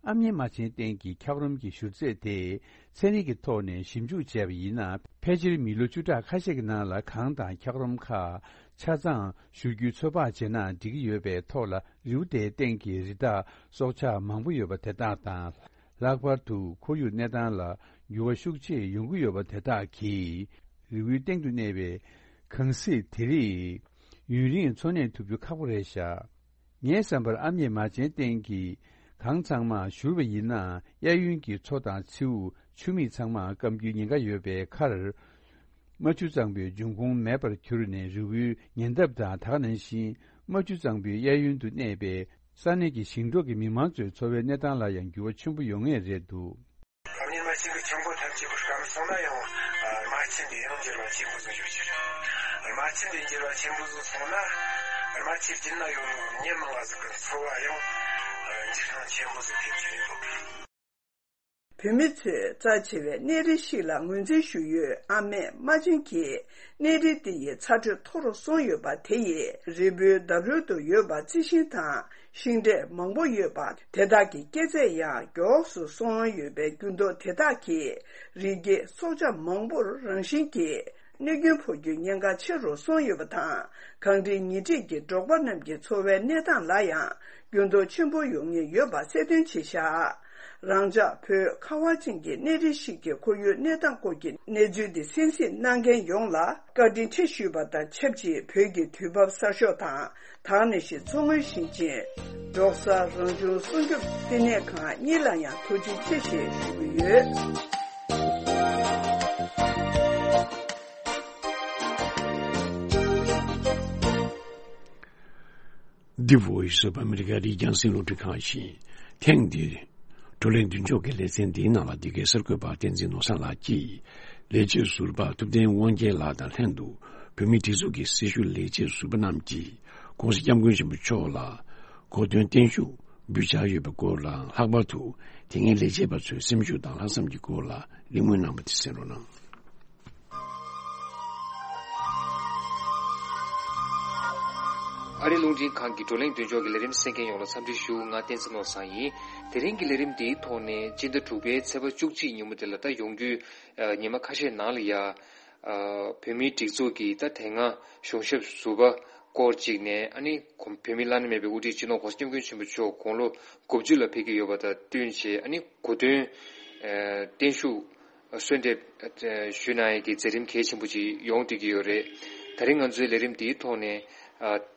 ཨ་མྱེས་རྨ་ཆེན་བསྟན་གྱི་འཁྱགས་རོམ་གྱི་བཞུར་རྫས་དེ་ཚན་རིག་གི་ཐོག་ནས་ཞིབ་འཇུག་བྱས་པ་ཡིན་ན། ཕལ་ཆེར་མི་ལོ་བཅུ་ཕྲག་ཁ་ཤས་ཀྱི་ནང་ལ་གངས་དང་འཁྱགས་རོམ་ཁག་ཆ་ཚང་བཞུར་རྒྱུའི་ཚོད་དཔག་བྱས་ན་འགྲིག་གི་ཡོད་པའི་ཐོག་ལ། རི་བོ་དེའི་སྟེང་གི་རི་དྭགས་སྲོག་ཆགས་མང་པོ་ཡོད་པ་དེ་དག་དང་། ལྷག་པར་དུ་ཁོར་ཡུག་གནས་སྟངས་ལ་འགྱུར་བ་ཤུགས་ཆེ་ཡོང་གི་ཡོད་པ་དེ་དག་གིས་རི་བོའི་སྟེང་དུ་གནས་པའི་གངས་གཟིག་དེ་རིགས་ཡུན་རིང་འཚོ་གནས་ཐུབ་རྒྱུ་ཁག་པོ་རེད་ཤག། ངའི་བསམ་པར་ཨ་མྱེས་རྨ་ཆེན་བསྟན་གྱི་གངས་ཚང་མ་བཞུར་བ་ཡིན་ན། གཡས་གཡོན་གྱི་མཚོ་དང་མཚེའུ་ཆུ་མིག་ཚང་མ་སྐམ་རྒྱུའི་ཉེན་ཁ་ཡོད་པའི་ཁར། རྨ་ཆུ་གཙང་པོའི་འབྱུང་ཁུངས་མེད་པར་གྱུར་ནས། རི་བོའི་ཉེ་འདབས་དང་ད་ག་ནང་བཞིན་རྨ་ཆུ་གཙང་པོའི་གཡས་གཡོན་དུ་གནས་པའི་ས་གནས་ཀྱི་ཞིང་འབྲོག་གི་མི་མང་ཚོའི་འཚོ་བའི་གནས་སྟངས་ལ་ཡང་འགྱུར་བ་ཆེན་པོ་ཡོང་ངེས་རེད་འདུག། ཨ་མྱེས་རྨ་ཆེན་གྱི་ཆུ་འགོ་ཐམས་ཅད་པོ་སྐམ་སོང་ན་ཡང་། རྨ་ཆུ་འདི་ཡང་འགྱུར་བ་ཆེན་པོ་ཟིག་ཡོང་རྒྱུ་རེད། རྨ་ཆུ་འདི་འགྱུར་བ་ཆེན་པོ་ཟིག་སོང་ན། རྨ་ཆུའི་རྒྱུད་ན་ཡོད་མི་མང་ང་ཟིག་གི་འཚོ་བ་ཡང་འགྱུར་ལྡོག་ཆེན་པོ་ཟིག་ཐེབས་རྒྱུ་ཡོད། བོད་མི་ཚོས་རྩ་ཆེ་བའི་གནས་རི་ཞིག་ལ་ངོས་འཛིན་ཞུ་ཡུལ་ཨ་མེས་རྨ་ཆེན་གྱིས། གནས་རི་འདི་ཡི་ཚ་དྲོད་མཐོ་རུ་སོང་ཡོད་པ་དེ་ཡིས་རི་བོའི་འདབས་རོལ་དུ་ཡོད་པ་རྩི་ཤིང་དང་ཤིང་འབྲས་མང་པོ་ཡོད་པ་དེ་དག་གི་སྐྱེ་ཚད་ཡང་མགྱོགས་སུ་སོང་ཡོད་པའི་འགྱུར་ལྡོག་དེ་དག་གིས་རི་སྐྱེས་སྲོག་ཆགས་མང་པོར་རང་བཞིན་གྱིས་གནོད་སྐྱོན་ཕོག་རྒྱུའི་ཉེན་ཁ་ཆེ་རུ་སོང་ཡོད་པ་དང་། གངས་རིའི་ཉེ་འཁྲིས་ཀྱི་འབྲོག་པ་རྣམས་ཀྱི་འཚོ་བའི་གནས་སྟངས་ལ་ཡང་འགྱུར་ལྡོག་ཆེན་པོ་ཡོང་ངེས་ཡོད་པ་གསལ་སྟོན་བྱས་བཞག། རང་ཅག་བོད་ཁ་བ་ཅན་གྱི་གནས་རི་ཞིག་གི་ཁོར་ཡུག་གནས་སྟངས་སྐོར་གྱི་གནས་ཚུལ་འདི་གསན་གཟིགས་གནང་མཁན་ཡོངས་ལ་བཀའ་དྲིན་ཆེ་ཞུས་པ་དང་ཆབས་ཅིག། བོད་ཀྱི་དུས་བབ་གསར་ཤོག་དང་། དེ་ནང་བཞིན་མཚོ་སྔོན་ཞིང་ཆེན་འབྲོག་གསར་རང་བྱུང་སྲུང་སྐྱོབ་བསྟི་གནས་ཁང་གཉིས་ལ་ཡང་ཐུགས་རྗེ་ཆེ་ཞེས་ཞུ་གི་ཡོད། འདི་Voice of America རི་རྒྱང་སྲིང་རླུང་འཕྲིན་ཁང་ཡིན། ཐེངས་འདིར་བགྲོ་གླེང་མདུན་ཅོག་གི་ལེ་ཚན་འདིའི་ནང་ལ་འདི་གའི་གསར་འགོད་པ་བསྟན་འཛིན་ནོར་བཟང་ལགས་ཀྱིས་ལས་བྱེད་ཟུར་པ་ཐུབ་བསྟན་དབང་རྒྱལ་ལགས་དང་ལྷན་དུ་བོད་མིའི་སྒྲིག་འཛུགས་ཀྱི་སྲི་ཞུ་ལས་བྱེད་ཟུར་པ་རྣམས་ཀྱིས་༸གོང་ས་༸སྐྱབས་མགོན་ཆེན་པོ་མཆོག་ལ་གོ་སྟོན་བརྟན་བཞུགས་འབུལ་འཆར་ཡོད་པའི་སྐོར་དང་། ལྷག་པར་དུ་དེ་སྔའི་ལས་བྱེད་པ་ཚོའི་སེམས་ཤུགས་དང་ལྷག་བསམ་གྱི་སྐོར་ལ་གླེང་མོལ་གནང་བ་དེ་གསན་རོགས་གནང་། ཨ་རིའི་རླུང་འཕྲིན་ཁང་གི་བགྲོ་གླེང་མདུན་ཅོག་གི་ལས་རིམ་གསན་མཁན་ཡོངས་ལ་འཚམས་འདྲི་ཞུ། ང་བསྟན་འཛིན་ནོར་བཟང་ཡིན། དེ་རིང་གི་ལས་རིམ་འདིའི་ཐོག་ནས་སྤྱི་ཟླ་དྲུག་པའི་ཚེས་པ་བཅུ་གཅིག་ཉིན་མོ་དེ་ལ་ད་ཡོང་རྒྱུའི་ཉི་མ་ཁ་ཤས་ནང་ལ་ཡ། བོད་མིའི་སྒྲིག་འཛུགས་ཀྱི་ད་དེ་སྔ་གཞུང་ཞབས་ཟུར་པ་སྐོར་གཅིག་ནས། ཨ་ནི་གོང་བོད་མིའི་བླ་ན་མེད་པའི་དབུ་ཁྲིད་སྤྱི་ནོར་༸གོང་ས་༸སྐྱབས་མགོན་ཆེན་པོ་མཆོག་དགུང་ལོ་དགུ་བཅུ་ལ་ཕེབས་ཀྱི་ཡོད་པ་དང་བསྟུན་བྱས། ཨ་ནི་གོ་སྟོན་བརྟན་བཞུགས་གསོལ་འདེབས་ཞུ་གནང་ཡས་ཀྱི་མཛད་རིམ་གལ་ཆེན་པོ་ཅིག་ཡོང་བསྡད་ཀྱི་ཡོད་རེད། ད་རིང་ང་ཚོའི་ལས་རིམ་འདིའི་ཐོག་ནས་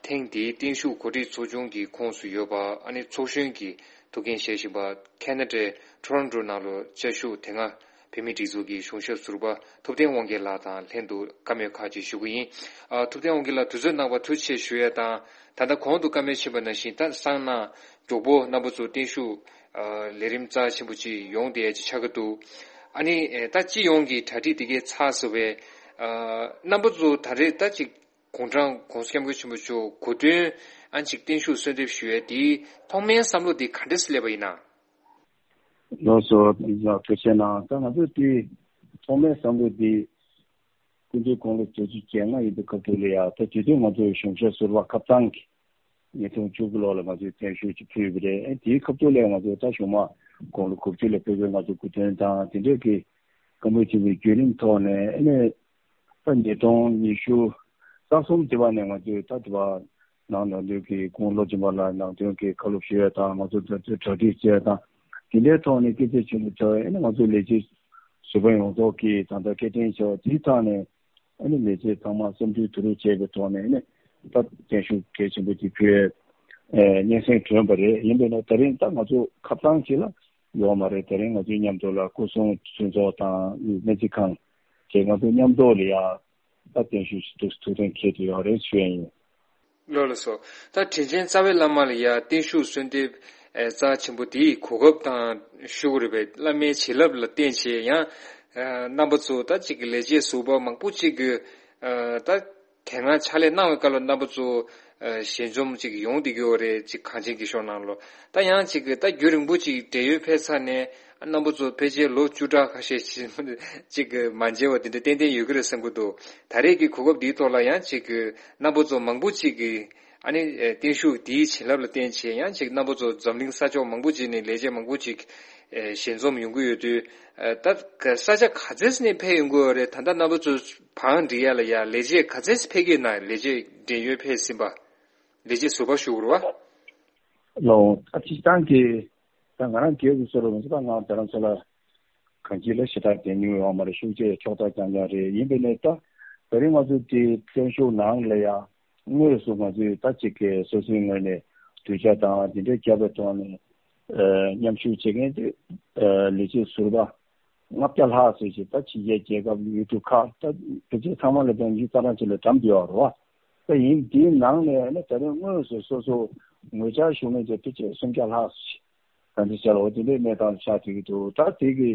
ཐེངས་འདིའི་བརྟན་བཞུགས་གོ་སྒྲིག་ཚོགས་ཆུང་གི་ཁོངས་སུ་ཡོད་པ། ཨ་ནི་ཚོགས་གཞོན་གྱི་ཐུགས་འགན་བཞེས་བཞིན་པ་ཁེ་ན་ཌའི་ཊོ་རོན་ཊོ་ནང་ལ་བཅའ་བཞུགས་དེ་སྔ་བོད་མིའི་སྒྲིག་འཛུགས་ཀྱི་གཞུང་ཞབས་ཟུར་པ་ཐུབ་བསྟན་དབང་རྒྱལ་ལགས་དང་ལྷན་དུ་བཀའ་མོལ་ཁག་ཅིག་ཞུ་གི་ཡིན། ཨ། ཐུབ་བསྟན་དབང་རྒྱལ་ལགས་དུས་ཚོད་གནང་བར་ཐུགས་རྗེ་ཆེ་ཞུ་ཡས་དང་། ད་ལྟ་གོང་དུ་བཀའ་མོལ་ཕྱིན་པ་ནང་བཞིན་ད་སང་ནངས་མགྱོགས་པོ་རྣམ་པ་ཚོ་བརྟན་བཞུགས་ལས་རིམ་རྩ་ཆེན་པོ་ཅིག་ཡོང་བསྡད་ཡས་ཅིག་ཆགས་ཀྱི་འདུག། ཨ་ནི་ད་སྤྱི་ཡོངས་ཀྱི་གྲ་སྒྲིག་དེ་གའི་ཚར་སོང་བས། རྣམ་པ་ཚོ་ད་རེས་ད་ཅིག་དགུང་གྲངས་༸གོང་ས་༸སྐྱབས་མགོན་ཆེན་པོ་མཆོག་གོ་སྟོན་ཨ་ཅིག་བརྟན་བཞུགས་གསོལ་འདེབས་ཞུ་ཡས་དེའི་ཐོག་མའི་བསམ་བློ་དེ་ག་འདྲས་སླེབས་པ་ཡིན་ན། ལགས་སོ། ཡ། ཐུགས་རྗེ་གནང་། ད་ང་ཚོ་དེ་ཐོག་མའི་བསམ་བློ་དེ་སྐུ་མདུན་དགུང་ལོ་བརྒྱད་ཅུ་གྱ་ལྔ་ཡིན་པའི་སྐབས་དུས་ལ་ཡ། ད་དེ་དུས་ང་ཚོ་གཞུང་ཞབས་ཟུར་པ་ཁ་ཚང་གི་ཉིས་སྟོང་བཅུ་དགུ་ལོ་ལ་ང་ཚོས་བརྟན་བཞུགས་ཅིག་ཕུལ་བ་རེད། ཨེ། དེའི་སྐབས་དུས་ལ་ང་ཚོ་ད་གཞུང་མང་དགུང་ལོ་དགུ་བཅུ་ལ་ཕེབས་པའི་ང་ཚོ་སྐུ་མདུན་དང་དེ་འདྲས་ཀྱི་བཀའ་མོལ་ཆེན་པོའི་བརྒྱུད་རིམ་ཐོག་ནས། ཨ་ནི་ད་ཉིས་སྟོང་ཉི་ཤུ་རྩ་གསུམ་དེ་བ་ནས་ང་ཚོས་ད་དེ་བ་ནང་ནང་དོན་གྱི་སྐུ་ངོ་བློ་སྦྱིན་པ་ལགས་ནང་དོན་གྱི་བཀའ་སློབ་ཞུ་ཡས་དང་། ང་ཚོ་ད་ལྟའི་གྲ་སྒྲིག་བྱས་དང་། དེ་འདྲའི་ཐོག་ནས་སྐུ་ཚེ་ཆེན་པོ་བྱ་བའི། ཨ་ནི་ང་ཚོའི་ལས་བྱེད་ཟུར་པ་ཡོངས་རྫོགས་ཀྱིས་ད་ལྟ་སྐད་འཕྲིན་བྱ་བ་དེའི་ཐོག་ནས། ཨ་ནི་ལས་བྱེད་ཚང་མ་བསམ་ཚུལ་བསྡུ་རུབ་བྱས་པའི་ཐོག་ནས། ཨ་ནི་ད་བརྟན་བཞུགས་གལ་ཆེན་པོ་དེ་ཕུལ་བའི་སྙན་སེང་བྱོན་པ་རེད། ཡིན་པས་ན་ད་རིང་ད་ང་ཚོ་ཁ་ཚང་ཞིག་ལ་ཡོད་མ་རེད། ད་རིང་ང་ཚོའི་མཉམ་དུ་ལ་སྐུ་སྲུང་མཐུན་ཚོགས་དང་སྨན་རྩིས་ཁང་བཅས་ང་ཚོ་མཉམ་དུ་ལ་ཡ་ད་བརྟན་བཞུགས་ཐུགས་ཐུགས་གཏན་འཁེལ་དུ་ཡོད་རེད་ཞུ་ཡ་ཡིན། ལགས་ལགས་སོ། ད་དྲིན་ཅན་རྩ་བའི་བླ་མ་ལ་ཡ་བརྟན་བཞུགས་གསོལ་འདེབས་རྩ་ཆེན་པོ་དེའི་གོ་སྐབས་དང་ཞུ་དགོས་རེད་པས། བླ་མའི་བྱིན་རླབས་ལ་བརྟེན་བྱས་ཡང་རྣམ་པ་ཚོ་ད་ཅིག་གི་ལས་བྱེད་ཟུར་པ་མང་པོ་ཅིག་གིས་ད་དེ་སྔ་ཕྱག་ལས་གནང་བའི་སྐབས་ལ་རྣམ་པ་ཚོ་ཞལ་འཛོམས་ཅིག་ཡོང་བསྡད་ཀྱི་ཡོད་རེད། ཅིག་གངས་ཅན་གྱི་ཤོག་ནང་ལོ། ད་ཡང་ཅིག་གི་ད་རྒྱུན་རིང་པོ་ཅིག་བགྲེས་ཡོལ་ཕེབས་ཚར་ནས་རྣམ་པ་ཚོ་ཕལ་ཆེར་ལོ་བཅུ་ཕྲག་ཁ་ཤས་ཅིག་གི་མ་མཇལ་བ་དེ་འདྲ་ཏན་ཏན་ཡོད་ཀྱི་རེད་བསམ་གྱི་འདུག། ད་རེས་ཀྱི་གོ་སྐབས་འདིའི་ཐོག་ལ་ཡང་ཅིག་གི་རྣམ་པ་ཚོ་མང་པོ་ཅིག་གིས་ ཨ་ནི་ཨེ་བརྟན་བཞུགས་འདིའི་བྱིན་རླབས་ལ་བརྟེན་བྱས་ཡང་ཅིག་རྣམ་པ་ཚོ་འཛམ་གླིང་ས་ཕྱོགས་མང་པོ་ཅིག་ནས་ལས་བྱེད་མང་པོ་ཅིག་ཨེ་ཞལ་འཛོམས་ཡོང་གི་ཡོད་དུས། ཨེ་ད་ག་ས་ཆ་ག་ཚད་ནས་ཕེབས་ཡོང་གི་ཡོད་རེད། ད་ལྟ་རྣམ་པ་ཚོ་བང་སྒྲིག་ཡ་ལ་ཡ་ལས་བྱེད་ག་ཚད་ཕེབས་ཀྱི་ཡོད་ན། ལས་བྱེད་འབྲེལ་ཡོད་ཕེབས་ཟིན་པ། ལས་བྱེད་ཟུར་པ་ཞུ་དགོས་རེད་བ། ལོ། ད་སྤྱིར་བཏང་གི་ད་ང་རང་སྒེར་དུ་གསུངས་རོགས་མི་ཚོ་ད་ང་རྡ་རམ་ས་ལ་གང་ཅི་ལ་ཞེ་དྲག་བསྡད་མྱོང་ཡོད་མ་རེད། ཤུགས་ཆེ་ཕྱོགས་མཐའ་རྐྱང་རྐྱང་རེད། ཡིན་པས་ནས་ད་ད་རིང་ང་ཚོ་དེ་བརྟན་བཞུགས་ནང་ལ་ཡ་དངོས་སུ་ང་ཚོས་ད་ཅིག་གི་སོ་སོའི་ངོས་ནས་གདུལ་བྱ་དང་དེ་འདྲའི་རྒྱབ་པའི་ཐོག་ནས་ཨ་མཉམ་ཞུགས་བྱེད་མཁན་དེ་ཨ་ལས་བྱེད་ཟུར་པ་ལྔ་བརྒྱ་ལྷག་ཙམ་ཞིག་ད་ཕྱི་རྒྱལ་རྒྱལ་ཁབ་ཡུལ་གྲུ་ཁག་ད་དེ་ཚོ་ཚང་མ་ལ་ད་ཉི་ཤུ་རྩ་གྲངས་ཅིག་ལ་འགྲམ་བསྡད་ཡོད་རེད་བ། ད་ཡིན་དེའི་ནང་ནས་ནི་ད་རིང་དངོས་སུ་སོ་སོ་ངོ་བཅར་ཞུ་མཁན་ཚོ་ཕལ་ཆེར་སུམ་བརྒྱ་ལྷག་ཙམ་ཞིག་ག་འདྲ་བྱས་ལ་འོ་དེ་འདྲའི་གནས་སྟངས་ཆགས་བསྡད་ཀྱི་འདུག་ད་དེ་གི་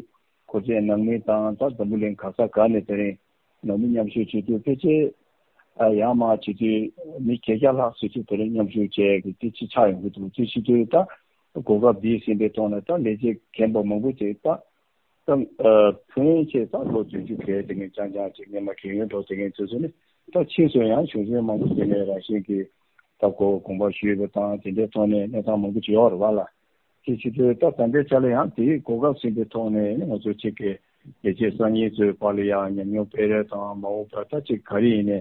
གོ་ཚད་ནང་མི་དང་ད་འཛམ་བུ་གླིང་ག་ས་ག་ནས་དེ་རིང་ནང་མི་མཉམ་ཞུགས་བྱེད་དུས་ཕལ་ཆེར་ཨ་ཡར་མར་བྱེད་དུས་མི་བརྒྱད་བརྒྱ་ལྷག་ཙམ་ཞིག་དེ་རིང་མཉམ་ཞུགས་བྱས་ཀྱི་དེ་ཅིག་ཆགས་ཡོང་གི་འདུག་དེ་བྱེད་དུས་ད་གོ་སྐབས་འདི་ཟིན་པའི་ཐོག་ནས་ད་ལས་བྱེད་རྒན་པ་མང་པོ་ཅིག་ད་ད་ཨ་ཕོན་ཆེ་ད་ལོ་བདུན་ཅུ་བརྒལ་དེ་ངས་རྐྱང་རྐྱང་ཅིག་སྔོན་མ་རྒན་ཡོལ་འགྲོ་དེ་ངས་ཚོད་ཚོད་ནི་ད་ཕྱིས་སུ་ཡང་གཞུང་འཛིན་མང་པོ་དེ་ནས་རང་བཞིན་གྱིས་ད་གོ་དགོངས་པ་ཞུས་པ་དང་དེ་འདྲའི་ཐོག་ནས་གནས་སྟངས་མང་པོ་ཅིག་ཡོད་རེད་བ་ལ། དེ་བྱེད་དུས་ད་ད་ལྟའི་ཆ་ལ་ཡང་དེའི་གོ་སྐབས་ཟིན་པའི་ཐོག་ནས་ང་ཚོ་གཅིག་གི་ལས་བྱེད་གསར་རྙིང་ཚོའི་བར་ལ་ཡང་ཉམས་མྱོང་སྤེལ་རེས་དང་མ་འོངས་པར་ད་གཅིག་ག་རེ་ཡིན་ནའི་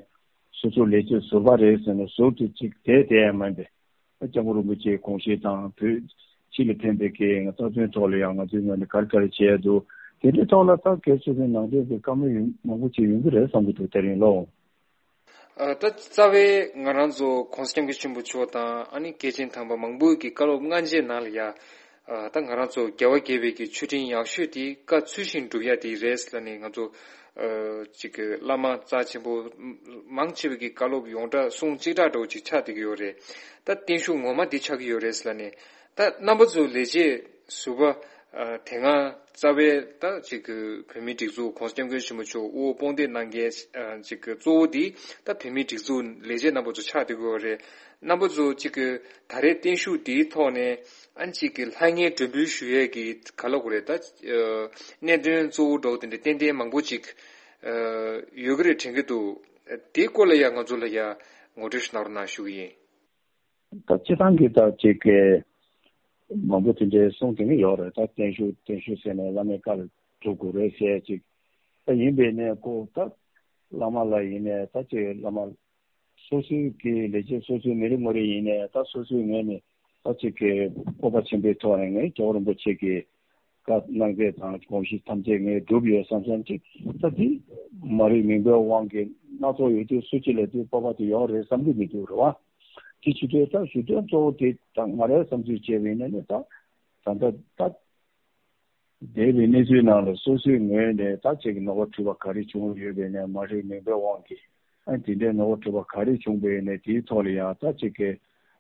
སོ་སོ་ལས་བྱེད་ཟུར་པ་རེད་ཟེར་ནས་ཟུར་དུ་གཅིག་བསྡད་བསྡད་ཡ་མིན་པས། སྐྱབས་མགོན་རིན་པོ་ཆེའི་དགོངས་བཞེད་དང་བོད་སྤྱི་ལ་ཕན་པའི་གི་རྩ་དོན་ཐོག་ལ་ཡང་ང་ཚོའི་ངོས་ནས་ག་རེ་ག་རེ་བྱས་འདུག་དེ་འདྲའི་ཐོག་ལ་ད་སྒེར་སོ་སོའི་ནང་དོན་གྱི་བཀའ་མོལ་ཡོང་མང་པོ་ཅིག་ཡོང་གི་རེད་བསམ་གྱི་འདུག་དེ་རིང་ལོ། ཨ་ད་རྩ་བའི་ང་རང་ཚོ་༸གོང་ས་༸སྐྱབས་མགོན་ཆེན་པོ་མཆོག་དང་ཨ་ནི་སྐྱེས་ཆེན་དམ་པ་མང་པོའི་གི་བཀའ་སློབ་སྔ་རྗེས་ནང་ལ་ཡ། ཨ་ད་ང་རང་ཚོ་རྒྱལ་བ་དགྱེས་པའི་གི་མཆོད་སྤྲིན་ཡག་ཤོས་དེ་བཀའ་ཚུལ་བཞིན་སྒྲུབ་ཡ་དེ་རེད་ལབ་ནས་ང་ཚོ་ཨ་ཅིག་གི་བླ་མ་རྩ་ཆེན་པོ་མང་ཆེ་བའི་གི་བཀའ་སློབ་ཡོངས་གྲགས་གསུང་གཅིག་གྲགས་འདྲ་བོ་ཅིག་ཆགས་བསྡད་ཀྱི་ཡོད་རེད། ད་བརྟན་བཞུགས་ངོ་མ་འདི་ཆགས་ཀྱི་ཡོད་རེད་ལབ་ནས། ད་རྣམ་པ་ཚོ་ལས་བྱེད་ཟུར་པ་ཨ་དེ་སྔ་རྩ་བའི་ད་ཅིག་གི་བོད་མིའི་སྒྲིག་འཛུགས་༸གོང་ས་༸སྐྱབས་མགོན་ཆེན་པོ་མཆོག་དབུ་འོག་དཔུང་འདེགས་གནང་མཁན་ཨ་ཅིག་གི་གཙོ་བོ་འདི་ད་བོད་མིའི་སྒྲིག་འཛུགས་ལས་བྱེད་རྣམ་པ་ཚོ་ཆགས་བསྡད་ཀྱི་ཡོད་རེད། རྣམ་པ་ཚོ་ཅིག་གི་ད་རེས་བརྟན་བཞུགས་འདིའི་ཐོག་ནས་ཨ་ཅིག་གི་ལྷང་ངེར་མགྲོན་འབོད་ཞུ་ཡས་ཀྱི་ག་ལབ་དགོས་རེད། ད་ཨ་གནད་དོན་གཙོ་བོ་འདྲ་བོ་དེ་འདྲ་ཏན་ཏན་མང་པོ་ཅིག་ཨ་ཡོད་ཀྱི་རེད་དྲན་གྱི་འདུག་དེའི་སྐོར་ལ་ཡ་ང་ཚོ་ལ་ཡ་ངོ་སྤྲོད་ཞིག་གནང་རོགས་གནང་ཞུ་གི་ཡིན། ད་སྤྱིར་བཏང་གི་ད་ཅིག་གི་མང་པོ་དེ་འདྲའི་གསུང་དེ་འདྲ་ཡོད་རེད། ད་བརྟན་བཞུགས་བརྟན་བཞུགས་ཟེར་ནས་བླ་མའི་བཀའ་ལ་སྒྲུབ་དགོས་རེད་ཟེར་ཅིག་ད་ཡིན་པས་ནས་ཁོ་ད་བླ་མ་ལ་ཡིན་ནས་ད་ཅིག་བླ་མ་སོ་སོའི་གི་ལས་བྱེད་སོ་སོའི་མི་རེ་ངོ་རེ་ཡིན་ནས་ད་སོ་སོའི་ངོས་ནས་ད་ཅིག་གི་སྤོབས་པ་ཆེན་པོའི་ཐོག་ནས་ངས་རྒྱལ་བ་རིན་པོ་ཆེ་གི་བཀའ་གནང་མཛད་དང་དགོངས་གཞི་ཐམས་ཅད་ངས་བསྒྲུབས་ཡོད་བསམ་བསམ་ཅིག་ད་འདི་མ་རིག་མུན་པའི་དབང་གིས་སྣ་ཚོགས་ཡོད་དུས་སུ་ཅི་ལ་དུས་སྤོབས་པ་དེ་ཡོད་རེད་བསམ་གྱི་མི་འདུག་རེད་བ། དེ་བྱེད་དུས་ད་ཞུ་དོན་གཙོ་བོ་དེ་ད་ང་རའི་བསམ་ཚུལ་བྱས་པ་ཡིན་ན་ནི་ད་ད་ལྟ་ད་འདས་པའི་གནས་ཚུལ་ནང་ལ་སོ་སོའི་ངོས་ནས་ད་ཅིག་ནོར་འཁྲུལ་པ་ག་རེ་བྱུང་ཡོད་པས་ན་མ་རིག་མུན་པའི་དབང་གིས། ཨ་དེ་འདྲའི་ནོར་འཁྲུལ་པ་ག་རེ་བྱུང་པ་ཡིན་ནའི་དེའི་ཐོག་ལ་ཡང་ད་ཅིག་གི་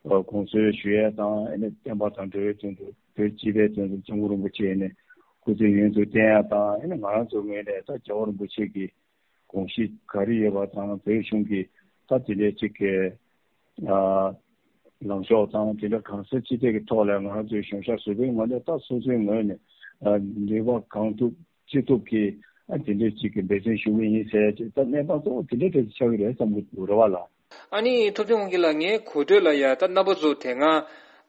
ཨ་དགོངས་ཚུལ་ཞུ་ཡས་དང་ཨ་ནི་བསྟན་པ་དང་འགྲོ་བའི་དོན་དུ་བོད་སྤྱི་པའི་དོན་དུ་སྐྱབས་མགོན་རིན་པོ་ཆེ་ནས་སྐུ་ཚེ་ཡུན་དུ་བརྟན་ཡས་དང་ཨ་ནི་ང་རང་ཚོའི་ངོས་ནས་ད་རྒྱལ་བ་རིན་པོ་ཆེ་གི་དགོངས་གཞི་ག་རེ་ཡོད་པ་དང་བོད་གཞུང་གི་ད་དེ་འདྲའི་ཅིག་གི་ཨ་ལངས་ཕྱོགས་དང་དེ་འདྲ་གང་ཟག་སྤྱི་སྟེགས་ཀྱི་ཐོག་ལ་ང་རང་ཚོའི་གཞུང་ཞབས་ཟུར་པའི་ངོས་ནས་ད་སོ་སོའི་ངོས་ནས་ཨ་ནུས་པ་གང་ཐུབ་ཅི་ཐུབ་ཀྱིས་ཨ་དེ་འདྲའི་ཅིག་གི་འབད་བརྩོན་ཞུ་གི་ཡིན་ཟེར་ཅིག་ད་གནས་སྟངས་གཙོ་བོ་དེ་འདྲའི་གྲས་ཅིག་ཆགས་ཀྱི་རེད་བསམ་གྱི་འདུག་རེད་བ་ལགས། ཨ་ནི་ཐུབ་བསྟན་དབང་རྒྱལ་ལགས། ངའི་གོ་ཐོས་ལ་ཡ་ད་རྣམ་པ་ཚོ་དེ་སྔ་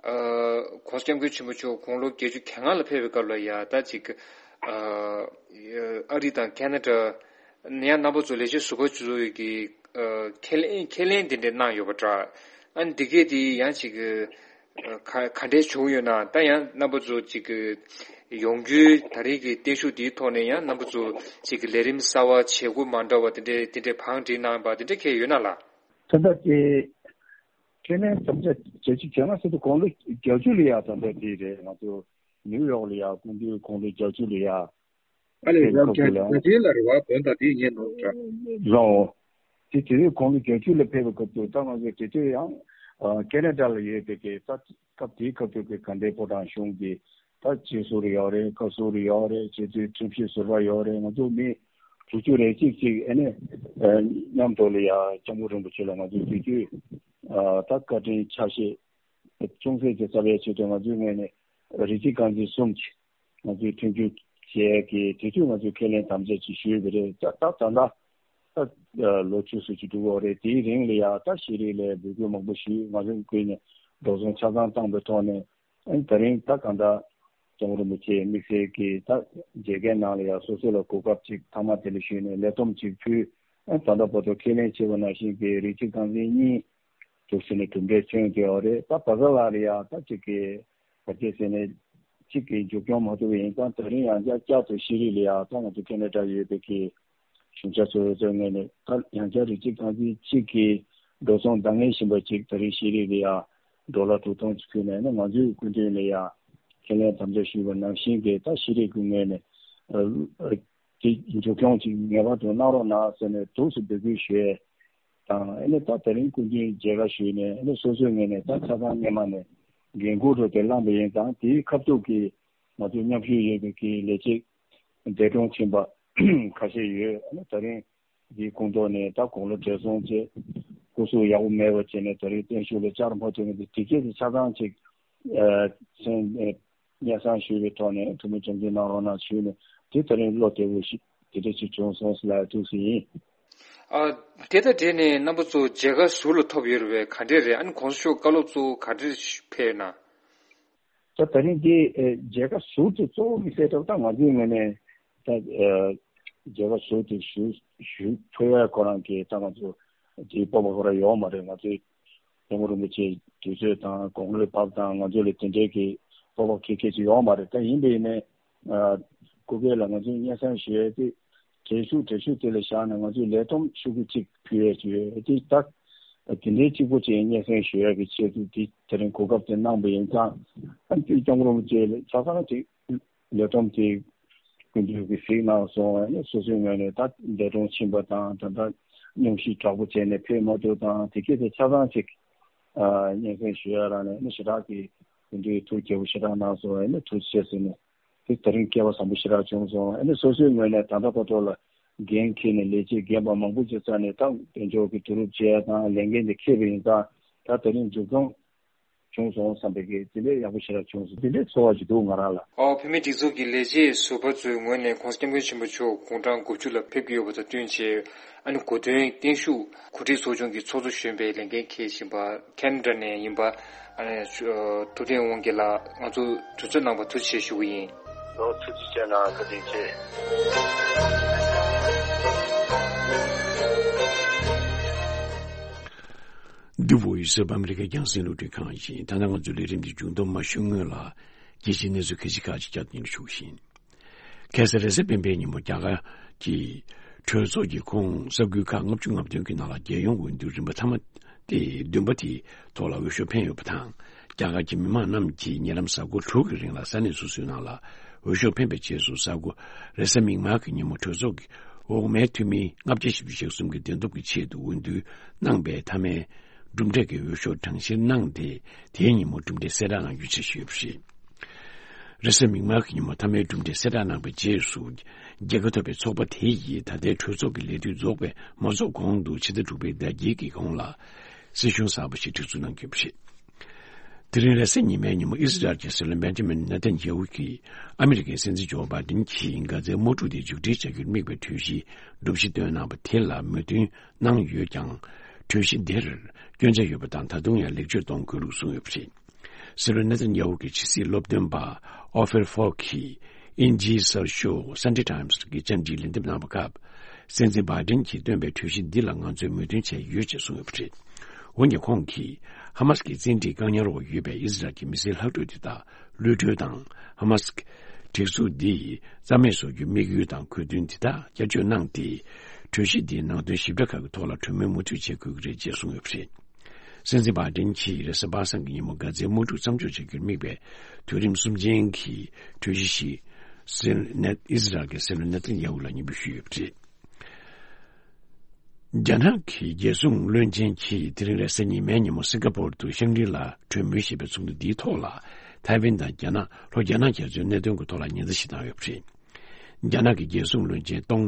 ཨ་༸གོང་ས་༸སྐྱབས་མགོན་ཆེན་པོ་མཆོག་དགུང་ལོ་བརྒྱད་ཅུ་གྱ་ལྔ་ལ་ཕེབས་པའི་སྐབས་ལ་ཡ་ད་ཅིག་ཨ་ཨ་རི་དང་ཁེ་ན་ཌ་ནས་ཡང་རྣམ་པ་ཚོ་ལས་བྱེད་ཟུར་པ་ཚོ་ཡི་གི་ཨ་ཁས་ལེན་ཁས་ལེན་དེ་འདྲ་གནང་ཡོད་པ་འདྲ། ཨ་ནི་འདི་གས་དེ་ཡང་ཅིག་ཨ་ག་ག་འདྲས་བྱུང་ཡོད་ན། ད་ཡང་རྣམ་པ་ཚོ་ཅིག་གི་ཡོང་རྒྱུའི་ད་རེས་ཀྱི་བརྟན་བཞུགས་འདིའི་ཐོག་ནས་ཡང་རྣམ་པ་ཚོ་ཅིག་གི་ལས་རིམ་གསར་པ་བྱེད་དགོས་མ་འདྲ་བ་དེ་འདྲས་དེ་འདྲས་བང་སྒྲིག་གནང་པ་དེ་འདྲས་གས་ཡོད་ན་ལགས། ད་ལྟ་དེ་ཁས་ལེན་དམ་བཅའ་བརྒྱད་ཅུ་གྱ་ལྔ་ཟེར་དུས་དགུང་ལོ་བརྒྱད་ཅུ་ལ་ཡ་ད་ལྟ་དེ་རེད། ང་ཚོ་ནིའུ་ཡོག་ལ་ཡ་སྐུ་མདུན་དགུང་ལོ་བརྒྱད་ཅུ་ལ་ཡ། ཨ་ལས་ཕེབས་རང་སྐབས་དེ་ལ་རྒྱ་ཆེན་ལ་རེ་བ་བོན་དང་དེའི་ཉེ་ནོར་འདྲ། རང་། དེ་དེ་དུས་དགུང་ལོ་བརྒྱད་ཅུ་ལ་ཕེབས་པའི་སྐབས་དུ་ད་ང་ཚོ་དེ་དུས་ཡང་ཨ་ཁེ་ན་ཌ་ལ་ཡོད་པའི་གི་ད་སྐབས་དེའི་སྐབས་དུ་གི་དགའ་ལྡན་ཕོ་བྲང་གཞུང་གི་ད་སྤྱི་ཟུར་ཡོད་རེད། བཀའ་ཟུར་ཡོད་རེད། སྤྱི་འཐུས་ཁྲིམས་ཞིབ་ཟུར་པ་ཡོད་རེད། ང་ཚོ་མི་དྲུག་ཅུ་རེ་གཅིག་ཅིག་ཨ་ནི་ཨ་མཉམ་དུ་ལ་ཡ་སྐྱབས་མགོན་རིན་པོ་ཆེ་ལ་ང་ཚོ་དེ་དུས་ཨ་ད་བཀའ་དྲིན་ཆ་ཤས་ཅུང་ཟད་ཅིག་སྩལ་བའི་ཆེད་དུ་ང་ཚོའི་ངོས་ནས་རིགས་གཅིག་རྐང་འཛིན་གསུམ་གྱིས་ང་ཚོས་མཐུན་འགྱུར་བྱས་ཀྱི་དེ་དུས་ང་ཚོས་ཁས་ལེན་དམ་བཅའ་ཅིག་ཞུས་པ་རེད། ད་ད་ད་ལྟ་ ད་ལོ་བཅུ་ཙམ་ཅིག་འགྲོ་གི་ཡོད་རེད། དེའི་རིང་ལ་ཡ་ད་ཤེས་རིག་ལ་འབོད་སྐུལ་མང་པོ་ཞུས། ང་ཚོ་ཀུན་ནས་འགྲོ་སོང་ཆ་ཚང་བཏང་པའི་ཐོག་ནས། ཨ་ནི་ད་རིང་ད་གང་ལྟར་སྐྱབས་མགོན་རིན་པོ་ཆེ་དམིགས་བསལ་གྱིས་ད་མཇལ་ཁའི་ནང་ལ་ཡང་སོ་སོ་ལ་གོ་སྐབས་ཅིག་མཐའ་མ་དེ་ལ་ཞུས་ནས་ལས་བསྡོམས་ཅིག་ཕུལ། ཨ་ནི་ད་ལྟ་བར་དུ་ཁས་ལེན་བྱས་པ་ནང་བཞིན་གྱི་རིགས་གཅིག་རྐང་འཛིན་གཉིས་འདུག་ཟེར་ནས་གྲུབ་འབྲས་བྱུང་ཡོད་རེད། ད་བར་ཁ་ལ་ལ་ཡང་ད་ཅིག་གི་བར་ཆད་ཟེར་ནས་གཅིག་གི་མཇུག་སྐྱོང་མ་ཐུབ་པ་ཡིན་ཙང་། ད་རིང་ཡང་བསྐྱར་བསྐྱར་དུ་ཤེས་རིག་ལ་ཡང་ད་ང་ཚོ་ཁེ་ན་ཌ་ཡོད་པའི་གི་གཞུང་ཞབས་ཚོའི་ཚོའི་ངོས་ནས་ད་ཡང་བསྐྱར་རིགས་གཅིག་རྐང་འཛིན་གཅིག་གི་འགྲོ་སོང་འདང་ངེས་བཞིན་པ་ཅིག་ད་རེས་ཤེས་རིག་ལ་ཡང་ཌོ་ལར་དྲུག་སྟོང་ཅིག་ཕུལ་ནས་ནི་ང་ཚོའི་སྐུ་མདུན་ལ་ཡང་ཁས་ལེན་དམ་བཅའ་ཞུས་པ་ནང་བཞིན་གྱི་ད་ཤེས་རིག་གི་ངོས་ནས་ཨ་ཨ་དེ་མཇུག་སྐྱོང་ཅིག་ངེས་པར་དུ་གནང་རོགས་གནང་ཟེར་ནས་ཐུགས་སུ་འབོད་སྐུལ་ཞུས་དང་། ཨ་ནི་ད་ད་རིང་སྐུ་མདུན་མཇལ་ཁ་ཞུས་ནས་ཨ་ནི་སོ་སོའི་ངོས་ནས་ད་ཆ་ཚང་སྔོན་མ་ནས་འགན་འཁུར་རོགས་དེ་བླངས་པ་ཡིན་ཙང་། དེའི་ཁ་ཐུག་གི་ང་ཚོའི་མཉམ་ཞུགས་ཡོད་པའི་གི་ལས་བྱེད་འདས་གྲོངས་ཕྱིན་པ་ཁ་ཤས་ཡོད། ཨ་ནི་ད་རིང་འདིའི་ཁོངས་གཏོགས་ནས་ད་དགུང་ལོ་བགྲེས་སོང་བྱས་སྐུ་གཟུགས་ཡག་པོ་མེད་པ་བྱས་ནས་ད་རིང་བརྟན་བཞུགས་ལ་བཅར་མ་ཐུབ་མཁན་དེ་དེ་སྐད་དུ་ཆ་ཚང་ཅིག་ཨ་མཚན་ཨ་སྙན་སེང་ཞུས་པའི་ཐོག་ནས་ཐུགས་སྨོན་ཆུང་ཆུང་གནང་རོགས་གནང་ཞུས་ནས། དེ་ད་རིང་བློ་བདེ་བོ་ཞིག་དེ་འདྲ་ཞིག་བྱུང་སོང་ཟེར་ལབ་ཐུགས་སུ་ཡིན། ཨ། དེ་དང་འབྲེལ་ནས་རྣམ་པ་ཚོ་མཇལ་ཁ་ཟུར་ལ་ཐོབ་ཡོད་རེད་པས། ག་འདྲས་རེད། ཨ་ནི་གོང་ས་མཆོག་བཀའ་སློབ་གཙོ་བོ་ག་འདྲས་ཕེབས་ན། ད་ད་རིང་འདི་ཨེ་མཇལ་ཁ་ཟུར་དུ་གཙོ་བོ་དམིགས་བསལ་ཐོག་ད་ང་ཚོའི་ངོས་ནས་ད་ཨེ་མཇལ་ཁ་ཟུར་དུ་ཞུ་ཞུ་ཐུབ་ཡ་ཁོ་རང་གི་ད་ང་ཚོ་དེའི་སྤོབས་པ་ཁོ་རང་ཡོད་མ་རེད། ང་ཚོའི་སྐྱབས་མགོན་རིན་པོ་ཆེ་དུས་ཚོད་དང་དགུང་ལོའི་བབ་དང་ང་ཚོ་ལ་དེ་འདྲའི་གི་སྤོབས་པ་ཁེ་ཁེ་ཅིག་ཡོད་མ་རེད། ད་ཡིན་པ་ཡིན་ནའི་ཨ་སྐུ་སྒེར་ལ་ང་ཚོའི་སྙན་སེང་ཞུ་ཡ་དེ་གྲལ་ཤུགས་གྲལ་ཤུགས་དེ་ལ་བཞག་ནས་ང་ཚོའི་ལས་བསྡོམས་ཤུགས་ཀྱིས་གཅིག་ཕུལ་ཡ་ཅིག་ཡོད་དེ། ད་དེ་འདྲའི་གཅིག་པོ་ཅིག་སྙན་སེང་ཞུ་ཡ་གི་ཆེད་དུ་དེ་དེ་རིང་གོ་སྐབས་དེ་གནང་པ་ཡིན་ཙང་། ཨ་ནི་སྐྱབས་མགོན་རིན་པོ་ཆེ་ལ་ཆ་ཚང་ཅིག་ལས་བསྡོམས་དེ་སྐུ་མདུན་གྱིས་གཟིགས་གནང་སོང་། ཨ་ནི་སོ་སོའི་ངོས་ནས་ད་འདས་གྲོངས་ཕྱིན་པ་དང་ད་ལྟ་སྙུང་གཞི་དྲག་པོ་བྱས་ནས་ཕེབས་མ་ཐུབ་དང་དེ་སྐད་དེ་ཆ་ཚང་ཅིག་ཨ་སྙན་སེང་ཞུ་ཡ་རང་ནས་ཨ་ནི་ཞེ་དྲག་གི་སྐུ་མདུན་ཐུགས་དགྱེས་པོ་ཞེ་དྲག་གནང་སོང་། ཨ་ནི་ཐུགས་རྗེ་ཆེ་ཟེར་ནས་དེ་དེ་རིང་སྐལ་བ་བཟང་པོ་ཞེ་དྲག་བྱུང་སོང་། ཨ་ནི་སོ་སོའི་ངོས་ནས་ད་ལྟ་བར་དུ་ལ་འགན་འཁྱེར་ནས་ལས་བྱེད་རྒན་པ་མང་པོ་ཅིག་བཙལ་ནས་ད་དཔལ་འབྱོར་གྱི་བསྡུ་རུབ་བྱས་དང་ལས་འགན་དེ་འཁྱེར་བ་ཡིན་ཙང་། ད་དེ་རིང་མཇུག་སྐྱོང་བྱུང་སོང་བསམ་པའི་གི་དེ་འདྲའི་ཡག་པོ་ཞེ་དྲག་བྱུང་སོང་། དེ་འདྲའི་ཚོར་བ་ཅིག་འདུག་ང་རང་ལ། ཨོ། བོད་མིའི་སྒྲིག་འཛུགས་ཀྱི་ལས་བྱེད་ཟུར་པ་ཚོའི་ངོས་ནས་༸གོང་ས་༸སྐྱབས་མགོན་ཆེན་པོ་མཆོག་དགུང་གྲངས་དགུ་བཅུ་ལ་ཕེབས་ཀྱི་ཡོད་པ་དང་བསྟུན་བྱས། ཨ་ནི་གོ་སྟོན་བརྟན་བཞུགས་གོ་སྒྲིག་ཚོགས་ཆུང་གི་ཚོགས་གཙོ་གཞོན་པའི་ལས་འགན་འཁྱེར་བཞིན་པ་ཁེ་ན་ཌ་ནས་ཡིན་པ། ཨ་ནི་ཐུབ་བསྟན་དབང་རྒྱལ་ལགས་ང་ཚོ་དུས་ཚོད་གནང་བར་ཐུགས་རྗེ་ཆེ་ཞུ་གི་ཡིན། ལོ་ཐུགས་རྗེ་ཆེ་གནང་། བཀའ་དྲིན་ཆེ། འདི་བོད་ཡིག་གསར་པ་ཨ་མི་རི་ཀའི་རྒྱང་སྲིང་རླུང་འཕྲིན་ཁང་ཡིན། ད་ལྟ་ང་ཚོའི་ལས་རིམ་འདི་མཇུག་སྡོམ་མ་ཞུ་སྔོན་ལ། རྒྱལ་སྤྱིའི་གནས་ཚུལ་ཁག་ཅིག་ཁག་ཅིག་བསྐྱར་དུ་སྙན་སྒྲོན་ཞུ་བཞིན། ཁ་སང་རེས་གཟའ་སྤེན་པའི་ཉིན་མོ་རྒྱ་གར་གྱི་གྲོས་ཚོགས་ཀྱི་ཁོངས་ས་ཁུལ་ཁག་ལྔ་བཅུ་ང་བདུན་གྱི་ནང་ལ་རྒྱལ་ཡོངས་འོས་བསྡུ་རིམ་པ་མཐའ་མ་སྟེ་བདུན་པ་དེའི་ཐོག་ལ་འོས་ཤོག་འཕེན་ཡོད་པ་དང་། རྒྱ་གར་གྱི་མི་མང་རྣམས་ཀྱིས་ཉེ་ལམ་གཟའ་འཁོར་དྲུག་གི་རིང་ལ་ས་གནས་སོ་སོའི་ནང་ལ་འོས་ཤོག་འཕེན་པའི་རྗེས་སུ། གཟའ་འཁོར་རེས་གཟའ་མིག་དམར་གྱི་ཉིན་མོ་གྲོས་ཚོགས་ཀྱི་འོག་མའི་འཐུས་མི་ལྔ་བརྒྱ་བཞི་བཅུ་ཞེ་གསུམ་གྱི་བདེན་སྟོབས་ཀྱི་ཆེད་དུ་འོས་བསྡུ་གནང་པའི་མཐའ་མའི་གྲུབ་འབྲས་ཀྱི་འོས་ཤོག་གྲངས་བཤེར་གནང་སྟེ། དེའི་ཉིན་མོ་གྲུབ་འབྲས་གསལ་བསྒྲགས་གནང་རྒྱུའི་འཆར་གཞི་ཡོད་པ་རེད། རེས་གཟའ་མིག་དམར་གྱི་ཉིན་མོ་མཐའ་མའི་གྲུབ་འབྲས་གསལ་བསྒྲགས་གནང་པའི་རྗེས་སུ། རྒྱལ་ཁ་ཐོབ་པའི་ཚོགས་པ་དེ་ཡིས་ད་ལྟའི་གྲོས་ཚོགས་ཀྱི་ལས་དུས་རྫོགས་པའི་མ་རྫོགས་གོང་དུ་ཕྱི་ཟླ་དྲུག་པའི་ཟླ་དཀྱིལ་གྱི་གོང་ལ་སྲིད་གཞུང་གསར་པ་ཞིག་གྲོས་བསྡུར་གནང་གི་ཡོད་པ་རེད། དེ་རིང་རེས་གཟའ་ཉི་མའི་ཉིན་མོ་ཨི་སི་རལ་གྱི་སྲིད་བློན་བེན་ཇ་མིན་ནེ་ཐན་ཡ་ཧུ་གིས་ཨ་མི་རི་ཀའི་སྲིད་འཛིན་ཇོ་བྷའི་ཌེན་གྱིས་མཁའ་མཛའི་དམག་འཁྲུག་དེ་མཇུག་སྒྲིལ་བྱ་རྒྱུར་དམིགས་པའི་གྲོས་གཞི་གྲུབ་གཞི་བཏོན་གནང་པ་དེ་ལ་མོས་མཐུན་གནང་ཡོད་ཀྱང་། གྲོས་གཞི་འདིར་སྐྱོན་ཆ་ཡོད་པ་དང་། ད་དུང་ཡང་ལེགས་བཅོས་གཏོང་དགོས་ལུགས་གསུངས་ཡོད་པ་རེད། སྲིད་བློན་ནེ་ཐན་ཡ་ཧུ་གྱི་ཕྱི་སྲིད་སློབ་སྟོན་པ་ཨོ་ཧྥེར་ཧྥོག་གིས་དབྱིན་ཇིའི་གསར་ཤོག་སན་ཌེ་ཊའེམ་སི་གི་བཅར་འདྲིའི་ལན་འདེབས་གནང་བའི་སྐབས། སྲིད་འཛིན་བྷའི་ཌེན་གྱིས་བཏོན་པའི་གྲོས་གཞི་འདི་ལ་ང་ཚོས་མོས་མཐུན་བྱས་ཡོད་ཅེས་གསུངས་ཡོད་པ་རེད། འོན་ཀྱང་ཁོང་གིས་ཧ་མ་སི་གི་བཙན་ཁྲིད་བཀག་ཉར་འོག་ཡོད་པའི་ཨི་སི་རལ་གྱི་མི་སེར་ལྷག་འཕྲོས་དེ་དག་གློད་གྲོལ་དང་། ཧ་མ་སི་གི་སྒྲིག་འཛུགས་འདི་རྩ་མེད་བཟོ་རྒྱུའི་དམིགས་ཡུལ་དང་དགོས་འདུན་དེ་དག་བསྐྱར་བཅོས་གནང་སྟེ། གྲོས་གཞི་འདིའི་ནང་དོན་ཞིབ་ཕྲ་ཁག་གི་ཐོག་ལ་གྲོས་མོལ་མུ་མཐུད་བྱེད་དགོས་ཀྱི་རེད་ཅེས་གསུངས་ཡོད་པ་རེད། སྲིད་འཛིན་བྷའི་ཌེན་གྱིས་རེས་གཟའ་པ་སངས་ཀྱི་ཉིན་མོ་མཁའ་མཛའི་དམག་འཁྲུག་མཚམས་འཇོག་བྱ་རྒྱུར་དམིགས་པའི་དུས་རིམ་གསུམ་ཅན་གྱི་གྲོས་གཞི་ཞིག་སྲིད་ནེ་ཨི་སི་རལ་གྱི་སྲིད་བློན་ནེ་ཐན་ཡ་ཧུ་ལ་སྙན་འབུལ་ཞུས་ཡོད་པ་རེད། རྒྱ་ནག་གི་རྒྱལ་སྲུང་བློན་ཆེན་གྱིས་དེ་རིང་རེས་གཟའ་ཉི་མའི་ཉིན་མོ་སིང་ག་པོར་དུ་ཤང་ཀྲི་ལ་གྲོས་མོལ་ཞེས་པའི་ཚོགས་འདུ་འདིའི་ཐོག་ལ། ཐའེ་ཝན་དང་རྒྱ་ནག་ལྷོ་རྒྱ་ནག་རྒྱ་མཚོའི་གནད་དོན་གྱི་ཐོག་ལ་ཉེན་བརྡ་ཞིག་བཏང་ཡོད་པ་རེད། རྒྱ་ནག་གི་རྒྱལ་སྲུང་བློན་ཆེན་ཏོང་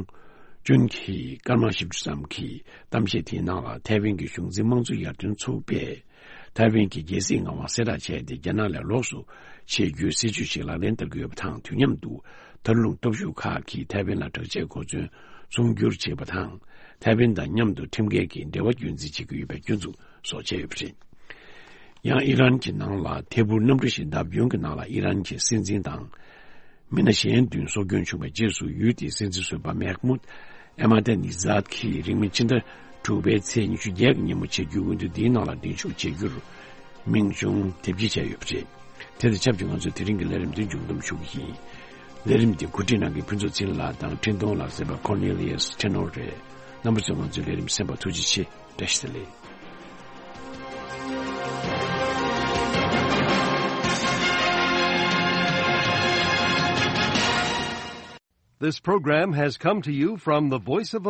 ཅུན་གྱིས་སྐར་མ་བཞི་བཅུ་ཙམ་གྱི་གཏམ་བཤད་དེའི་ནང་ལ། ཐའེ་ཝན་གྱི་གཞུང་འཛིན་དམངས་གཙོ་ཡར་ཐོན་ཚོགས་པས་ཐའེ་ཝན་གྱི་རྒྱལ་སྲིད་ངག་དབང་གསལ་བསྒྲགས་བྱས་ཏེ། རྒྱ་ནག་ལས་ལོགས་སུ་ཆེད་བསྒྱུར་སྲིད་ཇུས་ཤིག་ལག་ལེན་བསྟར་གྱི་ཡོད་པ་དང་། དུས་མཉམ་དུ་མཐར་ལྷུང་སྟོབས་ཤུགས་ཁག་གིས་ཐའེ་ཝན་ལ་དྲག་ཆས་གོ་མཚོན་ཚོང་སྒྱུར་བྱེད་པ་དང་ ཐའེ་ཝན་དང་མཉམ་དུ་ཁྲིམས་འགལ་གྱི་འབྲེལ་བ་རྒྱུན་འཛིན་བྱེད་ཀྱི་ཡོད་པའི་སྐྱོན་འཛུགས་སོགས་བྱས་ཡོད་པ་རེད། ཡང་ཨི་རན་གྱི་ནང་ལ་ཐད་འཕུར་གནམ་གྲུ་ཞིག་བརྡབ་སྐྱོན་གྱི་ནང་ལ་ཨི་རན་གྱི་སྲིད་འཛིན་དང་། མི་སྣ་གཞན་བདུན་སྲོག་སྐྱོན་བྱུང་བའི་རྗེས་སུ་ཡུལ་དེའི་སྲིད་འཛིན་ཟུར་པ་མེག་མུད་ཨེ་མ་ཏེ་ནི་ཛཱད་ཀྱིས་རིང་མིན་ཕྱི་ཟླ་དྲུག་པའི་ཚེས་ཉི་ཤུ་བརྒྱད་ཀྱི་ཉིན་མོ་བྱེད་རྒྱུའི་འོས་བསྡུ་འདིའི་ནང་ལ་འགྲན་ཞུགས་བྱེད་རྒྱུར་མིང་ཆུང་དེབ་སྐྱེལ་བྱས་ཡོད་པ་རེད། དེ་དང་ཆབས་ཅིག་ང་ཚོས་དེ་རིང་གི་ལས་རིམ་འདི་མཇུག་བསྡོམས་ཞུ་གི་ཡིན། ལས་རིམ་འདི་གོ་སྒྲིག་གནང་མཁན་ཕུན་ཚོགས་ཚེ་རིང་ལགས་དང་འཕྲིན་གཏོང་ལ་གསན་པ་ཀོར་ནེ་ལི་ཡས་ཊེ་ནོར་རེད། རྣམ་པ་ཚོས་ང་ཚོའི་ལས་རིམ་གསན་པར་ཐུགས་རྗེ་ཆེ། བཀྲ་ཤིས་བདེ་ལེགས། This program has come to you from the Voice of